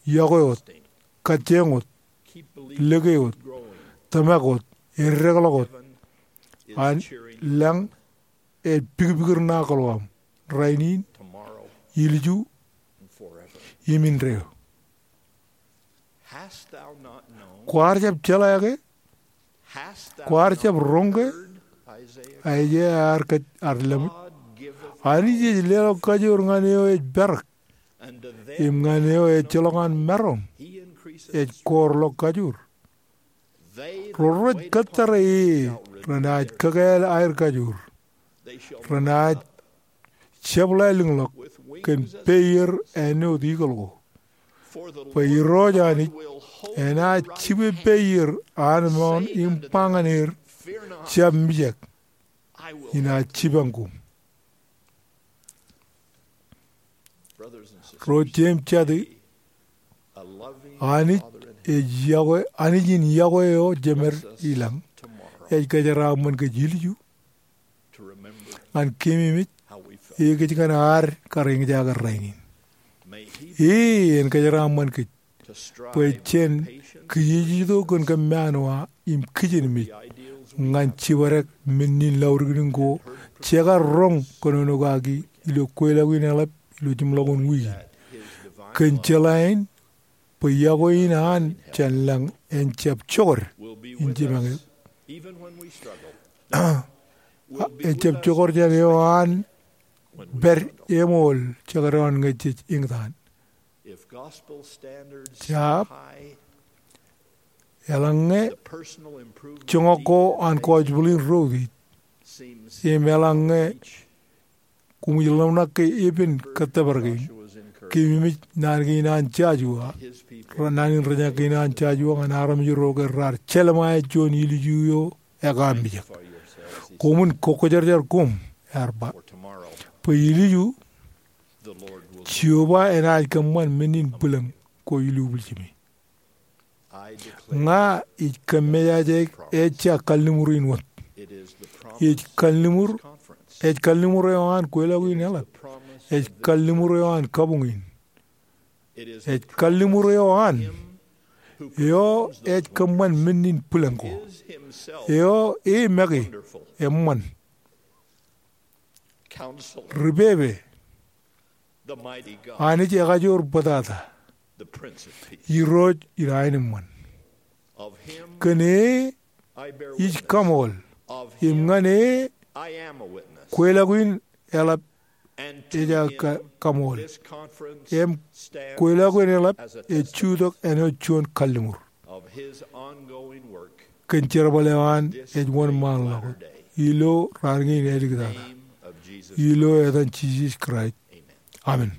yokwe wōt, kajjioñ wōt, lōke wōt, tōmak wōt, eddekḷọk wōt. An lañ ej pikpikūr ṇa kōḷḷā aṃ, rainin, ilju, im indeeo. Kwaar jab jeḷā ke? Kwaar jab roñ ke? Aiseia ear kōj ad lōmōj. Anij ej leḷọk kajoor ñan eo ej perak, im ñan eo ejjeḷọk an maroñ ej koorḷọk kajoor. Ro rej kōttare e renaaj kakāāl aer kajoor. Renaaj jepḷaelōñḷọk kōn peier āinwōt eagle ko. Bwe Irooj Anij enaaj jibe peier an mour im ba ñan er, jab mijak, inaaj jipañ koṃ. Ro jeiū im jatū, Anij ej yokwe, Anij in yokwe eo jemed ilañ ej kōjeraaṃṃan kōj ilju ñan keememej e kōj kōn ad kar eñjake rainin. E en kōjeraaṃṃan kōj bwe jen kijejeto kōn kōmmaanwa im kijenmej ñan jibadek men in laudikdik ko jekar roñ kōnono kaki ilo kweilọk in eḷap ilo jimḷọkin wiik in. Kōn jeḷā in bwe yokwe in an jān lañ en jab jokad in jipañ eok. En jab jokad jān eo an pād eṃool jekdọọn ñe jej eñtaan. Jab, eḷaññe joñak ko an gospel in ro utiej, im eḷaññe koṃij ḷōmṇak ke epen kōttōpar kein, keememej naan kein an Joshua, naan in reñaak kein an Joshua ñan armej ro ke raar jelṃae juon ilju eo ekaamijak. Koṃwin kokkwōjarjar koṃ, ear ba, bwe ilju Jeova enaaj kōṃṃan men in bwilōñ ko ilubwiljimi. Ña ij kōmmejaje ejja kalliṃur in wōt. Ej kalliṃur, ej kalliṃur eo an kweilọk in eḷap. Ej kalliṃur eo an kabuñ in. Ej kalliṃur eo an, eo ej kōṃṃan men in bwilōñ ko. Eo e make eṃṃan. Ri pepe. Anij ekajoor bōtata. Irooj in aenōṃṃan. Kōn e ij kaṃool. Im ñan e Kweilọk in eḷap ej aō ka-, kaṃool. Im kweilọk in eḷap ej jutak āinwōt juon kalliṃur. Kōn jerbal eo an ej wōnṃaanḷọk ilo raan kein āliktata. Ilo etan Jisōs Kraist. Amen.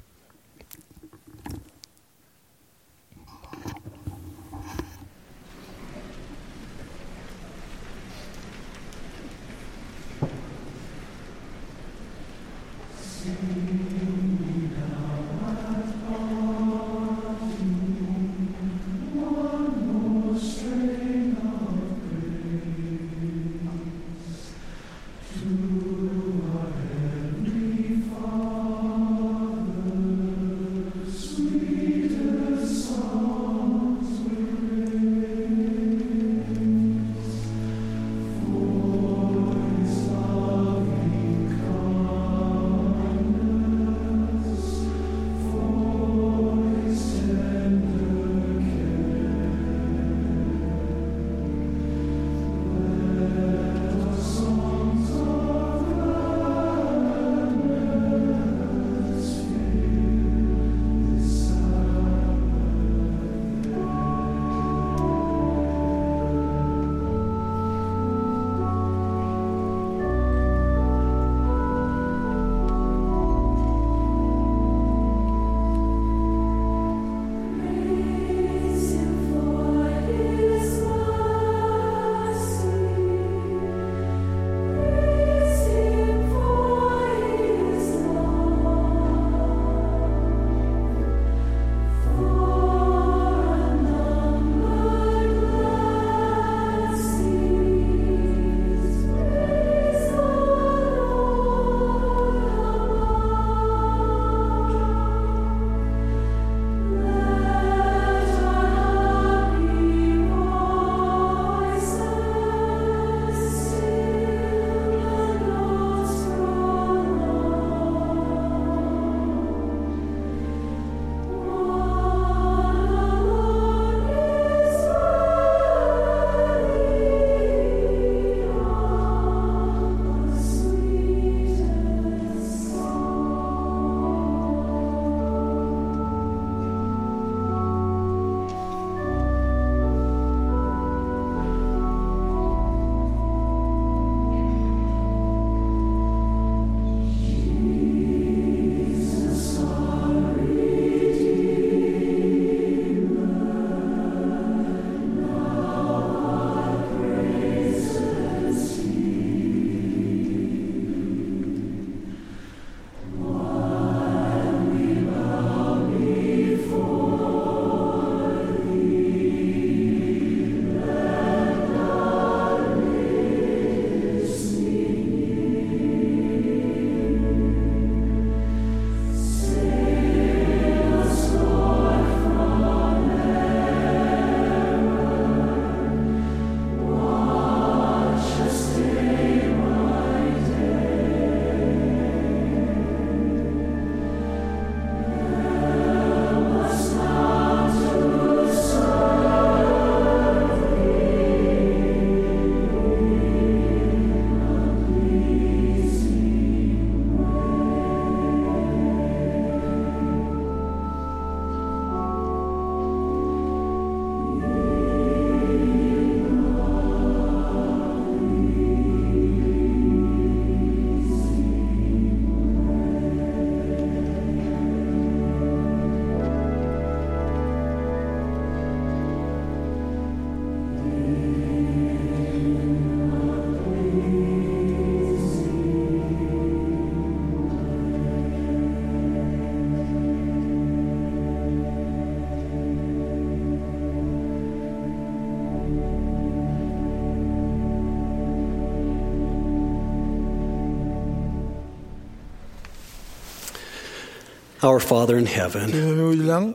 Our Father in heaven, Kōmij lañ,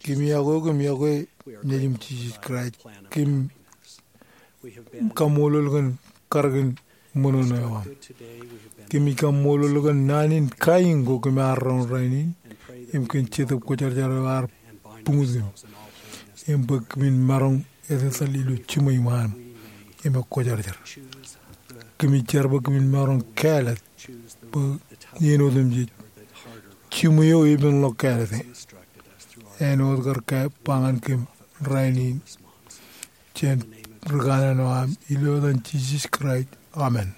kōm iọkwe eok im iọkwe Nejiṃ Jisōs Kraist. Kōm kaṃṃoolol kōn karōk in ṃōṇōṇō eo aṃ. Kōmij kaṃṃoolol kōn naan in kain ko kōm ar roñ rainin, im kōn Jetōb Kwōjarjar eo ear buñut kōm, im bwe kōmin maroñ etetal ilo jiṃwe iṃaan im ekwōjarjar. kōmij jar bwe kōmin maroñ kāālōt bwe iien otemjej jiṃwe eo epen ḷọk kāālōt e. Āinwōt kar ba ñan kōm rainin jān ri kanaan eo aṃ, ilo etan Jisōs Kraist, amen.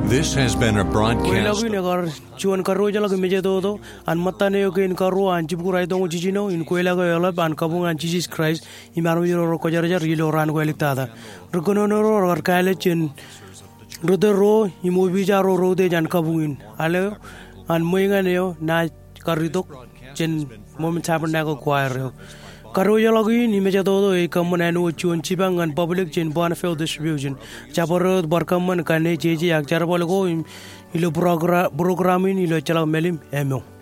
This has been a broadcast. Kweilọk in ekar juon karuojoḷọk im ejetoto an ṃōttan eo kein karuo an jibukwi raitoñoul jiljino in kweilọk eo eḷap an kabuñ an Jisōs Kraist im armej ro rej kwōjarjar ilo raan ko āliktata. Ri kōnono ro rekar kāālōt jān ri tōl ro im opiij ro rej utiej an kabuñ in. Al eo an ṃweiñan eo naaj kar itok jān Mormon Tabernacle Choir eo. Karuojoḷọk in im ejetoto ej kōṃṃan āinwōt juon jipañ ñan public jān Bonneville Distribution. Jabdewōt bar kōṃṃan kōn jeje ak jerbal ko im ilo progra-, program in ilo ejjeḷọk mālim eo.